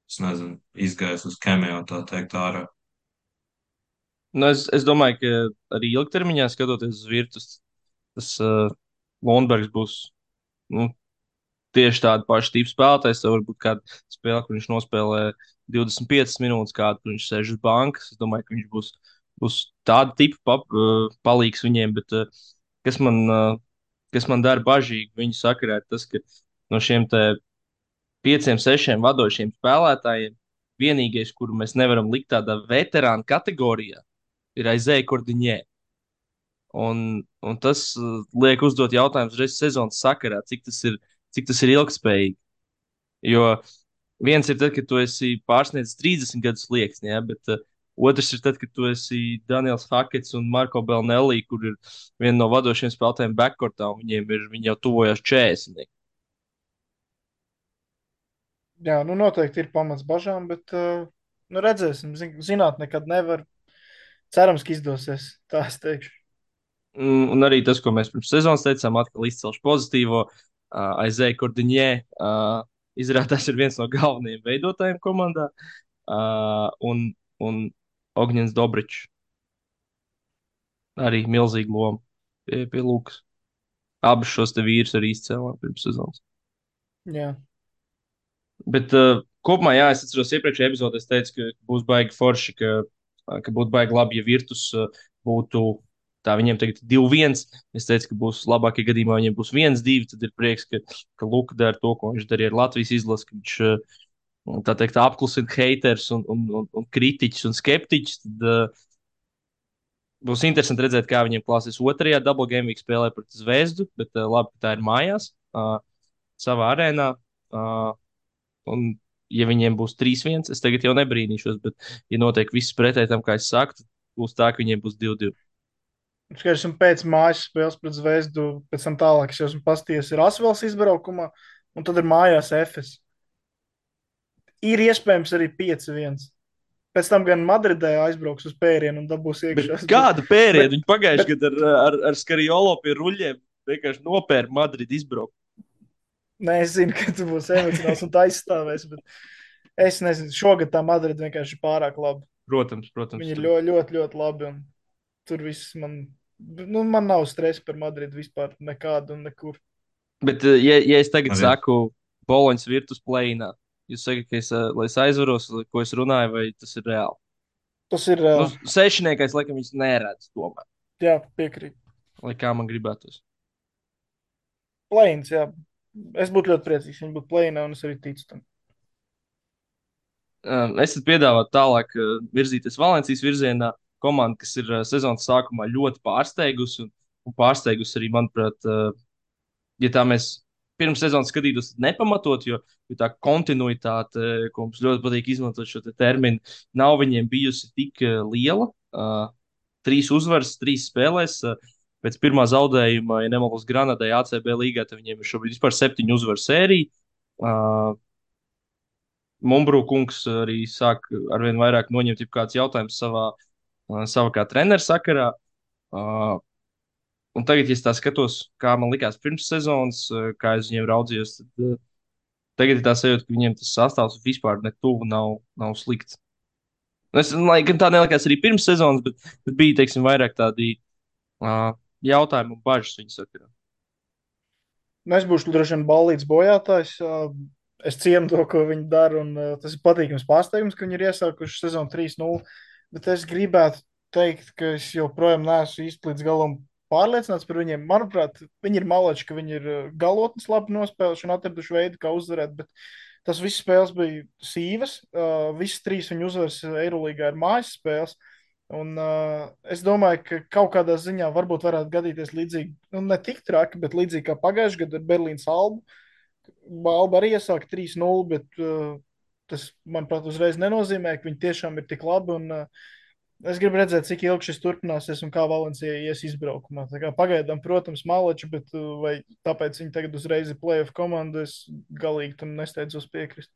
Speaker 2: es nezinu, izgājis uz kemiju, tā teikt, ārā.
Speaker 1: Nu, es domāju, ka arī ilgtermiņā skatoties uz Virtus, tas Lundbergs būs nu, tieši tāda paša tipa spēlētājs. Tev varbūt kāda spēle, kur viņš nospēlē 25 minūtes, kādu, kur viņš sēž uz bankas. Es domāju, ka viņš būs tāda tipa palīgs viņiem, bet kas man dara bažīgi viņu sakarā, ir tas, ka no šiem te 5, 6 vadošiem spēlētājiem vienīgais, kuru mēs nevaram likt tādā veterāna kategorijā, ir aizēja Kordiņē. Un tas liek uzdot jautājumus reiz sezonas sakarā, cik tas ir ilgspējīgi. Jo viens ir tad, kad tu esi pārsniedzis 30 gadus slieksni, ja, bet otrs ir tad, kad tu esi Daniels Hakets un Marko Belnelli, kur ir viena no vadošajiem spēlētājiem backcourtā, un viņi jau tuvojās 40.
Speaker 3: Jā, nu noteikti ir pamats bažām, bet nu redzēsim. Zināt, nekad nevar. Cerams, ka izdosies. Tā es teikšu.
Speaker 1: Un arī tas, ko mēs pirms sezonas teicām, atkal izcelšu pozitīvo. Aizēja Kordiņē, izrādās, ir viens no galvenajiem veidotājiem komandā. Un Ogņins Dobričs arī milzīga loma pie Lūkas. Abus šos te vīrus arī izcēlām pirms sezonas.
Speaker 3: Jā.
Speaker 1: Bet kopumā, jā, es atceros, iepriekšējā epizodē es teicu, ka būs baigi forši, ka būtu baigi labi, ja Virtus būtu tā viņiem tagad 2-1. Es teicu, ka būs labākie gadījumā, ja viņiem būs 1-2. Tad ir prieks, ka Luka dara to, ko viņš darīja ar Latvijas izlasi, ka viņš tā teikt apklusina haters un kritiķus un skeptiķus. Tad būs interesanti redzēt, kā viņiem klāsies otrajā Double Game Week spēlē pret Zvezdu, bet labi, ka tā ir mājās, savā arēnā. Un, ja viņiem būs 3-1, es tagad jau nebrīnīšos, bet, ja notiek viss pretēji tam, kā es saku, tad būs tā, ka viņiem būs 2-2.
Speaker 3: Skaidrs, un pēc mājas spēles pret Zvezdu, pēc tam tālāk es jau esmu pasties ir Asvels izbraukumā, un tad ir mājās Efes. Ir iespējams arī 5-1. Pēc tam gan Madridē aizbrauks uz pērienu un dabūs iekšā.
Speaker 1: Kāda pēriena? Viņi pagājušajā gadā ar Skariolo pie ruļļiem vienkārši nopēra Madridu izbraukt.
Speaker 3: Nē, es zinu, ka tu būsi emocionāls un tā izstāvēs, bet es nezinu, šogad tā Madrida vienkārši ir pārāk laba.
Speaker 1: Protams.
Speaker 3: Viņi ir ļoti, ļoti, ļoti labi, un tur viss man nav stresa par Madridu vispār nekādu un nekur.
Speaker 1: Bet, ja es tagad saku Boloņas virtus plēnā, jūs sakat, lai es aizvaros, ko es runāju, vai tas ir reāli?
Speaker 3: Tas ir
Speaker 1: Nu,
Speaker 3: reāli.
Speaker 1: sešniekais, laikam, viņas neredz tomēr,
Speaker 3: Jā, piekrīt.
Speaker 1: lai kā man gribētos.
Speaker 3: Plēns, jā. Es būtu ļoti priecīgs, ja viņi būtu plēnā, un es arī ticu tam.
Speaker 1: Es piedāvātu tālāk virzīties Valencijas virzienā. Komanda, kas ir sezonas sākumā ļoti pārsteigusi un pārsteigusi arī, manuprāt, ja tā mēs pirms sezonas skatītos, tad nepamatot, jo tā kontinuitāte, ko mums ļoti patīk izmantot šo te terminu, nav viņiem bijusi tik liela. 3 uzvaras, 3 spēlēs. Pēc pirmā zaudējuma, ja nemaldos Granadai ACB līgā, tad viņiem ir šobrīd vispār 7 uzvaru sērija. Mumbrū kungs arī sāk arvien vairāk noņemt kāds jautājums savā kā treneru sakarā. Un tagad, ja es tā skatos, kā man likās pirms sezonas, kā es viņiem raudzījos, tad tagad ir tā sajūta, ka viņiem tas sastāvs vispār ne tuvu nav slikts. Lai gan tā nelikās arī pirms sezonas, bet bija, teiksim, vairāk tādi jautājumi un bažas viņu sakarā.
Speaker 3: Nu, es būšu droši vien ballīts bojātājs. Es cienu to, ko viņi dara, un tas ir patīkams pārsteigums, ka viņi ir iesākuši sezonu 3-0. Bet es gribētu teikt, ka es joprojām neesmu īsti līdz galam pārliecināts par viņiem. Manuprāt, viņi ir malači, ka viņi ir galotnes labi nospēlējuši un atraduši veidu, kā uzvarēt. Bet tas viss spēles bija sīvas. Visas 3 viņu uzvaras Eirolīgā ir mājas spēles. Un, es domāju, ka kaut kādā ziņā varbūt varētu gadīties līdzīgi, nu, ne tik traki, bet līdzīgi kā pagājušajā gadā ar Berlīnas Albu. Alba arī iesāka 3-0, bet tas, manuprāt, uzreiz nenozīmē, ka viņi tiešām ir tik labi. Un, es gribu redzēt, cik ilgi šis turpināsies un kā Valencija ies izbraukumā. Tā kā pagaidām, protams, malači, bet vai tāpēc viņi tagad uzreiz ir playoff komanda, es galīgi tam nesteidzos piekrist.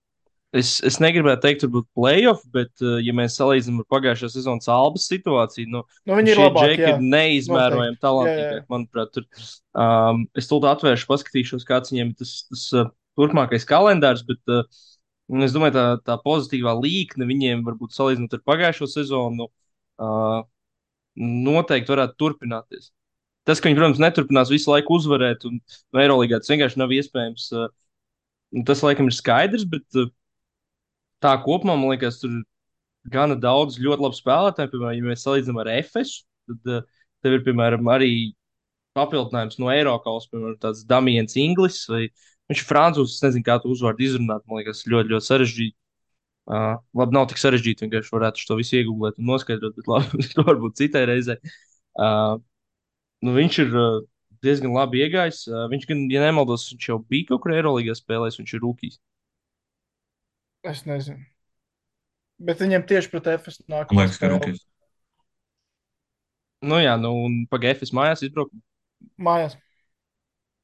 Speaker 1: Es negribētu teikt, varbūt playoff, bet, ja mēs salīdzinām ar pagājušā sezonas Albas situāciju,
Speaker 3: nu viņi ir
Speaker 1: šie
Speaker 3: labāki,
Speaker 1: džeki ir neizmērojami talantīgāki, manuprāt. Es tulīt atvēršu, paskatīšos, kāds viņiem ir tas turpmākais kalendārs, bet es domāju, tā pozitīvā līkne viņiem varbūt salīdzinot ar pagājušo sezonu noteikti varētu turpināties. Tas, ka viņi, protams, neturpinās visu laiku uzvarēt, un Eirolīgā tas vienkārši nav iespējams, tas laikam ir skaidrs, bet tā kopumā, man liekas, tur ir gana daudz ļoti labu spēlētāju. Piemēram, ja mēs salīdzinām ar Efesu, tad tev ir, piemēram, arī papildinājums no Eiropas, piemēram, tāds Damiens Inglis. Viņš ir francūzs, es nezinu, kā tu uzvārdu izrunāt. Man liekas, ļoti, ļoti sarežģīti. Labi, nav tik sarežģīti, vienkārši varētu to visu iegūlēt un noskaidrot, bet labi, to varbūt citai reizei. Viņš ir diezgan labi iegājis. Viņš gan, ja nemaldos, viņš jau bija kaut kur Eirolandā spēlējis, viņš ir rūkīs.
Speaker 3: Es nezinu. Bet viņiem tieši pret FS
Speaker 2: Man
Speaker 3: nākamā
Speaker 2: liekas, ka
Speaker 3: spēle
Speaker 2: rūkīs.
Speaker 1: Nu jā, nu un pagaidi, es mājās izbraucu.
Speaker 3: mājās.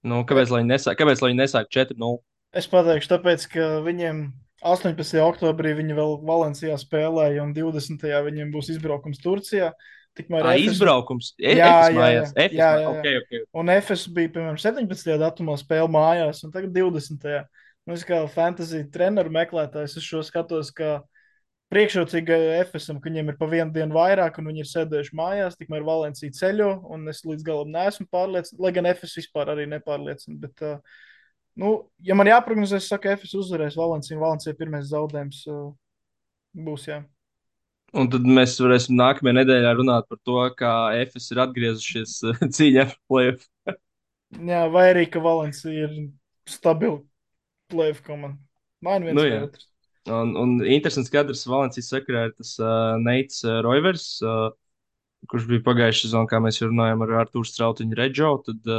Speaker 1: Nu,
Speaker 3: E,
Speaker 1: kāpēc lai viņi nesāk 4-0?
Speaker 3: Es pateikšu, tāpēc, ka viņiem 18. oktobrī viņi vēl Valencijā spēlēja, un 20. viņiem būs izbraukums Turcijā. Tikmēr FS.
Speaker 1: Izbraukums.
Speaker 3: Jā,
Speaker 1: Efes
Speaker 3: jā, jā.
Speaker 1: mājās. Efes
Speaker 3: jā,
Speaker 1: mājās.
Speaker 3: jā, jā.
Speaker 1: Ok, ok.
Speaker 3: Un FS bija, piemēram, 17. datumā spēle mājās, un tagad 20. Nu, es kā fantasy treneru meklētājs, es šo skatos, kā priekšrocīga FSM, ka viņiem ir pa vienu dienu vairāk, un viņi ir sēdējuši mājās, tikmēr Valencija ceļo, un es līdz galam neesmu pārliecināts, lai gan FS vispār arī nepārliecina. Bet, nu, ja man jāprognozē, es saku, FS uzvarēs Valenciju, un Valencija pirmais zaudējums būs, jā.
Speaker 1: Un tad mēs varēsim nākamajā nedēļā runāt par to, kā Efes ir atgriezušies cīņā par plēsoņu.
Speaker 3: Jā, vai arī, ka Valencija ir stabila plēfa komanda. Maina
Speaker 1: Nu,
Speaker 3: viens vai
Speaker 1: jā.
Speaker 3: otrs.
Speaker 1: Un interesants kadrs Valencijas sakarā ir tas Neits Roivers, kurš bija pagājušajā sezonā, kā mēs jau runājām ar Artūru Strautiņu Redžo. Tad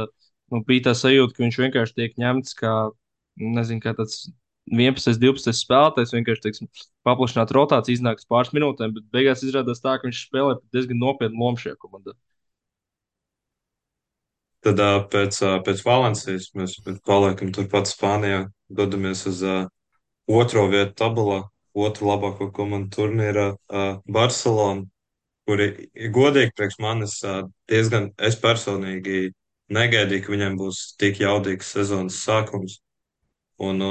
Speaker 1: nu, bija tā sajūta, ka viņš vienkārši tiek ņemts kā, nezinu, kā tāds 11, 12 spēlētājs, vienkārši, teiksim, paplašināt rotāciju, iznāks pāris minūtēm, bet beigās izrādās tā, ka viņš spēlē diezgan nopietnu lomu šajā komandā.
Speaker 2: Tad pēc Valencijas mēs paliekam turpat Spānijā, dodamies uz otro vietu tabulā, otru labāko komandu turnīrā, Barcelonu, kuri, godīgi priekš manis, diezgan, es personīgi negaidīju, ka viņiem būs tik jaudīgs sezonas sākums. Un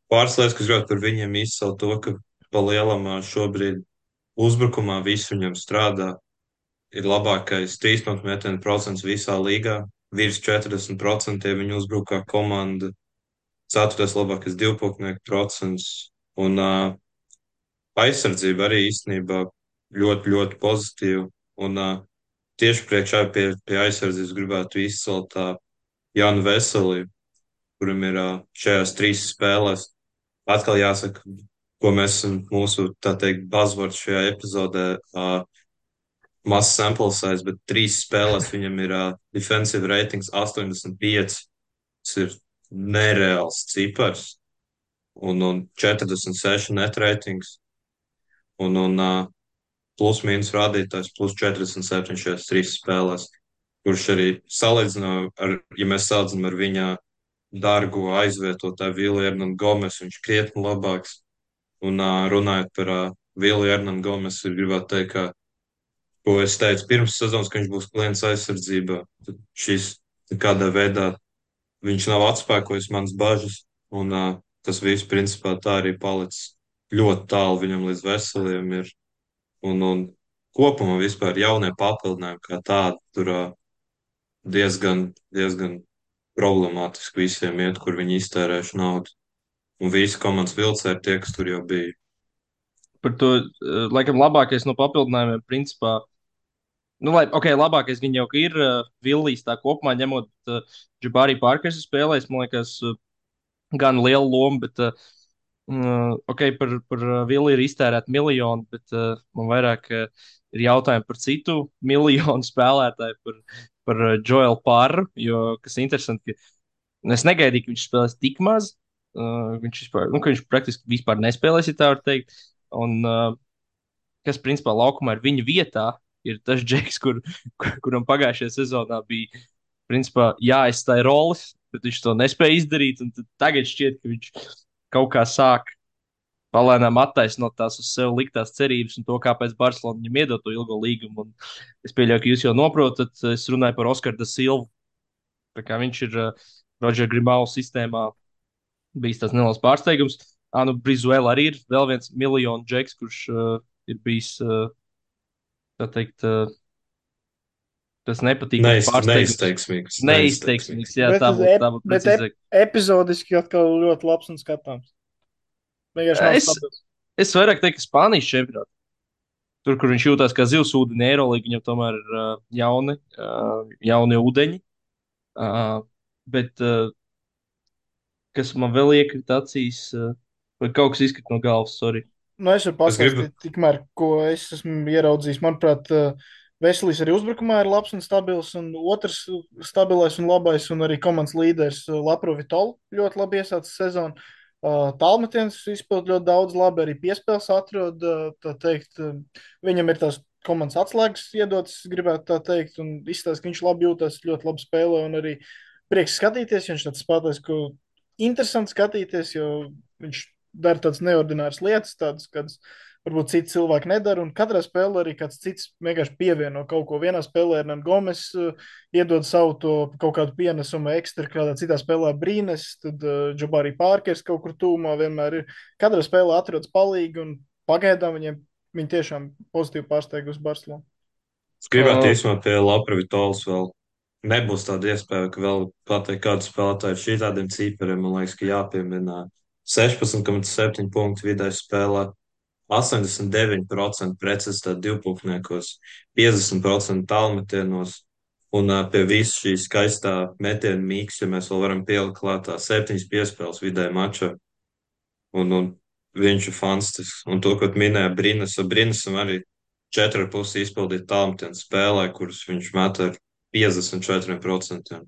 Speaker 2: pāris lietas, kas gribētu par viņiem izcelt to, ka pa lielam šobrīd uzbrukumā viss viņam strādā. Ir labākais trīspunktu metienu procents visā līgā, virs 40% viņa uzbrukā komanda, ceturtais labākais divpunktnieku procents, un aizsardzība arī īstenībā ļoti, ļoti pozitīva. Un tieši priekšā pie aizsardzības gribētu izcelt Jānu Veselī, kuram ir šajās trīs spēlēs. Atkal jāsaka, ko mēs esam mūsu, tā teikt, buzzwords šajā epizodē. Mazs sample size, bet trīs spēlēs viņam ir defensive ratings 85. Tas ir nereāls cipars. Un 46 net ratings. Un plus mīnus rādītājs plus 47 šajās trīs spēlēs. Kurš arī salīdzinām ar, ja mēs salīdzinām ar viņa dārgo aizvietotāju Vilu Hernanu Gomesu, viņš krietni labāks. Un runājot par Vilu Hernanu Gomesu, ir gribētu teikt, ka ko es teicu pirms sezonas, ka viņš būs klients aizsardzībā. Tad šis kādā veidā viņš nav atspēkojis manas bažas, un tas viss principā tā arī palicis ļoti tālu viņam līdz veseliem ir. Un kopumā vispār jaunie papildinājumi kā tādi tur diezgan problemātiski visiem iet, kur viņi iztērējuši naudu. Un visi komandas vilcēji ir tie, kas tur jau bija.
Speaker 1: Par to, laikam, labākais no papildinājumiem, principā, nu, lai, ok, labākais gan jau ir Villijs tā kopumā, ņemot Džabārī Parkers spēlēs, man liekas, gan liela loma, bet, ok, par Villiju ir iztērēt miljonu, bet man vairāk ir jautājumi par citu miljonu spēlētāju, par Joelu Pārru, jo, kas interesanti, ka es negaidīju, ka viņš spēlēs tik maz. Viņš vispār, nu, ka viņš praktiski vispār nespēlēs, ja tā var teikt. Un, kas principā laukumā ir viņa vietā, ir tas džeks, kuram pagājušajā sezonā bija principā jāaizstāj roles, bet viņš to nespēja izdarīt. Tagad šķiet, ka viņš kaut kā sāk palēnām attaisnot tās uz sevi liktās cerības un to, kāpēc Barcelona viņam iedod to ilgo līgumu. Un es pieļauju, ka jūs jau noprotat, es runāju par Oskaru da Silvu. Tā kā viņš ir Rodžera Grimau sistēmā bijis tas neliels pārsteigums. Nu, Brizuela arī ir vēl viens miljonu džeks, kurš ir bijis, tā teikt, tas nepatīkams pārsteigums. Neizteiksmīgs, jā,
Speaker 3: Bet,
Speaker 1: tā būtu
Speaker 3: bet
Speaker 1: precīzāk.
Speaker 3: epizodiski atkal ļoti labs un skatāms. Vienkārši nav
Speaker 1: Es,
Speaker 3: stabils.
Speaker 1: es vairāk teiktu, ka Spānijas čempionātā. Tur, kur viņš jūtas kā zivs ūdenī, Eirolīga, viņam tomēr ir jauni ūdeņi. Bet kas man vēl iekrita acīs, vai kaut kas izkrita no galvas, sorry.
Speaker 3: Nu, es varu pastāstīt, tikmēr, ko es esmu ieraudzījis. Manuprāt, Veselīs arī uzbrukumā ir labs un stabils, un otrs stabilais un labais, un arī komandas līderis Lapro Vitolu ļoti labi iesācis sezonu. Tālmetiens izpild ļoti daudz labi, arī piespēles atrod, tā teikt, viņam ir tās komandas atslēgas iedotas, gribētu tā teikt, un izstāsta, ka viņš labi jūtas, ļoti labi spēlē, un arī prieks skatīties, ja viņš tāds spēlētājs, ko interesanti skatīties, jo viņš dara tādas neordināras lietas, tādas, kādas varbūt citi cilvēki nedara, un katrā spēlē arī kāds cits vienkārši pievieno kaut ko. Vienā spēlē Hernan Gomes iedod savu to kaut kādu pienesumu ekstra, kādā citā spēlē Brīnes, tad Džabārī Pārkers kaut kur tūmā vienmēr ir. Katrā spēlē atrodas palīgi, un pagaidām viņi tiešām pozitīvi pārsteigusi Barcelonu.
Speaker 2: Es gribētu
Speaker 1: Uh,
Speaker 2: īstenībā pie Lapra Vitolas vēl. Nebūs tāda iespēja, ka vēl pateikt, kādu spēlētāju ar šādiem cipariem, man liekas, ka jāpiemina 16,7 punktu vidēji spēlē, 89% precizitāte divpunktniekos, 50% tālmetienos, un pie visa šī skaistā metiena mīksta, ja mēs vēl varam pielikt klātā 7 piespēles vidēji mačā, un viņš ir fantastisks. Un to, ko minēja Brinisam arī 4,5 izpildīt tālmetienu spēlē, kurus viņš met ar 54%.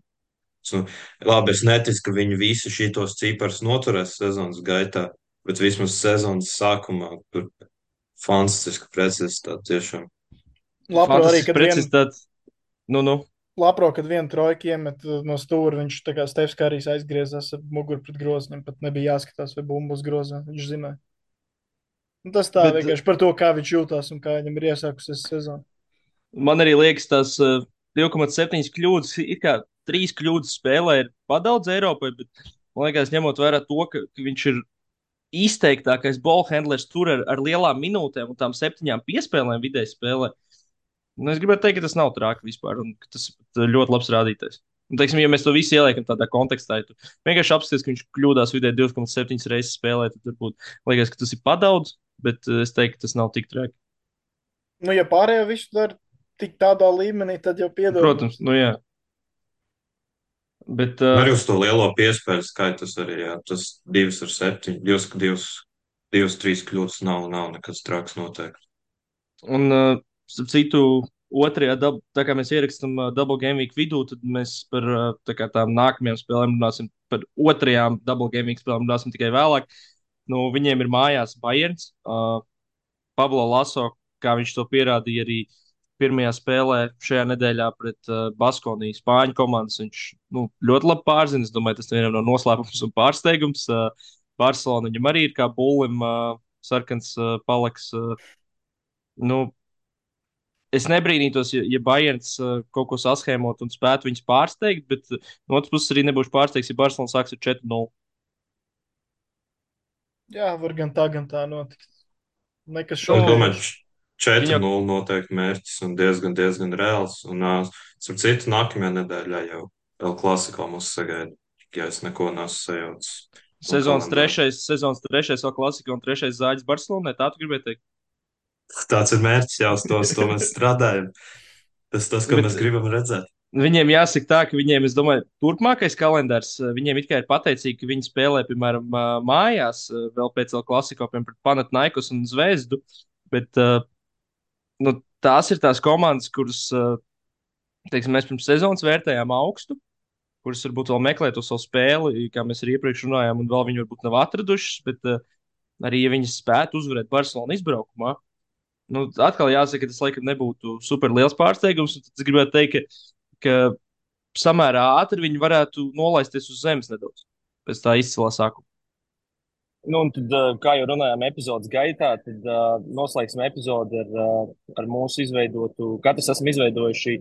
Speaker 2: Nu, labi, es neticu, ka viņi visi šitos ciparus noturēs sezonas gaitā, bet vismaz sezonas sākumā tur fantastiska precizitāte tiešām.
Speaker 3: Lapro arī,
Speaker 1: Fantastisks precizitāte. Nu.
Speaker 3: Lapro, kad vienu trojku iemet no stūra, viņš tā kā Stefs Kārijs aizgriezās ar muguru pret grozņiem, pat nebija jāskatās, vai bumba uz grozā, viņš zināja. Un tas tā
Speaker 1: Bet
Speaker 3: vienkārši par to, kā viņš jūtās un kā viņam ir iesākusies sezona.
Speaker 1: man arī liekas, tas 2,7 kļūdas, it kā 3 kļūdas spēlē ir padaudz Eiropai, bet man liekas, ņemot vērā to, ka viņš ir izteiktākais ballhandlers tur ar lielām minūtēm un tām 7 piespēlēm vidēji spēlē. Nu, es gribētu teikt, ka tas nav traki vispār, un ka tas ir ļoti labs rādītājs. Un, teiksim, ja mēs to visu ieliekam tādā kontekstā, ja tu vienkārši apskaties, ka viņš kļūdās vidēji 2,7 reizes spēlē, tad varbūt liekas, ka tas ir padaudz, bet es teiktu, ka tas nav tik traki.
Speaker 3: Nu, ja pārējo visu dara tik tādā līmenī, tad jau piedod.
Speaker 1: Protams, nu jā. Bet,
Speaker 2: Arī uz to lielo piespēļu skaitu tas arī, jā, tas 2 ar 7, 2, 3 kļūdas nav nekas traks noteikti.
Speaker 1: un, starp citu, otrajā, tā kā mēs ierakstām Double Game Week vidū, tad mēs par tām nākamajām spēlēm runāsim, par otrajām Double Game Week spēlēm runāsim tikai vēlāk. Nu, viņiem ir mājās Bayerns. Pablo Laso, kā viņš to pierādīja arī pirmajā spēlē šajā nedēļā pret Baskoniju Spāņu komandas. Viņš ļoti labi pārzina. Es domāju, tas vienam no noslēpums un pārsteigums. Barcelona viņam arī ir kā bullim sarkans palaks. Nu, es nebrīnītos, ja Bayerns kaut ko saschēmot un spētu viņus pārsteigt, bet no otras puses arī nebūšu pārsteigts, ja Barcelona sāks ar 4-0.
Speaker 3: Jā, var gan tā notikt. Nekas
Speaker 2: Es
Speaker 3: šaubīgs.
Speaker 2: domāju, 4-0 noteikti mērķis un diezgan reāls. Un, starp citu, nākamajā nedēļā jau El Clasico mūs sagaida, ja es neko neesmu sajaucis.
Speaker 1: Sezonas trešais vēl klasika un trešais zāģis Barcelonai. Tā tu gribēji teikt?
Speaker 2: Tāds ir mērķis, jā, uz to mēs strādājam. Tas, ko
Speaker 1: Bet
Speaker 2: mēs gribam redzēt.
Speaker 1: viņiem jāsaka tā, ka viņiem, es domāju, turpmākais kalendārs, viņiem it kā ir pateicīgi, ka viņi spēlē, piemēram, mājās, vēl pēc El Clasico, piemēram, pret Panathinaikos un Zvezdu. Bet tās ir tās komandas, kuras, teiksim, mēs pirms sezonas vērtējām augstu, kuras varbūt vēl meklē to savu spēli, kā mēs arī iepriekš runājām, un vēl viņi varbūt nav atradušas, bet arī, ja viņi spētu uzvarēt Barcelonu izbraukumā, atkal jāsaka, ka tas laikam nebūtu super liels pārsteigums. Tad es gribētu teikt, ka samērā ātri viņi varētu nolaisties uz zemes nedaudz pēc tā izcilā sākuma.
Speaker 4: Nu, un tad, kā jau runājām epizodes gaitā, tad noslēgsim epizodi ar mūsu izveidotu, katrs esam izveidojuši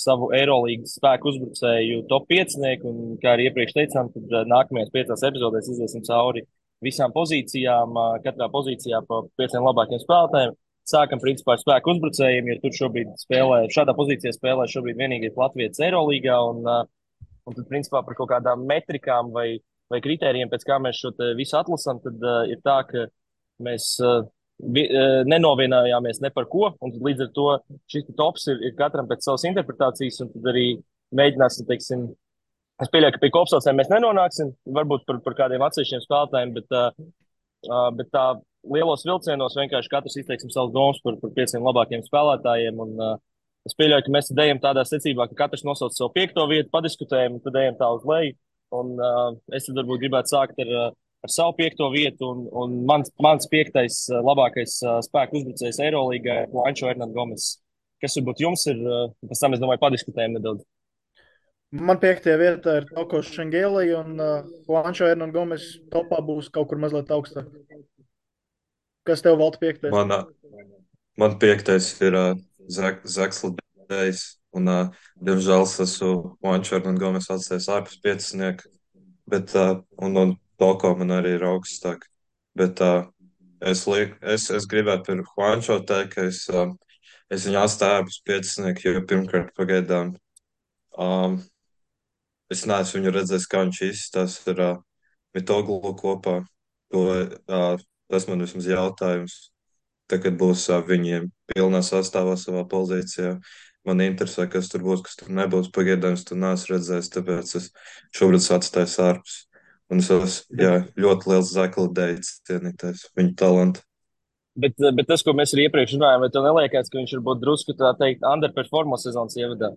Speaker 4: savu Eirolīgas spēku uzbrucēju top 5. Un, kā arī iepriekš teicām, tad nākamajās 5 epizodēs iziesim cauri visām pozīcijām, katrā pozīcijā pa 5 labākiem spēlētājiem. Sākam principā ar spēku uzbrucējiem, jo tur šobrīd šādā pozīcijā spēlē šobrīd vienīgais Latvijas Eirolīgā. Un tad principā par kaut kādām metrikām vai kritērijiem, pēc kā mēs šo visu atlasām, tad ir tā, ka mēs nenovienojāmies ne par ko. Un līdz ar to šis tops ir katram pēc savas interpretācijas. Un tad arī mēģināsim, teiksim, es pieļauju, ka pie kopsaucējiem mēs nenonāksim, varbūt par kādiem atsevišķiem spēlētājiem, bet tā lielos vilcienos vienkārši katrs izteiksim savus domas par 5 labākiem spēlētājiem. Un, es pieļauju, ka mēs tad ejam tādā secībā, ka katrs nosauc savu 5. vietu, padiskutējam, un tad ejam tā uz leju. Un es tad varbūt gribētu sākt ar ar savu 5. vietu, un mans 5. Labākais spēku uzbrucējs Eirolīgā ir Juancho Hernan Gomes. Kas varbūt jums ir, pēc tam es domāju, padiskutējam nedaudz.
Speaker 3: Man 5. vietā ir Toko Šengeli, un Juancho Hernan Gomes topā būs kaut kur mazliet augstāk. Kas tev valda 5.?
Speaker 2: Man 5. ir Zaks Lidējs, un, diemžēl, es esmu Juancho Hernan Gomes atstājis ārpus 5. Bet, un Toko man arī ir augstāk. Bet es gribētu par Juancho teikt, ka es viņu atstāju ārpus 5. Jo pirmkārt pagaidām es neesmu viņu redzējis, kā viņš izskatās ar Mitoglu kopā. Tas man vismaz jautājums. Tagad būs viņiem pilnā sastāvā savā pozīcijā. Man interesē, kas tur būs, kas tur nebūs. Pagaidām es tur neesmu redzējis, tāpēc es šobrīd atstāju ārpus. Un es esmu ļoti liels Zaka Lidējas cienītājs, viņa talantu.
Speaker 4: Bet tas, ko mēs arī iepriekš runājām, vai tev neliekās, ka viņš varbūt drusku tā teikt underperformo sezonas ievadā?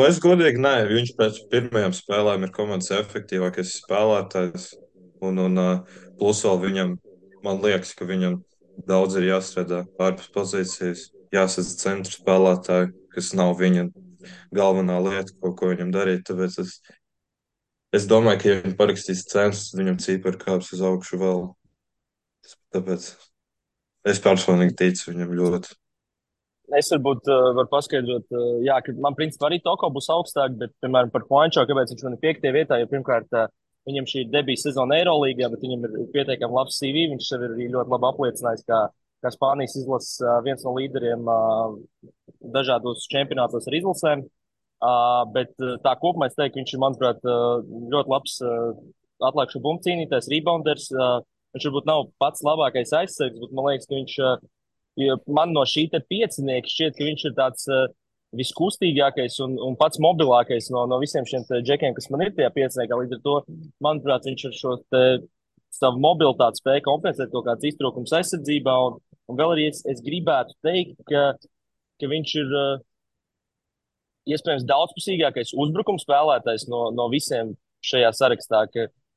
Speaker 2: Es godīgi nē, viņš pēc pirmajām spēlēm ir komandas efektīvākais spēlētājs. Un plus vēl viņam, man liekas, ka viņam daudz ir jāstrādā ārpus pozīcijas, jāsadz centra spēlētāji, kas nav viņa galvenā lieta, ko viņam darīt. Tāpēc es domāju, ka ja viņš parakstīs centrus, viņam cipari kāps uz augšu vēl. Tāpēc es personīgi ticu viņam ļoti.
Speaker 4: Es varbūt varu paskaidrot, jā, ka man principā arī Toko būs augstāk, bet, piemēram, par Juancho, kāpēc viņš man ir 5. vietā, jo pirmkārt viņam šī ir debijas sezona Eirolīgā, bet viņam ir pietiekami labs CV, viņš sev ir arī ļoti labi apliecinājis, kā Spānijas izlases viens no līderiem dažādos čempionātos ar izlasēm. Bet tā kopumā es teiktu, ka viņš ir, manuprāt, ļoti labs atlaižu bumbu cīnītājs, rebounders. Viņš varbūt nav pats labākais aizsargs, bet man liekas, ka viņš, man no šī te 5. šķiet, ka viņš ir tāds viskustīgākais un pats mobilākais no visiem šiem džekiem, kas man ir tajā 5. Līdz ar to, manuprāt, viņš ar šo savu mobilitāti spēja kompensēt kaut kāds iztrūkums aizsardzībā. Un vēl arī es gribētu teikt, ka viņš ir iespējams daudzpusīgākais uzbrukuma spēlētājs no visiem šajā sarakstā.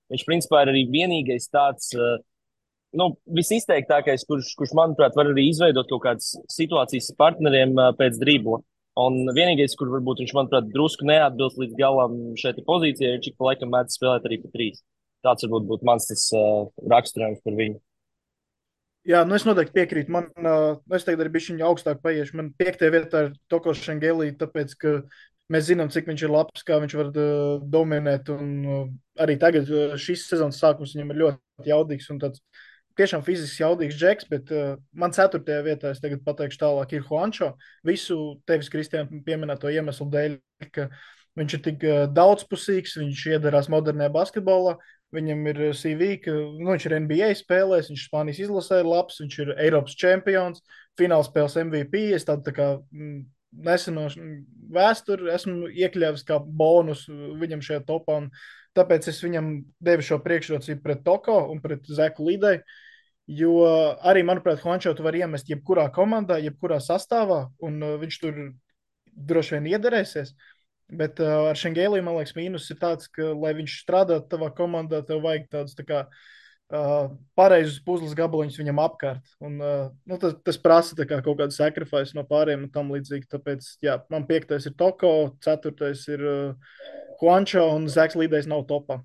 Speaker 4: Viņš principā ir arī vienīgais tāds visizteiktākais, kurš, manuprāt, var arī izveidot kaut kādas situācijas ar partneriem pēc dribla. Un vienīgais, kur varbūt viņš, manuprāt, drusku neatbilst līdz galam šeit pozīcijai, viņš ik pa laikam mēdz spēlēt arī pa 3. Tāds varbūt būtu mans raksturojums par viņu.
Speaker 3: Jā, es noteikti piekrītu. Es tagad arī biju viņa augstāk paiešu. Man 5. vietā ir Toko Šengeli, tāpēc, ka mēs zinām, cik viņš ir labs, kā viņš var dominēt. Un arī tagad šīs sezonas sākums viņam ir ļoti jaudīgs un tāds tiešām fiziski jaudīgs džeks, bet man 4. vietā, es tagad pateikšu tālāk, ir Juancho. Visu tevis, Kristiāna, pieminēto iemeslu dēļ, ka viņš ir tik daudzpusīgs, viņš iedarās modernajā basketbolā. Viņam ir CV, ka viņš ir NBA spēlēs, viņš Spānijas izlasē ir labs, viņš ir Eiropas čempions, finālspēles MVP. Es tādu tā kā neseno vēsturi esmu iekļāvis kā bonus viņam šajā topā. Tāpēc es viņam devu šo priekšrocību pret Toko un pret Zaku Lidēju. Jo arī, manuprāt, Juancho tu var iemest jebkurā komandā, jebkurā sastāvā, un viņš tur droši vien iederēsies. Bet ar Šengēliju, man liekas, mīnus ir tāds, ka, lai viņš strādātu tavā komandā, tev vajag tādus tā kā pareizus puzles gabaliņus viņam apkārt. Un, tas prasa tā kā kaut kādu sacrifice no pāriem un tam līdzīgi. Tāpēc, jā, man 5. ir Toko, 4. ir Juancho un Zaks Lidējs nav topā.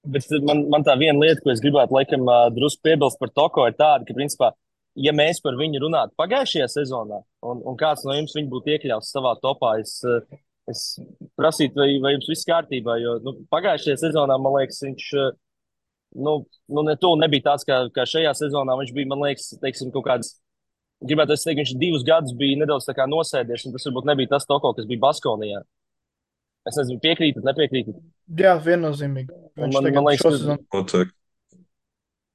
Speaker 4: Bet man tā viena lieta, ko es gribētu laikam drusku piebilst par Toko, ir tāda, ka, principā, ja mēs par viņu runātu pagājušajā sezonā, un kāds no jums viņu būtu iekļauts savā topā, es prasītu, vai jums viss kārtībā, jo pagājušajā sezonā, man liekas, viņš nebija tāds, kā šajā sezonā. Viņš bija, man liekas, teiksim, kaut kāds, gribētu teikt, viņš 2 gadus bija nedaudz tā kā nosēdies, un tas varbūt nebija tas Toko, kas bija Baskonijā. Es nezinu, piekrītat, nepiekrītat?
Speaker 3: Jā, viennozīmīgi.
Speaker 4: Man liekas,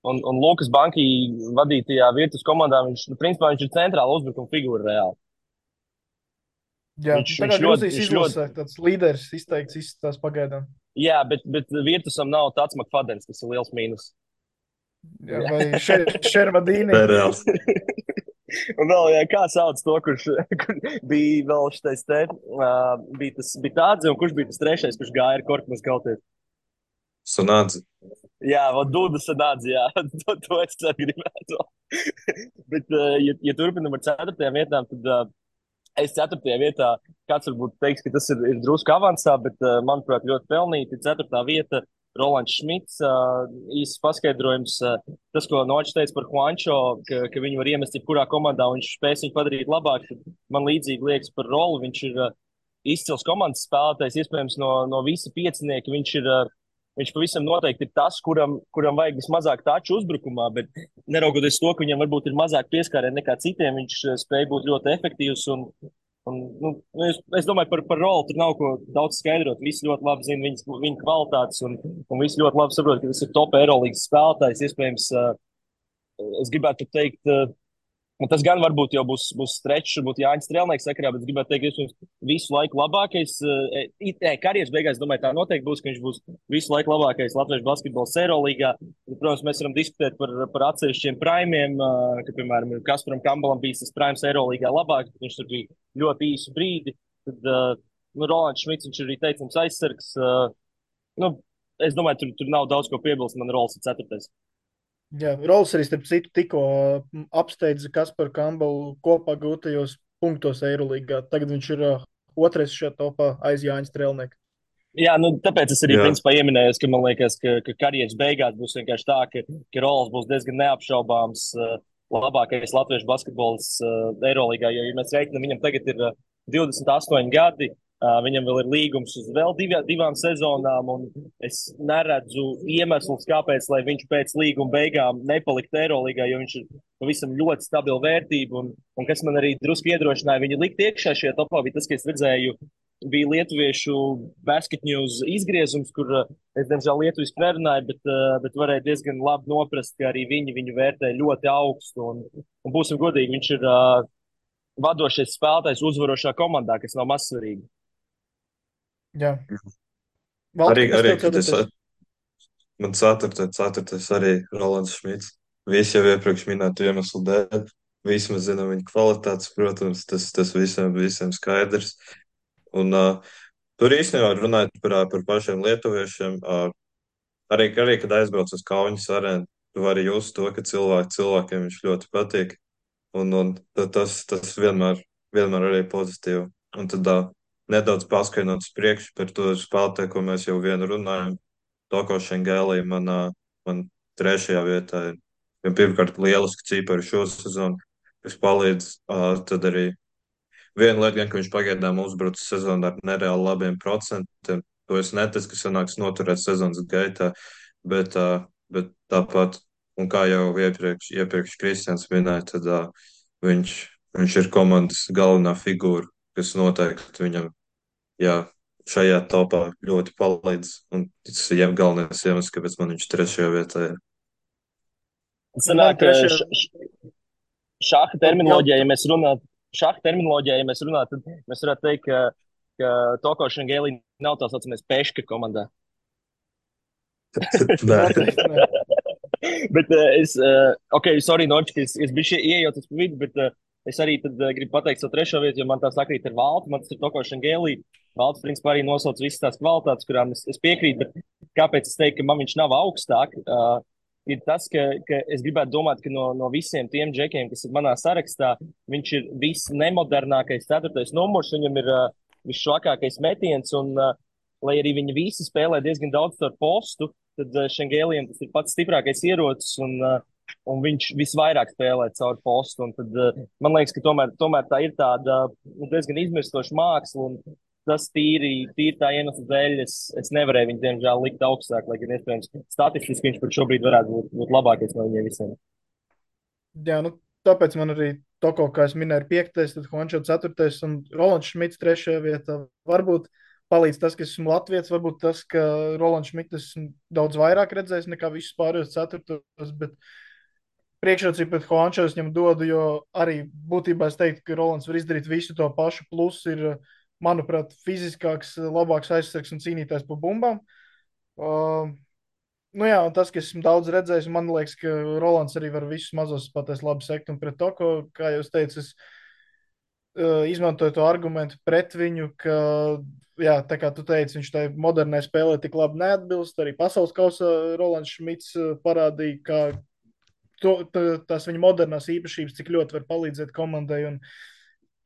Speaker 4: un Lukas Banki vadītajā Virtus komandā, principā viņš ir centrāla uzbrukuma figūra reāli.
Speaker 3: Jā, viņš ļoti izlasē, tāds līderis izteikts izstās pagaidām.
Speaker 4: Jā, bet Virtusam nav tāds Makfadens, kas ir liels mīnus.
Speaker 3: Jā, vai Šervadīni.
Speaker 4: Un vēl, kā sauc to, kurš bija vēl šitais te, bija Tādze, un kurš bija tas 3., kurš gāja ar korpumu skauties?
Speaker 2: Sunādzi.
Speaker 4: Jā, Dūda sanāca, jā, to es arī gribētu. Bet, ja turpinam ar ceturtajām vietām, tad es ceturtajā vietā, kāds varbūt teiks, ka tas ir drusku avansā, bet, manuprāt, ļoti pelnīti. Ceturtā vieta, Rolands Šmits, īsts paskaidrojums. Tas, ko Nočs teica par Juančo, ka viņu var iemest jebkurā komandā, un viņš spēs viņu padarīt labāk. Man līdzīgi liekas par Rolu. Viņš ir izcils komandas spēlētājs, iespējams, no visa piecinieka. Viņš pavisam noteikti ir tas, kuram vajag vismazāk tāču uzbrukumā, bet neraugoties to, ka viņam varbūt ir mazāk pieskārienu nekā citiem, viņš spēj būt ļoti efektīvs. Es domāju, par roli tur nav ko daudz skaidrot. Visi ļoti labi zina viņa kvalitātes, un visi ļoti labi saprot, ka tas ir top Eirolandes spēlētājs. Iespējams, es gribētu teikt, un tas gan varbūt jau būs strečs, varbūt Jānis Strēlnieks sakarā, bet es gribētu teikt, ka viņš visu laiku labākais. Karjeras beigās, domāju, tā noteikti būs, ka viņš būs visu laiku labākais latviešu basketbols Eirolandā. Protams, mēs varam diskutēt par atsevišķiem primiem, ka, piemēram, Kasparam Kambalam bija tas primes Eirolandā labāk, bet viņš tur bija ļoti īsu brīdi. Tad Rolands Šmits, viņš ir arī teicams aizsargs. Es domāju, tur nav daudz ko piebilst. Man Rols ir ceturtais.
Speaker 3: Jā, Rols arī, starp citu, tikko apsteidza Kasparu Kambalu kopā gūtajos punktos Eirolandā. Tagad viņš ir otrais šajā topā aiz Jāņa Strēlnieka.
Speaker 4: Jā, tāpēc es arī
Speaker 2: Jā.
Speaker 4: principā ieminēju, ka man liekas, ka karjeras beigās būs vienkārši tā, ka Rols būs diezgan neapšaubāms labākais latviešu basketbols Eirolandā. Jo, ja mēs reiķinām, viņam tagad ir 28 gadi. Viņam vēl ir līgums uz vēl divām sezonām, un es neredzu iemeslus, kāpēc viņš pēc līguma beigām nepaliktu Eirolandā, jo viņš ir pavisam ļoti stabila vērtība. Un kas man arī drusku iedrošināja viņu likt iekšā šajā topā, bija tas, ka es redzēju, bija lietuviešu basket news izgriezums, kur es, diemžēl, lietuviski nerunāju, bet varēju diezgan labi noprast, ka arī viņu vērtē ļoti augstu. Un būsim godīgi, viņš ir vadošais spēlētājs uzvarošā komandā, kas nav mazsvarīgi.
Speaker 3: Jā.
Speaker 2: Arī,
Speaker 3: Valti, kas
Speaker 2: arī
Speaker 3: tev
Speaker 2: kad es,
Speaker 3: ceturtais?
Speaker 2: man ceturtais arī Rolands Šmits. Visi jau iepriekš minētu iemeslu dēļ. Visi mēs zinām viņa kvalitātes, protams, tas visiem skaidrs. Un tur īstenībā runājot par pašiem lietuviešiem, arī, kad aizbrauc uz Kaunas arēnu, tu vari just to, ka cilvēkiem viņš ļoti patīk. Un tas vienmēr arī pozitīvi. Un tad nedaudz paskaidrot uz priekšu par to spēlētāju, ko mēs jau vienu runājam. Toko Šengēlī man trešajā vietā ir. Jo pirmkārt, lieliski cipari šo sezonu, kas palīdz. Tad arī viena lieta, ka viņš pagaidām uzbrucis sezonu ar nereāli labiem procentiem. To es neticu, ka sanāks noturēt sezonas gaitā, bet tāpat, un kā jau iepriekš Kristians minēja, tad viņš ir komandas galvenā figūra, kas noteikti viņam, šajā topā ļoti palīdz. Un tas ir galvenais iemesls, kāpēc man viņš trešajā vietā ir.
Speaker 3: Man trešajā...
Speaker 4: Šāda terminoloģija, ja mēs runājam, tad mēs varētu teikt, ka Toko Šengēlī nav tā saucamais peška komandā. Bet Norči, ka es biju iejaucies pa vidu, bet es arī gribu pateikt savu trešo vietu, jo man tā sakrīt ar Valtu. Man tas ir Toko Šengēlī. Valts, principā, arī nosauc visas tās kvalitātes, kurām es piekrītu, bet kāpēc es teiktu, ka man viņš nav augstāk? Ir tas, ka es gribētu domāt, ka no visiem tiem džekiem, kas ir manā sarakstā, viņš ir visnemodernākais ceturtais numurs, viņam ir visšvakākais metiens, un lai arī viņi visi spēlē diezgan daudz ar postu, tad Šengēlijam tas ir pats stiprākais ierocis, un viņš visvairāk spēlē caur postu. Un tad man liekas, ka tomēr tā ir tāda diezgan izmirstoša māksla, un tas tīri tā iemesla dēļ es nevarēju viņu, diemžēl, likt augstāk, lai gan iespējams statistiski viņš pat šobrīd varētu būt labākais no viņiem visiem.
Speaker 3: Jā, tāpēc man arī Toko, kā es minēju, ir 5. tad Hončo 4. un Rolands Šmits 3. vietā. Varbūt palīdz tas, ka esmu Latvijas, varbūt tas, ka Rolands Šmits esmu daudz vairāk redzējis nekā visus pārējos 4. bet priekšrocību pret Hončo es viņam dodu, jo arī būtībā es teiktu, ka Rolands var izdarīt visu to pašu, plus ir, manuprāt, fiziskāks, labāks aizsargs un cīnītājs pa bumbām. Un tas, ka esmu daudz redzējis, man liekas, ka Rolands arī var visus mazos spēlētājus labi sekt, un pret to, kā jūs teicat, izmantoja to argumentu pret viņu, ka, jā, tā kā tu teici, viņš tai modernai spēlē tik labi neatbilst. Arī pasaules kausa Rolands Šmits parādīja, ka tās viņa modernās īpašības, cik ļoti var palīdzēt komandai un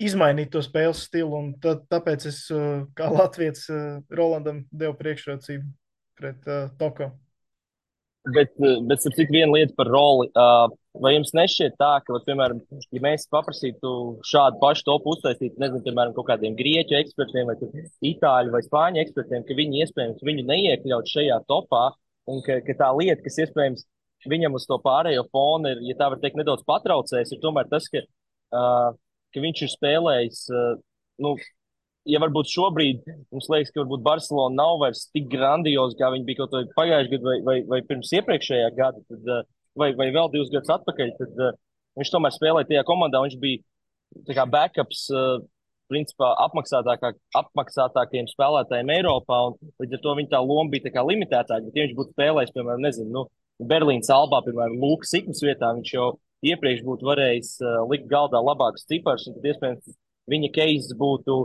Speaker 3: izmainīt to spēles stilu. Un tāpēc es, kā Latvijas, Rolandam devu priekšrocību pret Toko.
Speaker 4: Bet starp citu, viena lieta par roli. Vai jums nešķiet tā, ka, piemēram, ja mēs paprasītu šādu pašu topu uztaisīt, nezinu, piemēram, kaut kādiem grieķu ekspertiem vai itāļu vai spāņu ekspertiem, ka viņi iespējams viņu neiekļaut šajā topā un ka tā lieta, kas iespējams viņam uz to pārējo fonu ir, ja tā var teikt, nedaudz patraucējis, ir tomēr tas, ka viņš ir spēlējis, nu, ja varbūt šobrīd mums liekas, ka varbūt Barcelona nav vairs tik grandioza, kā viņi bija kaut vai pagājušajā gadā vai pirms iepriekšējā gada, tad, vai vēl 2 gadus atpakaļ, tad viņš tomēr spēlēja tajā komandā. Viņš bija tā kā backups, principā apmaksātākajiem spēlētājiem Eiropā, un līdz ar to viņa tā loma bija tā kā limitētāka. Bet, ja viņš būtu spēlējis, piemēram, nezinu, Berlīnas Albā, piemēram, Lūkas Sikmas vietā, viņš jau iepriekš būtu varējis likt galdā labākus ciparus, un tad iespējams viņa keizs būtu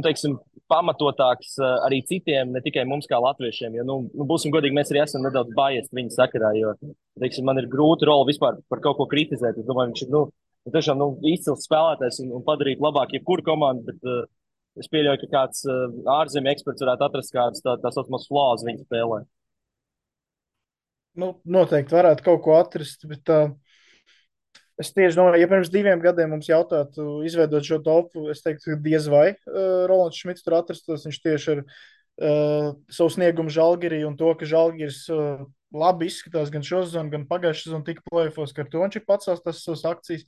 Speaker 4: teiksim, pamatotāks arī citiem, ne tikai mums kā latviešiem. Jo, būsim godīgi, mēs arī esam nedaudz biased viņa sakarā, jo, teiksim, man ir grūti roli vispār par kaut ko kritizēt. Es domāju, viņš ir, tiešām, izcils spēlētājs un padarīt labāk jebkuru komandu, bet es pieļauju, ka kāds ārzemju eksperts varētu atrast kādas tā saucamās flaws viņa spēlē.
Speaker 3: Noteikti varētu kaut ko atrast, bet es tieši domāju, ja pirms 2 gadiem mums jautātu izveidot šo topu, es teiktu, ka diez vai Rolands Šmits tur atrastos. Viņš tieši ar savu sniegumu Žalgirī un to, ka Žalgiris labi izskatās gan šo sezonu, gan pagājušā sezonu tika play-offos, ka ar to viņš ir pacēlis tas savas akcijas.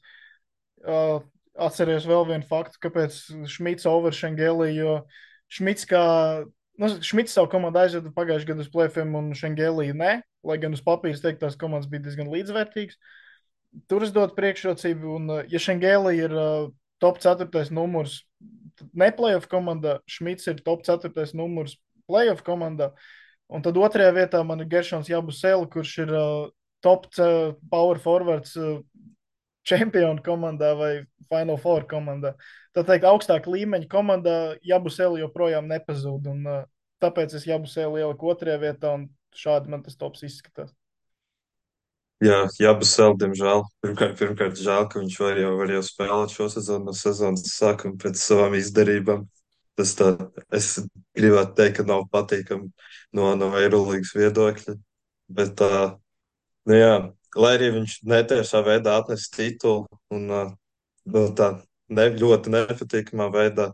Speaker 3: Atceries vēl vienu faktu, kāpēc Šmits over Šengeli, jo Šmits Šmits savu komandu aizveda pagājušajā gadā uz play-offiem un Šengeli ne, lai gan uz papīra teikt, tās komandas bija diezgan līdzvērtīgas. Tur es dotu priekšrocību, un ja Šengeli ir top 4. numurs ne playoff komandā, Šmits ir top 4. numurs playoff komandā, un tad 2. vietā man ir Geršons Jabusele, kurš ir top power forwards čempionu komandā vai Final Four komandā. Tā teikt, augstāk līmeņa komandā Jabusele joprojām nepazūd, un tāpēc es Jabusele ieliku 2. vietā, un šādi man tas tops izskatās.
Speaker 2: Jā, Jabusele, diemžēl. Pirmkārt, žēl, ka viņš var jau spēlēt šo sezonu no sezonas sākuma pēc savām izdarībām. Es gribētu teikt, ka nav patīkami no Eirolīgas viedokļa. Bet, jā, lai arī viņš netiešā veidā atnes titulu un tā ļoti nepatīkamā veidā,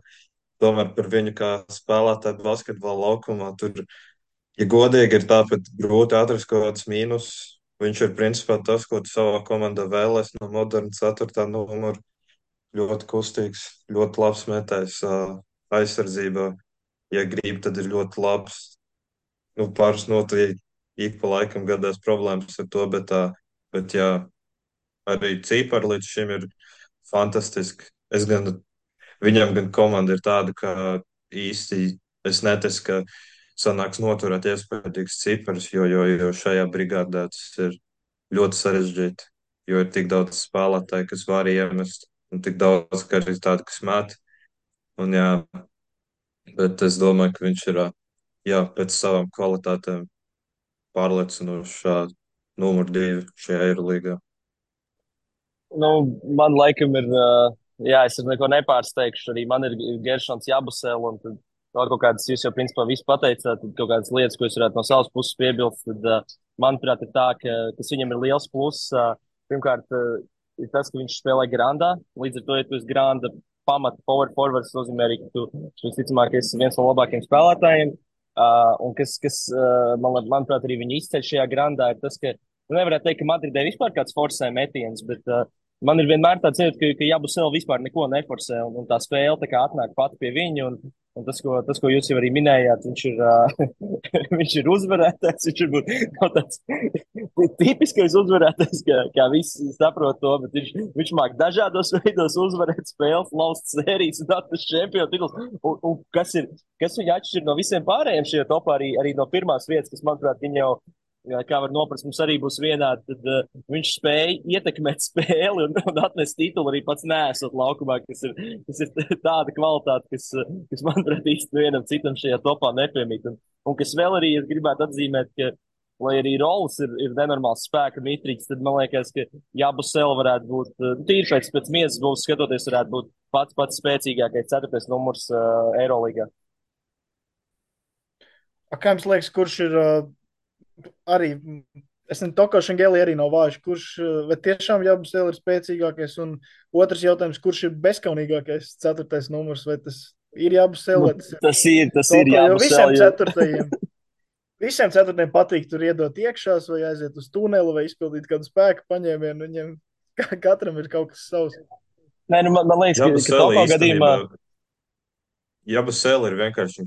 Speaker 2: tomēr par viņu kā spēlētāju basketbola laukumā tur, ja godīgi ir tāpēc grūti atrast kaut kāds mīnus. Viņš ir principā tas, ko tu savā komandā vēlēs no moderna 4. numura. Ļoti kustīgs, ļoti labs metējs aizsardzībā. Ja grib, tad ir ļoti labs. Pāris noteikti ik pa laikam gadās problēmas ar to, bet jā, arī cipari līdz šim ir fantastiski. Viņam gan komanda ir tāda, ka īsti es neticu, ka sanāks noturēt iespējīgs cipars, jo šajā brigādē tas ir ļoti sarežģīti, jo ir tik daudz spēlētāju, kas var iemest, un tik daudz, ka arī tādi, kas met. Un jā, bet es domāju, ka viņš ir, jā, pēc savām kvalitātēm pārliecinošā numur 2 šajā Eirolīgā.
Speaker 4: Man laikam ir, jā, es neko nepārsteigšu, arī man ir Geršons Jabusele, un tad vēl kaut kādas, jūs jau principā visu pateicāt, tad kaut kādas lietas, ko es varētu no savas puses piebilst, tad, manuprāt, ir tā, kas viņam ir liels pluss. Pirmkārt, ir tas, ka viņš spēlē grandā, līdz ar to, ja tu esi granda pamata power forwards, nozīmē arī, ka tu visticamāk esi viens no labākajiem spēlētājiem, un kas manuprāt, arī viņa izceļ šajā grandā, ir tas, ka nevarētu teikt, ka Madridē vispār kāds forsē metiens, bet man ir vienmēr tāds sajūta, ka Jabusele vispār neko neforsē, un tā spēle tā kā atnāk pati pie viņa, un tas, ko jūs jau arī minējāt, viņš ir uzvarētājs, viņš ir tāds tipiskais uzvarētājs, kā visi saprot to, bet viņš māk dažādos veidos uzvarēt spēles, laust sērijas un atrast čempionu tituls, un kas viņu atšķir no visiem pārējiem šajā topā, arī no pirmās vietas, kas, manuprāt, viņa jau kā var noprast, mums arī būs vienādi, tad viņš spēja ietekmēt spēli un atnest titulu arī pats nesot laukumā, kas ir tāda kvalitāte, kas manuprāt īsti vienam citam šajā topā nepiemīt. Un kas vēl arī es gribētu atzīmēt, ka, lai arī Rols ir nenormāls spēka mitrīgs, tad man liekas, ka Jabusele varētu būt, tīri pēc miesas būs skatoties, varētu būt pats spēcīgākais 4. numurs Eirolīgā.
Speaker 3: Kā jums liekas, kurš ir arī, es nezinu, Toko Šengeli arī nav vājš, kurš, vai tiešām Jabusele ir spēcīgākais, un otrs jautājums, kurš ir bezkaunīgākais 4. numurs, vai tas ir Jabusele, vai tas
Speaker 4: ir
Speaker 3: Toko,
Speaker 4: Jabusele.
Speaker 3: Jo visiem 4. patīk tur iedot iekšās, vai aiziet uz tuneli, vai izpildīt kādu spēku paņēmienu, viņiem katram ir kaut kas savs.
Speaker 4: Nē, nu, man liekas, ka Toko gadījumā
Speaker 2: Jabusele ir vienkārši,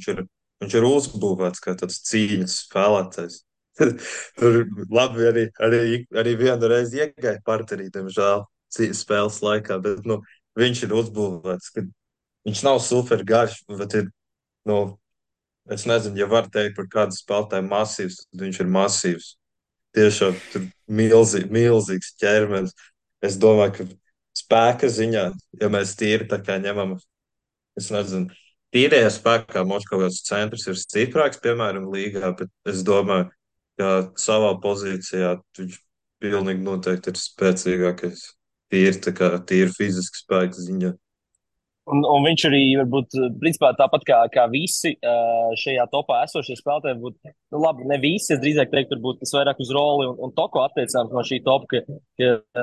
Speaker 2: viņš ir uzbūvēts kā tāds cīņas spēlētājs. Tur labi arī vienu reizi iegāja parterī, diemžēl, spēles laikā, bet viņš ir uzbūvēts, ka viņš nav super garš, bet ir, es nezinu, ja var teikt par kādu spēlētāju masīvs, tad viņš ir masīvs. Tiešām tur milzīgs ķermenis. Es domāju, ka spēka ziņā, ja mēs tīri tā kā ņemam, es nezinu, tīrajā spēkā Moškavas centrs ir stiprāks, piemēram, līgā, bet es domāju, ka savā pozīcijā viņš pilnīgi noteikti ir spēcīgākais. Tīri fiziski spēka ziņā.
Speaker 4: Un viņš arī, varbūt, principā tāpat kā visi šajā topā esošie spēlētāji, būtu, labi, ne visi, es drīzāk teiktu, varbūt tas vairāk uz Roli un Toko attiecāms no šī topa,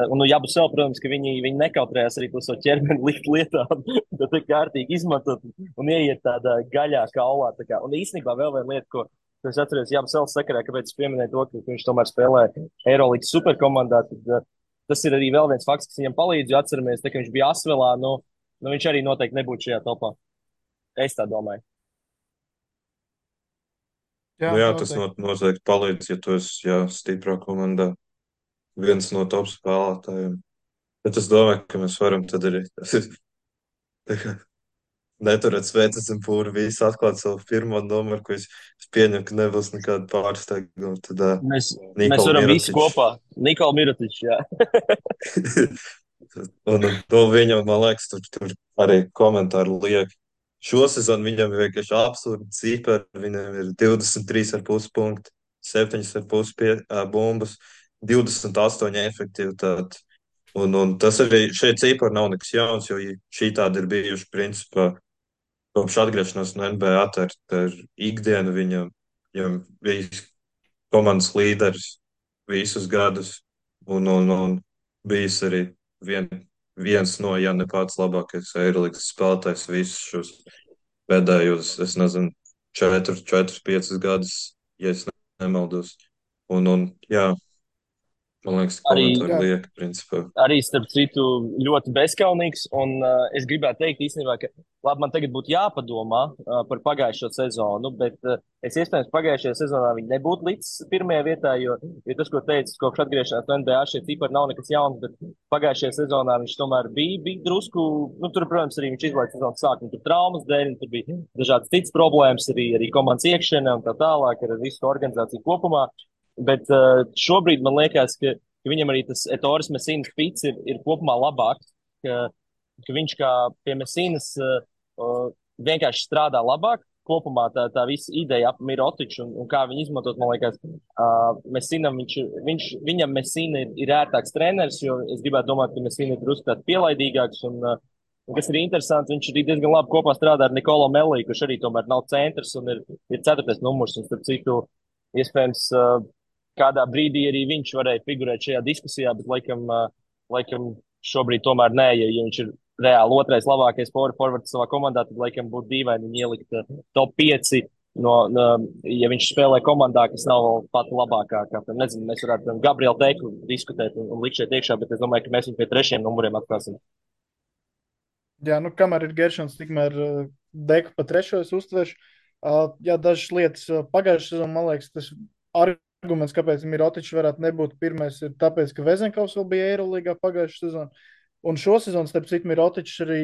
Speaker 4: un Jabusele, protams, ka viņi nekautrējās arī to savu ķermeni likt lietā, tad tā kārtīgi izmantot un ieiet tādā gaļā kaulā. Un īstenībā vēl viena lieta, ko es atceros Jabuseles sakarā, kāpēc es pieminēju to, ka viņš tomēr spēlē Eirolīgas superkomandā, tad tas ir arī vēl viens fakts, kas viņam palīdz, jo atceramies, ka viņš bija Asvelā, viņš arī noteikti nebūtu šajā topā. Es tā domāju.
Speaker 2: Jā, tas noteikti palīdz, ja tu esi stiprā komandā. Viens no top spēlētājiem. Bet es domāju, ka mēs varam tad arī neturēt sveicis un pūri visu atklāt savu pirmo numuru, ko es pieņemu, ka nebūs nekāda pārsteiguma. Tad
Speaker 4: mēs varam visi kopā. Nikola Mirotičs, jā.
Speaker 2: Un viņam, man liekas, tur arī komentāri liek. Šo sezonu viņam ir vienkārši absurdi cipari. Viņam ir 23,5 punkti, 7,5 bumbas, 28 efektivitāti. Un tas arī šeit cipari nav nekas jauns, jo šī tāda ir bijuši principā kopš atgriešanās no NBA. Tā ir ikdiena viņam bija komandas līderis visus gadus un bijis arī viens no, ja ne pats labākais Eirolīgas spēlētājs visus šos pēdējos, es nezinu, 4-5 gadus, ja es nemaldos. Un jā, man liekas, komentāri liek, principā.
Speaker 4: Arī, starp citu, ļoti bezkaunīgs, un es gribētu teikt īstenībā, ka labi, man tagad būtu jāpadomā par pagājušo sezonu, bet es iespējams pagājušajā sezonā viņi nebūtu līdz pirmajā vietā, jo tas, ko teicu, kopš atgriešanās no NBA, šie cipari nav nekas jauns, bet pagājušajā sezonā viņš tomēr bija drusku, tur, protams, arī viņš izlaida sezonas sākumu, tur traumas dēļ, tur bija dažādas citas problēmas, arī komandas iekšienē un tā tālāk, ar visu organizāciju kopumā, bet šobrīd man liekas, ka viņam arī tas Ettores Messīnas fits ir kopumā labāks, ka viņš kā pie Messīnas vienkārši strādā labāk. Kopumā tā visa ideja ap Mirotiču un kā viņu izmantot, man liekas, Messīnam viņam Messīna ir ērtāks treneris, jo es gribētu domāt, ka Messīna ir drusku tāds pielaidīgāks un kas ir interesanti, viņš arī diezgan labi kopā strādā ar Nikolo Melī, kurš arī tomēr nav centrs un ir 4. numurs un starp citu iespējams kādā brīdī arī viņš varēja figurēt šajā diskusijā, bet laikam šobrīd tomēr nē, ja viņš ir reāli otrais labākais forwards savā komandā, tad laikam būtu dīvaini viņu ielikt top 5, ja viņš spēlē komandā, kas nav pat labākā. Nezinu, mēs varētu Gabrielu Teku diskutēt un likt šeit iekšā, bet es domāju, ka mēs viņu pie 3. numuriem atklāsim.
Speaker 3: Jā, kamēr ir Geršons, tikmēr Deku pa 3. es uztveršu. Jā, dažas lietas pagājušajā sezonā, man liekas, tas arguments, kāpēc Mirotičs varētu nebūt pirmais, ir tāpēc, ka Vezenkovs vēl bija Eirolīgā pagājušajā sezonā. Un šo sezonu, starp citu, Mirotičs arī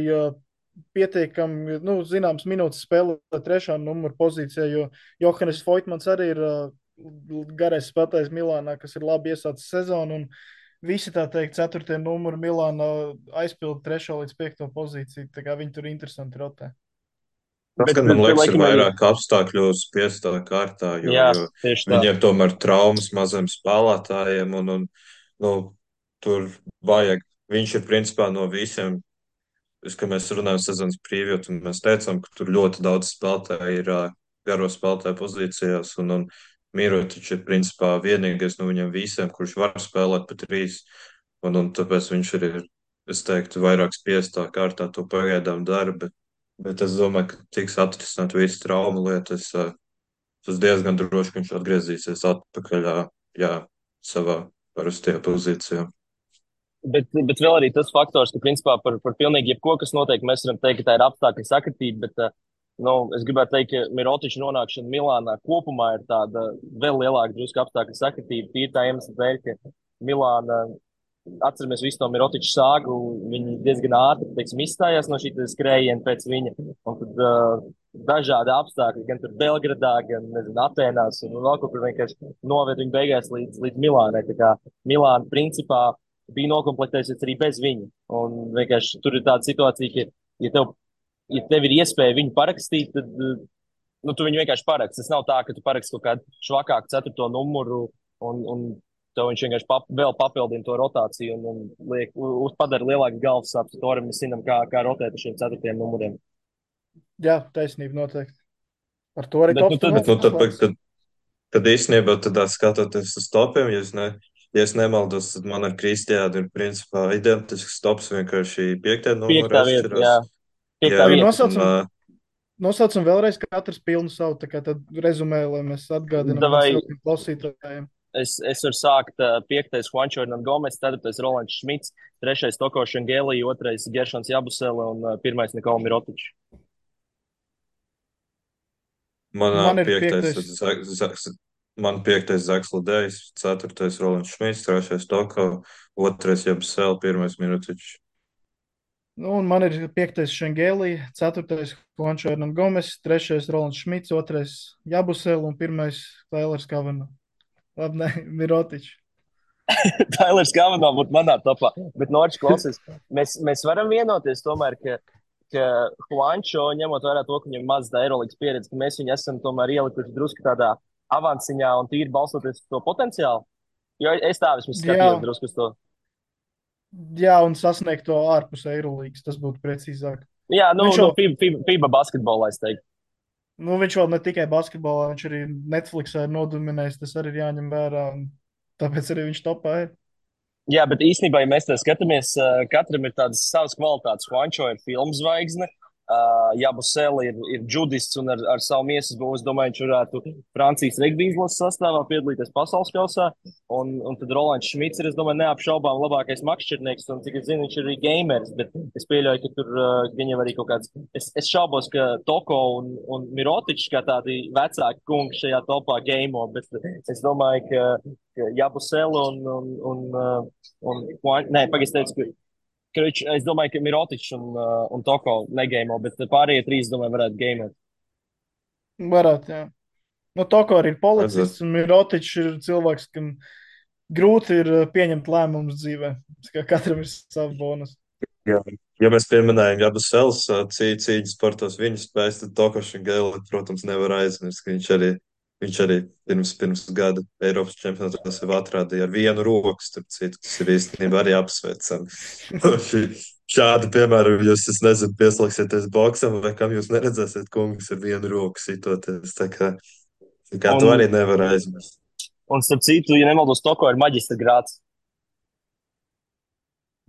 Speaker 3: pietiekami, zināms minūtes spēlē 3. numura pozīcijā, jo Johannes Voitmans arī ir garais spēlētājs Milānā, kas ir labi iesācis sezonu. Un visi, tā teikt, 4. numuru Milānā aizpilda 3. līdz 5. pozīciju. Tā kā viņi tur interesanti rotē.
Speaker 2: Tas,
Speaker 4: Bet,
Speaker 2: gan man liekas, ir
Speaker 4: laikam arī,
Speaker 2: vairāk apstākļu spiestā kārtā,
Speaker 4: jā,
Speaker 2: jo
Speaker 4: tieši tā.
Speaker 2: viņiem tomēr traumas maziem spēlētājiem, un nu, tur vajag. Viņš ir principā no visiem, kad mēs runājam sezonas preview, un mēs teicām, ka tur ļoti daudz spēlētāju ir garo spēlētāju pozīcijās, un Mirotičs ir principā vienīgais no viņiem visiem, kurš var spēlēt pa 3, un tāpēc viņš arī ir, es teiktu, vairāk spiestā kārtā to pagaidām dara, bet es domāju, ka tiks atrisināt visu traumu lietu. Es esmu diezgan droši, ka viņš atgriezīsies atpakaļ, jā, savā parastajā pozīcijā.
Speaker 4: Bet vēl arī tas faktors, ka principā par pilnīgi jebko, kas notiek, mēs varam teikt, ka tā ir apstākļu sakritība, bet es gribētu teikt, ka Mirotiča nonākšana Milānā kopumā ir tāda vēl lielāka drusku apstākļu sakritība. Tīri tā iemesla dēļ, ka Milāna, atceramies visu to Mirotiča sāgu, viņi diezgan ātri, teiksim, izstājās no šī skrējiena pēc viņa. Un tad dažādi apstākļi, gan tur Belgradā, gan, nezinu, Atēnās un vēl kaut kur vienkārši noved viņu beigās līdz Milānai. Tā kā Milāna principā bija nokomplektējusies arī bez viņa. Un vienkārši tur ir tāda situācija, ka, ja tev ir iespēja viņu parakstīt, tad tu viņu vienkārši paraksti. Tas nav tā, ka tu paraksti kaut kādu švakāku 4. numuru un tev viņš vienkārši vēl papildina to rotāciju un padara lielāku galvas sāpes. To arī mēs zinām, kā rotēt ar šiem 4. numuriem.
Speaker 3: Jā, taisnība noteikti. Ar to arī
Speaker 2: tad īstenībā skatoties uz topiem, ja es nemaldos, tad man ar Kristiānu ir principā identisks tops, vienkārši 5. numuru atšķirās.
Speaker 3: Nosaucam vēlreiz katrs pilnu savu, tā kā tad rezumē, lai mēs atgādinām saviem klausītājiem.
Speaker 4: Es varu sākt 5. Juancho Hernangomez, 4. Rolands Šmits, 3. Toko Šengeli, 2. Geršons Jabusele un 1. Nikola Mirotičs.
Speaker 2: Man ir 5. Man 5. Zaks Ludējs, 4. Rolands Šmits, 3. Toko, 2. Jabusele, 1. Mirotičs.
Speaker 3: Un man ir 5. Šengeli, 4. Juancho Hernangomez, 3. Rolands Šmits, 2. Jabusele un 1. Tailers Kavanaugh. Labi, ne, Mirotičs.
Speaker 4: Tailers Kavanaugh būtu manā topā. Bet, Norčs, klausies, mēs varam vienoties tomēr, ka Juancho, ņemot vērā to, ka viņam maz tā Eirolandes pieredze, ka mēs viņu esam tomēr ielikuši drusku tādā avanciņā un tīri balstoties uz to potenciālu. Jo es tā vismaz skatījos drusku uz to.
Speaker 3: Jā, un sasniegt to ārpus Eirolandes, tas būtu precīzāk.
Speaker 4: Jā, FIBA basketbolā, es teiktu.
Speaker 3: Viņš vēl ne tikai basketbolā, viņš arī Netflixā ir nodominējis, tas arī ir jāņem vērā, un tāpēc arī viņš topā ir.
Speaker 4: Jā, bet īstenībā, ja mēs tā skatāmies, katram ir tādas savas kvalitātes. Juancho ir filmu zvaigzne, Jabusele ir džudists un ar savu miesas būvu, es domāju, viņš varētu Francijas regbija izlases sastāvā piedalīties pasaules kausā. Un tad Rolands Šmits ir, es domāju, neapšaubām labākais makšķernieks, un cik es zinu, viņš ir arī gamers, bet es pieļauju, ka tur viņam arī kaut kāds, es šaubos, ka Toko un Mirotičs kā tādi vecāki kungi šajā topā gameo, bet es domāju, ka Jabusele es domāju, ka Mirotičs un Toko negēmo, bet pārējie 3, domāju, varētu gēmēt.
Speaker 3: Varētu, jā. Toko arī ir policists, un Mirotičs ir cilvēks, kam grūti ir pieņemt lēmumus dzīvē. Katram ir savs bonus.
Speaker 2: Jā. Ja mēs pieminējam Jabusels cīņas sportos viņa spējas, tad Toko Šengeli, protams, nevar aizmirst, ka viņš arī pirms gada Eiropas čempionātos jau atrādīja ar vienu roku, starp citu, kas ir īstenībā arī apsveicami. Šādi, piemēram, jūs, es nezinu, pieslēgsieties boksam, vai kam jūs neredzēsiet kungus ar vienu roku sitoties. Tā kā to arī nevar aizmirst.
Speaker 4: Un starp citu, ja nemaldos, Toko ir maģistra grāds.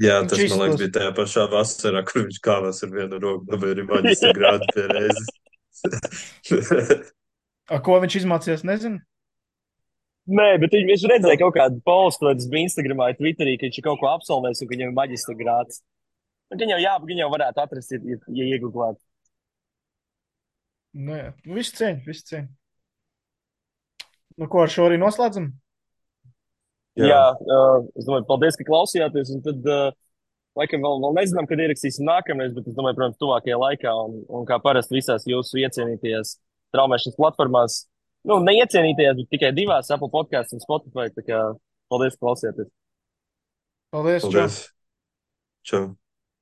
Speaker 2: Jā, tas, man liekas, bija tajā pašā vasarā, kur viņš kāvās ar vienu roku, vai arī maģistra grādu pie reizes.
Speaker 3: Ko viņš izmācījās, nezinu?
Speaker 4: Nē, bet viņš redzēja kaut kādu postu, tas bija Instagramā, Twitterī, ka viņš kaut ko absolvēs un ka viņam ir maģistra grāds. Viņu jau varētu atrast, ja iegūglāt.
Speaker 3: Jā, viss cieņ. Ko ar šo arī noslēdzam?
Speaker 4: Jā, es domāju, paldies, ka klausījāties, un tad, laikam, vēl nezinām, kad ierakstīsim nākamreiz, bet es domāju, protams, tuvākajā laikā, un kā parasti visās jūsu iecienītajās traumēšanas platformās. Nu, neiecienītajās, bet tikai divās Apple podkāstās un Spotify. Tā kā paldies, ka klausieties!
Speaker 3: Paldies, čau!
Speaker 2: Paldies! Čau!